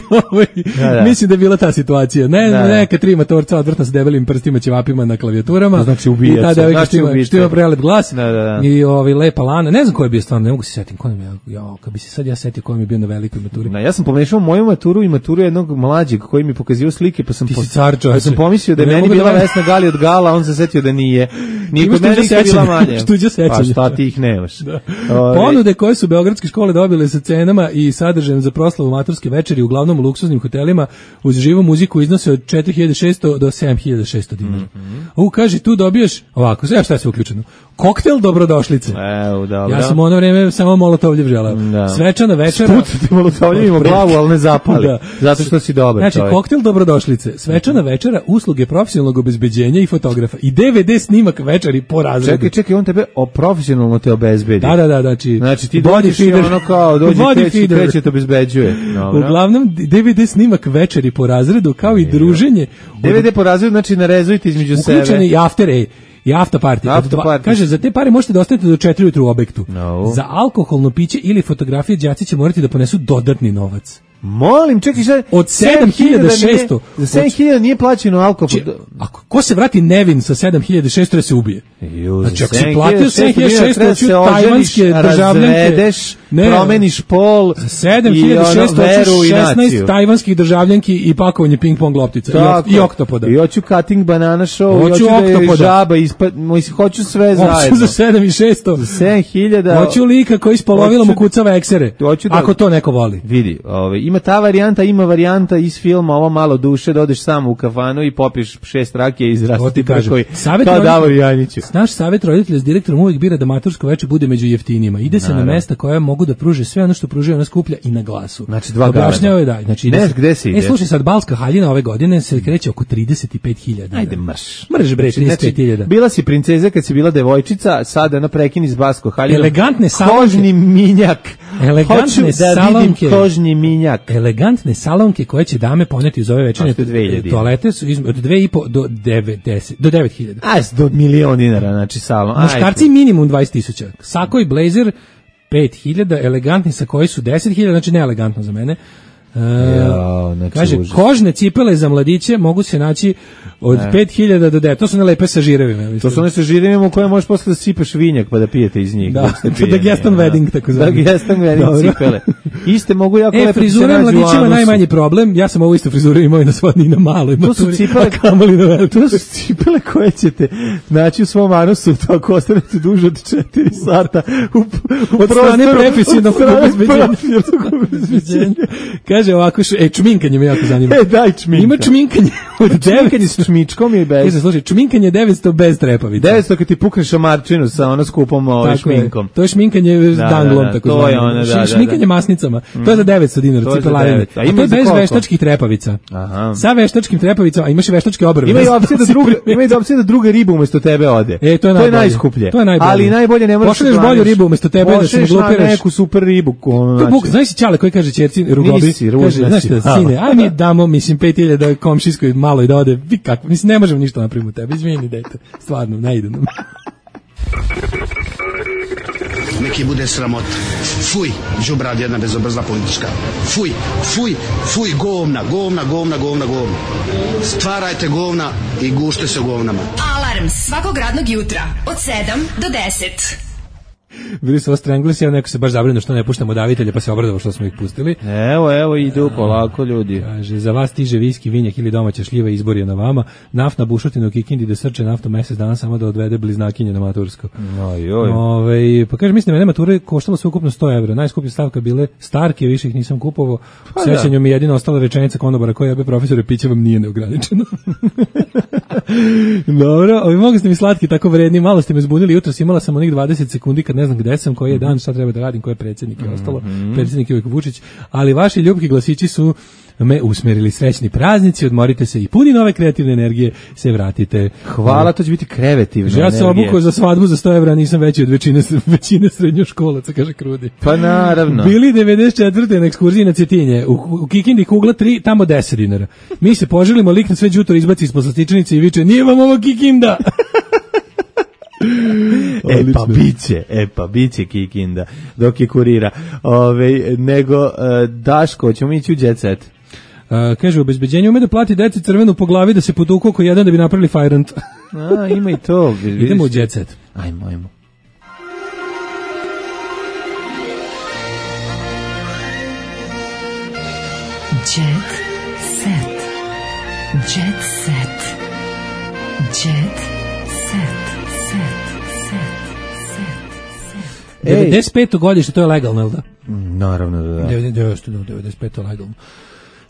mislim da je bila ta situacija. Neka 3 matorca odvrtna sa debelim prstima ćevapima na klavijaturama. Znači ubija se. I ta devojka što ima prelep glas. I lepa lana. Ne znam ko je bio stvarno, ne mogu se setiti. Kad bi se sad ja setio ko mi je bio na velikoj maturi. Ja sam pomešao moju maturu i maturu jednog mlađeg koji mi pokazivao slike, pa sam pomislio da je meni bila Vesna Gali od Gala, on se setio da nije. Nije kod mene bila manje. Pa šta ti ih nemaš. Ponude koje su beogradske škole dobile sa cenama i sadržajem za proslavu maturske večeri uglavnom u luksuznim hotelima uz živu muziku iznose od 4600 do 7600 dinara. Kaže, tu dobiješ ovako, šta je sve uključeno? Koktel dobrodošlice. Ja sam ono vreme samo molotovljev želeo. Svečana večera. Spucati molotovljevim u glavu, ali ne zapali. Zato što si dobar čovjek. Znači, koktel dobrodošlice, svečana večera, usluge profesionalnog obezbeđenja i fotografa i DVD snimak večeri po razredu. Čekaj, on tebe profesionalno te obezbedi. Da, znači ti dođeš i ono kao dođe kreće te obezbeđuje. Uglavnom, DVD snimak večeri po razredu, kao i druženje. DVD po razredu, znači narezujete između sebe. Uključeni i after party. Kaže, za te pare možete da ostanete do 4 ujutru u objektu. Za alkoholno piće ili fotografije đaci će morati da ponesu dodatni novac. Molim, čekaj šta? Od 7600. Za 7000 nije plaćeno alkohol. Ako ko se vrati nevin sa 7600 da se ubije. Znači, ako si platio 7600 tajvanske državljanke, promeniš pol, 7600 16 tajvanskih državljanki i pakovanje ping-pong loptica i oktopoda. I hoću cutting banana show, i hoću da je žaba, hoću sve zajedno. Hoću za 7600. Za 7000. Hoću lika koji s polovilom ukucava eksere. Ako to neko voli. Vidi, ima ta varijanta, ima varijanta iz filma Ovo malo duše, da odeš samo u kafanu i popiješ 6 rakije i izrasti prkovi. Kao Davor Janjiću. Naš savjet roditelja s direktorom uvijek bira da matursko veče bude među jeftinijima. Ide se na mesta koja mogu da pruže sve ono što pružaju ona skuplja i na glasu. Znači 2 objašnjava da. Znači gde se ide? Slušaj, sad Balska haljina ove godine se kreće oko 35.000. Ajde marš. Mrš bre, 35.000. Bila si princeza kad si bila devojčica, sada ona prekini s Balsko haljinu. Elegantne salonke. Kožni minjak. Elegantne salonke. Kožni minjak. Elegantne salonke koje će dame poneti uz ove večernje toalete su od 2.500 do 9.000. Do $1.000.000 dinara, znači salon. Muškarci minimum 20.000. Sako i blazer 5.000, elegantni sa koji su 10.000, znači neelegantno za mene. Kaže, kožne cipele za mladiće mogu se naći od 5.000 do 9. To su ne lepe sa žirevima. To su one sa žirevima u koje možeš posle da sipeš vinjak pa da pijete iz njih. Da Geston wedding, tako zvani. Da Geston wedding cipele. Iste mogu jako lepo. Frizura mladićima najmanji problem. Ja sam ovu istu frizuru imao i na svoj na maloj maturi. To su cipele koje ćete naći u svom anusu ako ostanete duže od 4 sata od strane profesionalnog obezbeđenja. Kaže ovako, čminkanje me jako zanima. Daj čminka. Ima čminkanje od 900 s čmičkom je bez. Slušaj, čminkanje 900 bez trepavica. 900 kad ti pukneš šamarčinu sa ono skupom šminkom. To je šminkanje s danglom, tako to je ono, šminkanje masnicama. To je za 900 dinara, cipelarine. A to je bez veštačkih trepavica. Sa veštačkim trepavicama, a imaš i veštačke obrve. Ima i opcija da druga riba umesto tebe ode. To je najskuplje. Ali najbolje ne možeš. Pošalješ bolju ribu umesto tebe da se glupiraš. Neku super ribu. Znaš si Ćale koji kaže ćerci Rugobi, kaže, znaš šta, sine, aj mi damo, 5.000 da komšijskoj malo i da ode, vi kako, ne možemo ništa napraviti u tebi, izvini, dete, stvarno, ne ide nam. Neki bude sramota. Fuj, đubrad jedna bezobrazna politička. Fuj, govna. Stvarajte govna i gušte se u govnama. Alarm svakog radnog jutra od 7 do 10. Bili su Stranglers, neko se baš zabrinuo što ne puštamo davitelje, pa se obradovao što smo ih pustili. Evo idu polako ljudi. Kaže, za vas stiže viski, vinjak ili domaća šljiva, izbor je na vama. Naftna bušotina u Kikindi da srče naftu mesec dana samo da odvede bliznakinje na matursko. Pa kaže, mislim da mene mature koštalo sve ukupno 100 evra. Najskuplja stavka bile Starke, više ih nisam kupovao. U sećanju mi jedina ostala rečenica konobara koja je profesore, piće vam nije neograničeno. Dobro, mogu ste mi slatki tako vredni, malo ste me zbunili, jutros imala sam onih 20 sekundi kad ne znam gde sam, koji je dan, šta treba da radim, ko je predsjednik i ostalo. Predsjednik je uvijek Vučić, ali vaši ljubki glasići su me usmerili. Srećni praznici, odmorite se i puni nove kreativne energije, se vratite. Hvala, to će biti kreativna energija. Ja sam obukao za svadbu za 100 evra, nisam veći od većine srednjoškolaca, kaže Krudi. Pa naravno. Bili 94. na ekskurziji na Cetinje, u Kikindi kugla 3, tamo 10 dinara. Mi se poželimo, lik na sve đutor izbaci ispod slastičanice i viče, nije vam ovo Kikinda! Pa biće Kikinda dok je kurira. Nego Daško, ćemo ići u Jet Set. Kaže, obezbeđenje ume da plati deci crvenu po glavi da se potuku oko jedan da bi napravili fajrant. Ima i to. Idemo u Jet Set. Ajmo. Jet Set. Jet Set. Jet Set. 95. godište, to je legalno, jel da? Naravno da. 95. legalno.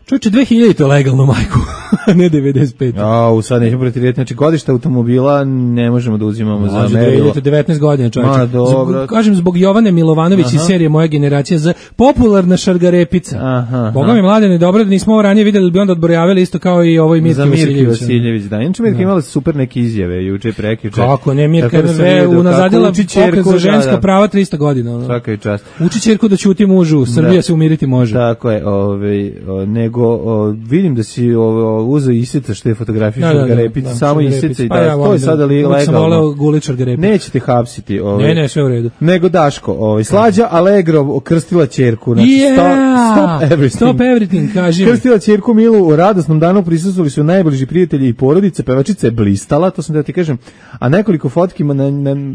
Čuče, 2000 to legalno, majku, ne 95. Sad nećemo pretirati, znači godište automobila ne možemo da uzimamo za merilo. 19 godina, čovječe. Kažem, zbog Jovane Milovanović iz serije Moja generacija Z, popularna šargarepica. Boga mi mladene, dobro da nismo ovo ranije vidjeli, bi onda odbrojavili isto kao i ovoj Mirki Vasiljević. Da, inače Mirka imala super neke izjave, juče prekjuče. Kako ne, Mirka unazadila pokret za ženska prava 300 godina. Svaka je čast. Uči ćerku da ćuti mužu, Srbija se umiriti može. Tako je, nego vidim da si uzeo Isica što je fotografiju šargarepica, samo Isica i da, to je sada legalno. Sam voleo gulit šargarepica. Nećete hapsiti. Ne, sve u redu. Nego Daško, Slađa Allegro krstila ćerku. Znači, stop everything, kažem. Krstila ćerku Milu, u radosnom danu prisustvovali su najbliži prijatelji i porodice, pevačica je blistala, to sam da ti kažem, a nekoliko fotkima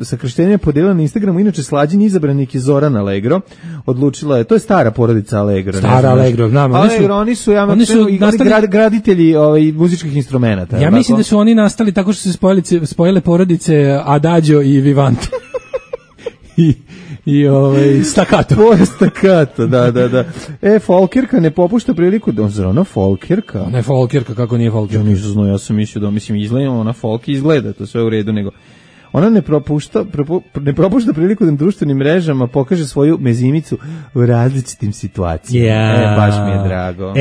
sa krštenjem podijelila na Instagramu, inače Slađin izabranik je Zoran Allegro, odlučila je, to je stara porodica Allegro. Stara Allegro, znam. Allegro, oni su graditelji muzičkih instrumenata. Ja mislim da su oni nastali tako što se spojile porodice Adagio i Vivanto. I Staccato. Staccato, da. Folkirka ne popušta priliku da ona Folkirka. Ne Folkirka, kako nije Folkirka? Ja nisam znao, ja sam mislio da izgleda, ona folk izgleda, to sve u redu, nego ona ne propušta priliku da na društvenim mrežama pokaže svoju mezimicu u različitim situacijama. Baš mi je drago.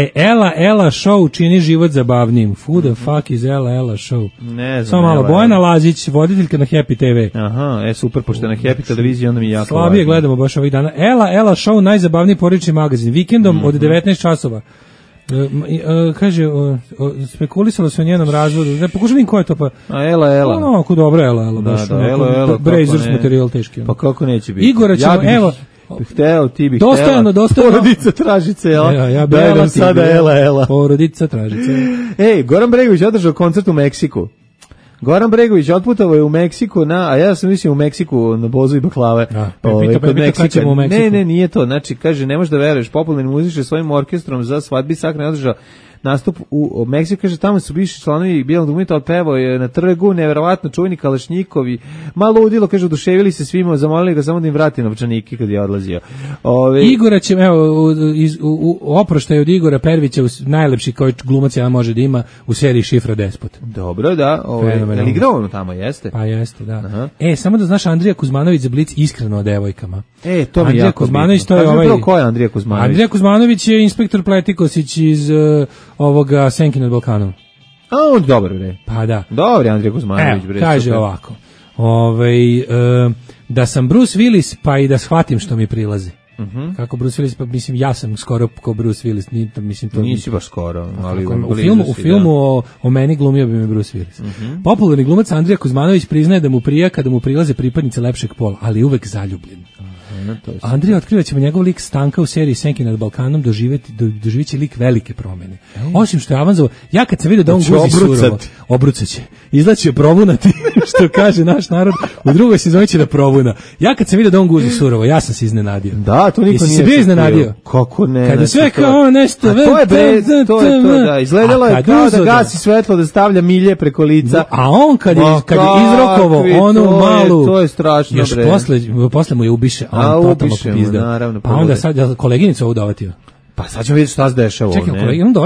Ela show čini život zabavnijim. Who the fuck is Ela show? Ne znam. Samo malo, Bojana Lazić, voditeljka na Happy TV. Aha, super, pošto na Happy televiziji onda mi jako slabije gledamo baš ovih dana. Ela show, najzabavniji porodični magazin. Vikendom od 19 časova. Kaže, spekulisalo se o njenom razvodu. Ne pokušam ko je to pa. Ela. Ako dobro Ela baš. Ela. Brazers materijal teški. Pa kako neće biti? Igora ćemo, evo. Ti bih dostojno. Porodica Tražice, ja daj sada Ela. Porodica Tražice. Goran Bregović održao koncert u Meksiku. Goran Bregović otputovao je u Meksiku a ja sam mislio u Meksiku na bozu i baklave. Ne, nije to. Znači, kaže, ne možeš da veruješ, popularni muzičar svojim orkestrom za svadbi Sakra je održao nastup u Meksiku, kaže, tamo su bivši članovi Bijelog dugmeta, otpevao je na trgu, neverovatno čuveni Kalašnjikovi, malo udilo, kaže, oduševili se svima, zamolili ga samo da im vrati novčanike kad je odlazio. Igora će, u oproštaju od Igora Pervića, najlepši koji glumac ja može da ima u seriji Šifra Despot. Dobro, da. Je li igrao ono tamo, jeste? Pa jeste, da. Aha. Samo da znaš, Andrija Kuzmanović za Blic iskreno o devojkama. To mi je jako bitno. Ko je Andrija Kuzmanović? Andrija Kuzmanović je inspektor Pletikosić iz ovoga Senki nad Balkanom. On dobro, bre. Pa da. Dobro, Andrija Kuzmanović, bre. Kaže super. Ovako. Da sam Bruce Willis, pa i da shvatim što mi prilazi. Kako Bruce Willis, pa mislim ja sam skoro kao Bruce Willis, mislim to. Nisi baš skoro, ali u filmu o meni glumio bi me Bruce Willis. Popularni glumac Andrija Kuzmanović priznaje da mu prija kada mu prilaze pripadnice lepšeg pola, ali uvek zaljubljen. Andrija otkriva ćemo njegov lik Stanka u seriji Senki nad Balkanom doživit će lik velike promjene. Osim što je avanzovao, ja kad sam vidio da on guzi surovo, obrucaće, izlaće provunati, što kaže naš narod, u drugoj sezoni će da provuna. Ja kad sam vidio da on guzi surovo, ja sam se iznenadio. Da, to niko nije. Se bio iznenadio? Kako ne? Kada sve kao nešto... To je to, da. Izgledalo je kao da gasi svetlo, da stavlja milje preko lica. A on kad je izrokovo onu malu... To je strašno, bre. Još posle mu je ubiše, naravno. Pa onda sad koleginicu ovu dovatio. Pa sad ćemo vidjeti šta se dešava. Čekaj,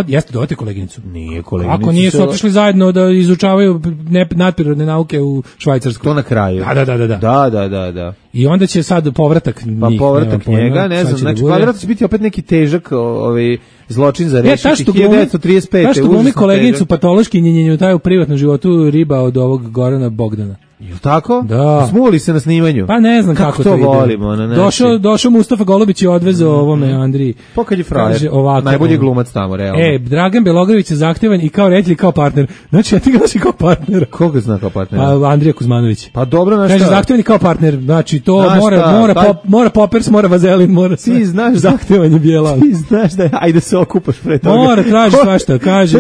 jeste dovati koleginicu. Nije koleginicu. Ako nije su otišli zajedno da izučavaju nadprirodne nauke u Švajcarskoj. To na kraju. Da. I onda će sad povratak njih. Pa povratak njega, ne znam, znači kvadrat će biti opet neki težak zločin za rešiti 1935. Ta što glumi koleginicu patološki njenjenju taj u privatnom životu riba od ovog Gorana Bogdana. Jel tako? Da. Smuli se na snimanju. Pa ne znam kako to ide. Volimo, došao Mustafa Golubić i odvezao ovome Andriji. Pa kad je frajer, najbolji glumac tamo, realno. Dragan Belogravić je zahtevan i kao reditelj kao partner. Znači, ja ti ga znaš kao partner. Koga zna kao partner? Pa Andrija Kuzmanović. Pa dobro, na šta? Kaže, zahtevan i kao partner. Znači, to mora Poppers, mora Vazelin, mora sve. Ti znaš zahtevanje bijela. Ti znaš da ajde se okupaš pre toga. Mora, traži svašta, kaže,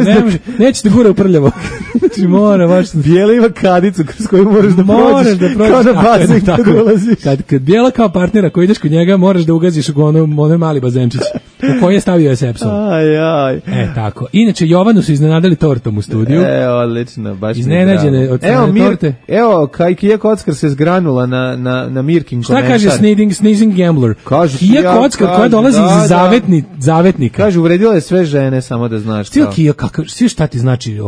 neće te gura u prljavo. Znači, mora, baš. Bijela ima kadicu kroz koju moraš da prođeš. Kao da bazen kad ulaziš. Kad bijela kao partnera koji ideš kod njega, moraš da ugaziš u onaj mali bazenčić u koji je stavio Sepson. Aj. Tako. Inače, Jovanu su iznenadili tortom u studiju. Odlično, baš iznenađene od torte. Evo, Kija Kockar se zgranula na Mirkin komentar. Šta kaže Sneezing Gambler? Kija Kockar koja dolazi iz zavetnika. Kaže, uvredila je sve žene, samo da znaš. Svi šta ti znači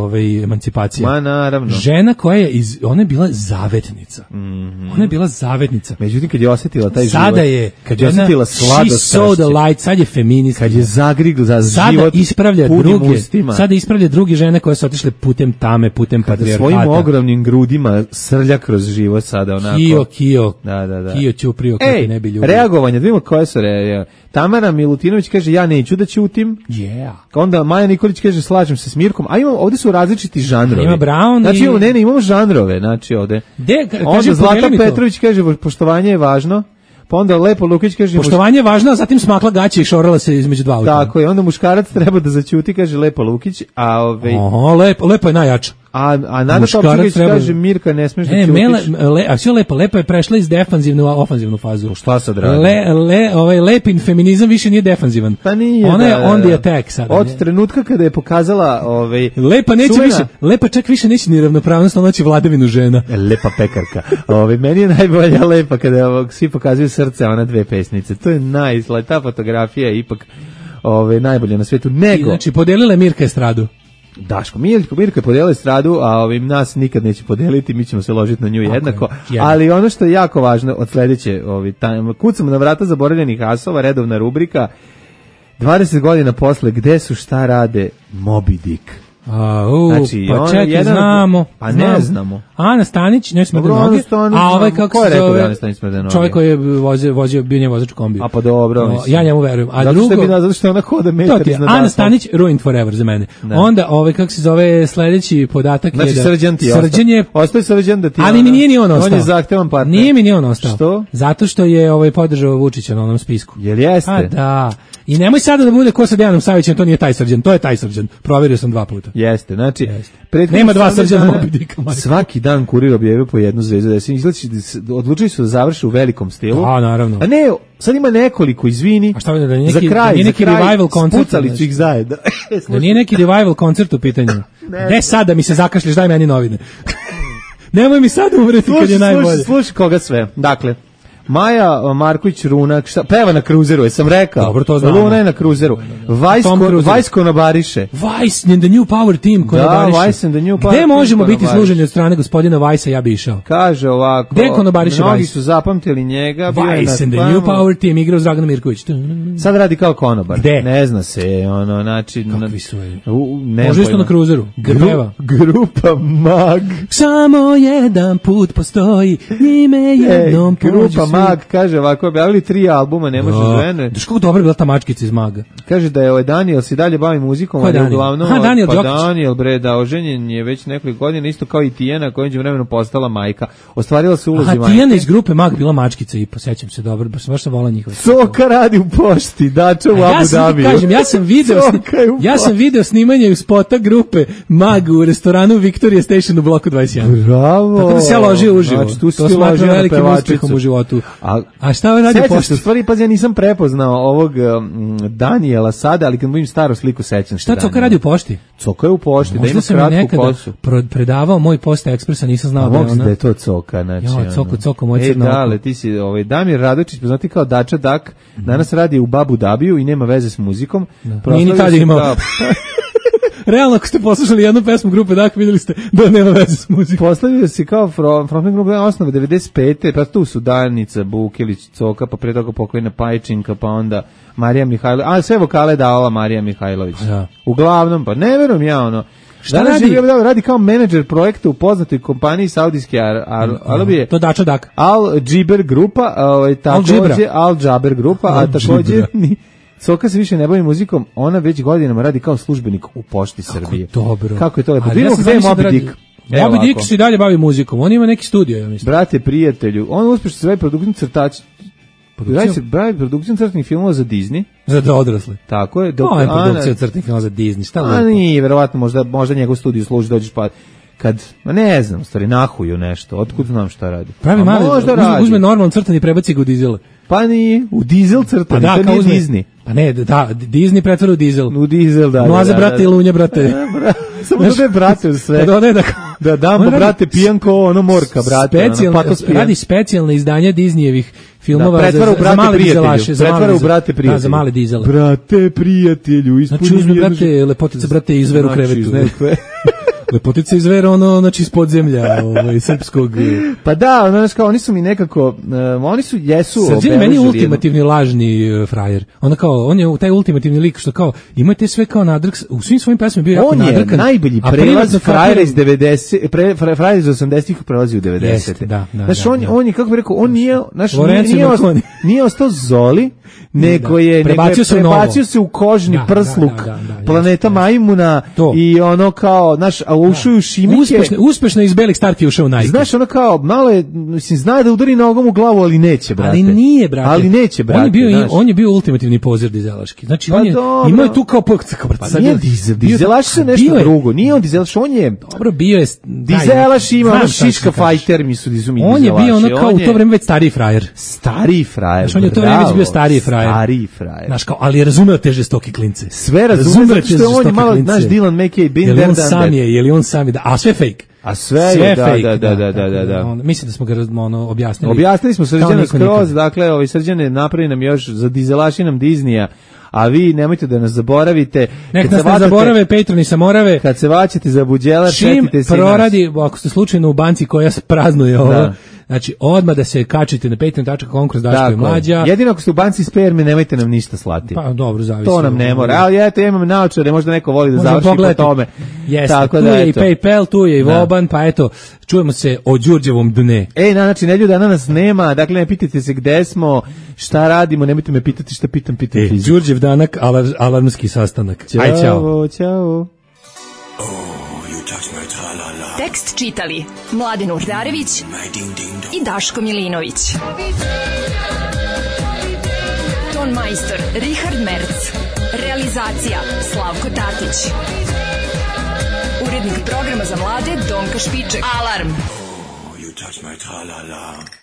emancipacija? Ma naravno. Žena koja je ona je bila zavetnica. Ona je bila zavetnica. Međutim, kad je osjetila taj život, sada je, kad je osjetila sladost, sad je feminist. Kad je zagrigla za život punim ustima. Sada ispravlja druge žene koje su otišle putem tame, putem patrijarhata. Svojim ogromnim grudima srlja kroz život sada onako. Kio. Da. Kio ćuprio kako ne bi ljudi. Reagovanje, da vidimo koje su Tamara Milutinović kaže, ja neću da ćutim. Yeah. Onda Maja Nikolić kaže, slažem se s Mirkom. A ovdje su različiti žanrovi. Ima Brown znači, imamo žanrove. Znači, ovde. Onda Zlata Petrović kaže, poštovanje je važno. Pa onda Lepo Lukić kaže... Poštovanje je važno, a zatim smakla gaće i šorala se između dva auta. Tako je, onda muškarac treba da zaćuti, kaže Lepo Lukić, a Lepo je najjača. A Nada Topčević kaže, Mirka ne smiješ da ćutiš. A sve lepo je prešla iz defanzivnu u ofanzivnu fazu. Šta sad radi? Lepin feminizam više nije defanzivan. Pa nije. Ona je on the attack sada. Od trenutka kada je pokazala Lepa neće više, Lepa čak više neće ni ravnopravnost, ona će vladavinu žena. Lepa pekarka. Meni je najbolja Lepa kada svi pokazuju srce, ona dve pesnice. To je ta fotografija je ipak najbolja na svijetu. Znači, podelila Mirka estradu. Daško, Mirka je podelila estradu, a nas nikad neće podeliti, mi ćemo se ložiti na nju jednako. Ali ono što je jako važno od sledeće, kucamo na vrata zaboravljenih asova, redovna rubrika, 20 godina posle, gde su, šta rade, Moby Dick. Znači, pa čekaj, znamo. Pa ne znamo. Ana Stanić, ne smrde noge. A kako se zove? Čovjek koji je vozio, bio nje vozač u kombiju. A pa dobro. Ja njemu verujem. A drugo, zato što ona hoda metar iznad asfalta. Ana Stanić, ruined forever za mene. Onda, kako se zove, sledeći podatak je da... Znači, Srđan ti je ostaje Srđan da ti... Ali mi nije ni on ostao. On je zahtevan partner. Nije mi ni on ostao. Što? Zato što je podržao Vučića na onom spisku. Jel jeste? A da. I nemoj sada da bude ko sa Dejanom Savićem, to nije taj Srđan, to je taj Srđan. Proverio sam 2 puta. Jeste, znači... Nema 2 Srđana Moby Dicka. Svaki dan Kurir objavio po jednu zvezdu. Odlučili su da završe u velikom stilu. A, naravno. A ne, sad ima nekoliko, izvini. A šta da za kraj, revival koncert. Spucali su ih zajedno. Da nije neki revival koncert u pitanju. Gde sad da mi se zakašliš, daj meni novine. Nemoj mi sad umreti kad je najbolje. Slušaj koga sve. Dakle, Maja Marković Runak, peva na kruzeru, jesam rekao. Dobro, to znamo. Luna je na kruzeru. Vajsko nabariše. Vice and the New Power Team koji nabariše. Da, Vice and the New Power Team. Gde možemo biti služeni od strane gospodina Vajsa, ja bi išao. Kaže ovako, mnogi su zapamtili njega. Vice and the New Power Team, igrao s Draganom Mirković. Sad radi kao konobar. Gde? Ne zna se, znači... Kakvi su je? Može isto na kruzeru. Grupa Mag. Samo jedan put postoji, njime jednom Grupa Mag, kaže ovako, objavili 3 albuma, ne može žene. Daš kako dobra bila ta mačkica iz Maga. Kaže da je Daniel se dalje bavi muzikom, ali uglavnom... Daniel Đokić. Daniel, da, oženjen je već nekoliko godina, isto kao i Tijana, koja je vremenu postala majka. Ostvarila se ulozi majke. Tijana iz grupe Mag bila mačkica i posjećam se dobro, baš sam volao njihove. Soka radi u pošti, Dača u Abu Dhabiju. Ja sam video snimanje u spota grupe Mag u restoranu Victoria Station u bloku 21. Bravo. Tako da se ja ložio uživo. Znači, tu si to smatram velikim uspjehom u životu. A šta on radi pošti? U stvari, pazi, ja nisam prepoznao ovog Danijela sada, ali kad vidim staru sliku sećam se. Šta Coka radi u pošti? Coka je u pošti, možda da ima kratku kosu. Predavao moj Posta Ekspresa, nisam znao da je ona. Da je to Coka, znači. Coko, moj crno. Dale, ti si Damir Radočić, poznati kao Dača Dak, danas radi u Abu Dhabiju i nema veze s muzikom. Nije ni tad imao. Realno, ako ste poslušali jednu pesmu grupe Dak, vidjeli ste da nema veze s muzikom. Poslavio se kao frontman grupe osnove 95. Pa tu su Danica, Bukelić, Coka, pa pre toga pokojna Pajčinka, pa onda Marija Mihajlović. A sve vokale davala Marija Mihajlović. Ja. Uglavnom, pa ne verujem ja ono. Šta radi? Radi kao menadžer projekta u poznatoj kompaniji Saudijske Arabije. To Dača Dak. Al Džiber grupa, takođe Al Džaber grupa, a takođe Coka se više ne bavi muzikom, ona već godinama radi kao službenik u Pošti Srbije. Dobro. Kako je to lepo. Vidimo gde je Moby Dick. Moby Dick se dalje bavi muzikom, on ima neki studio, ja mislim. Brate, prijatelju, on uspešno se bavi produkcijom crtača. Bavi produkcijom crtanih filmova za Disney. Za odrasle. Tako je. Ovo je produkcija crtanih filmova za Disney, šta lepo. Nije, verovatno, možda njegov studio služi, dođeš pa kad, ne znam, stvari, nahuju nešto, otkud znam šta radi. Pravi mali, uzme normalan crtan i prebaci ga u dizel. Pa nije, u dizel crtan, pa to nije Disney. Pa ne, da, Disney pretvara u dizel. U dizel, da. Mlaze brate i lunje brate. Samo da je brate u sve. Da dam brate pijanko, ono morka, brate. Radi specijalne izdanja Disneyevih filmova za male dizelaše. Pretvara u brate prijatelju. Da, za male dizele. Brate prijatelju. Znači uzme brate, lepotice brate i zver u krevetu. Lepotica iz Vera, znači iz podzemlja srpskog. Pa da, znači kao oni su mi nekako, oni su jesu Srđan meni ultimativni lažni frajer. On je taj ultimativni lik što kao imate sve kao nadrk, u svim svojim pesmama bio jako nadrkan. On je najbolji prelaz frajera iz 90, frajer iz 80-ih prelazi u 90-te. Da. Znači on je, kako bih rekao, on nije, nije ostao Zoli, nego je prebacio se u kožni prsluk planeta Majmuna i ono kao, znaš, ušuju Šimike. Uspešno iz belih starti ušao u Nike. Znaš, ono kao, malo je, mislim, zna da udari nogom u glavu, ali neće, brate. Ali nije, brate. On je bio ultimativni pozer dizelaški. Znači, on je imao tu kao... Pa nije dizelaš se nešto drugo. Nije on dizelaš, on je... Dobro, bio je... Dizelaš ima ono šiška fajter, mi su dizumi dizelaši. On je bio ono kao u to vreme već stariji frajer. Stariji frajer, znači, on je u to vreme već bio stariji frajer. Stariji frajer. Znaš, kao, ali je razumeo te žestoke klince. Sve razumeo, zato što on je malo, naš Dylan McKay, Bin Derdan. Je li on sam je, a sve fake. A sve je, da. Mislim da smo ga objasnili. Objasnili smo Srđana skroz, dakle, Srđane napravi nam još za dizelaši nam Disneya, a vi nemojte da nas zaboravite. Nek nas ne zaborave, Patroni sa Morave. Kad se vaćete za buđelar, šetite se čim proradi, ako ste slučajno u banci koja praznuje ovo, znači odmah da se kačite na patreon.com kroz Daško i Mlađa. Jedino ako ste u banci sperme, nemojte nam ništa slati. Pa dobro, zavisi. To nam ne mora. Ali eto, imam naočare, možda neko voli da završi po tome. Jeste, tu je i PayPal, tu je i Voban, pa eto, čujemo se o Đurđevom dne. Znači, neljuda nas nema, dakle ne pitajte se gde smo, šta radimo, nemojte me pitati šta pitam fiziku. Đurđev danak, alarmski sastanak. Aj, ćao. Tekst čitali Mladen Urdarević i Daško Milinović. Ton majstor Richard Merc. Realizacija Slavko Tatić. Urednik programa za mlade Donka Špiček. Alarm! Oh, you touch my tra-la-la.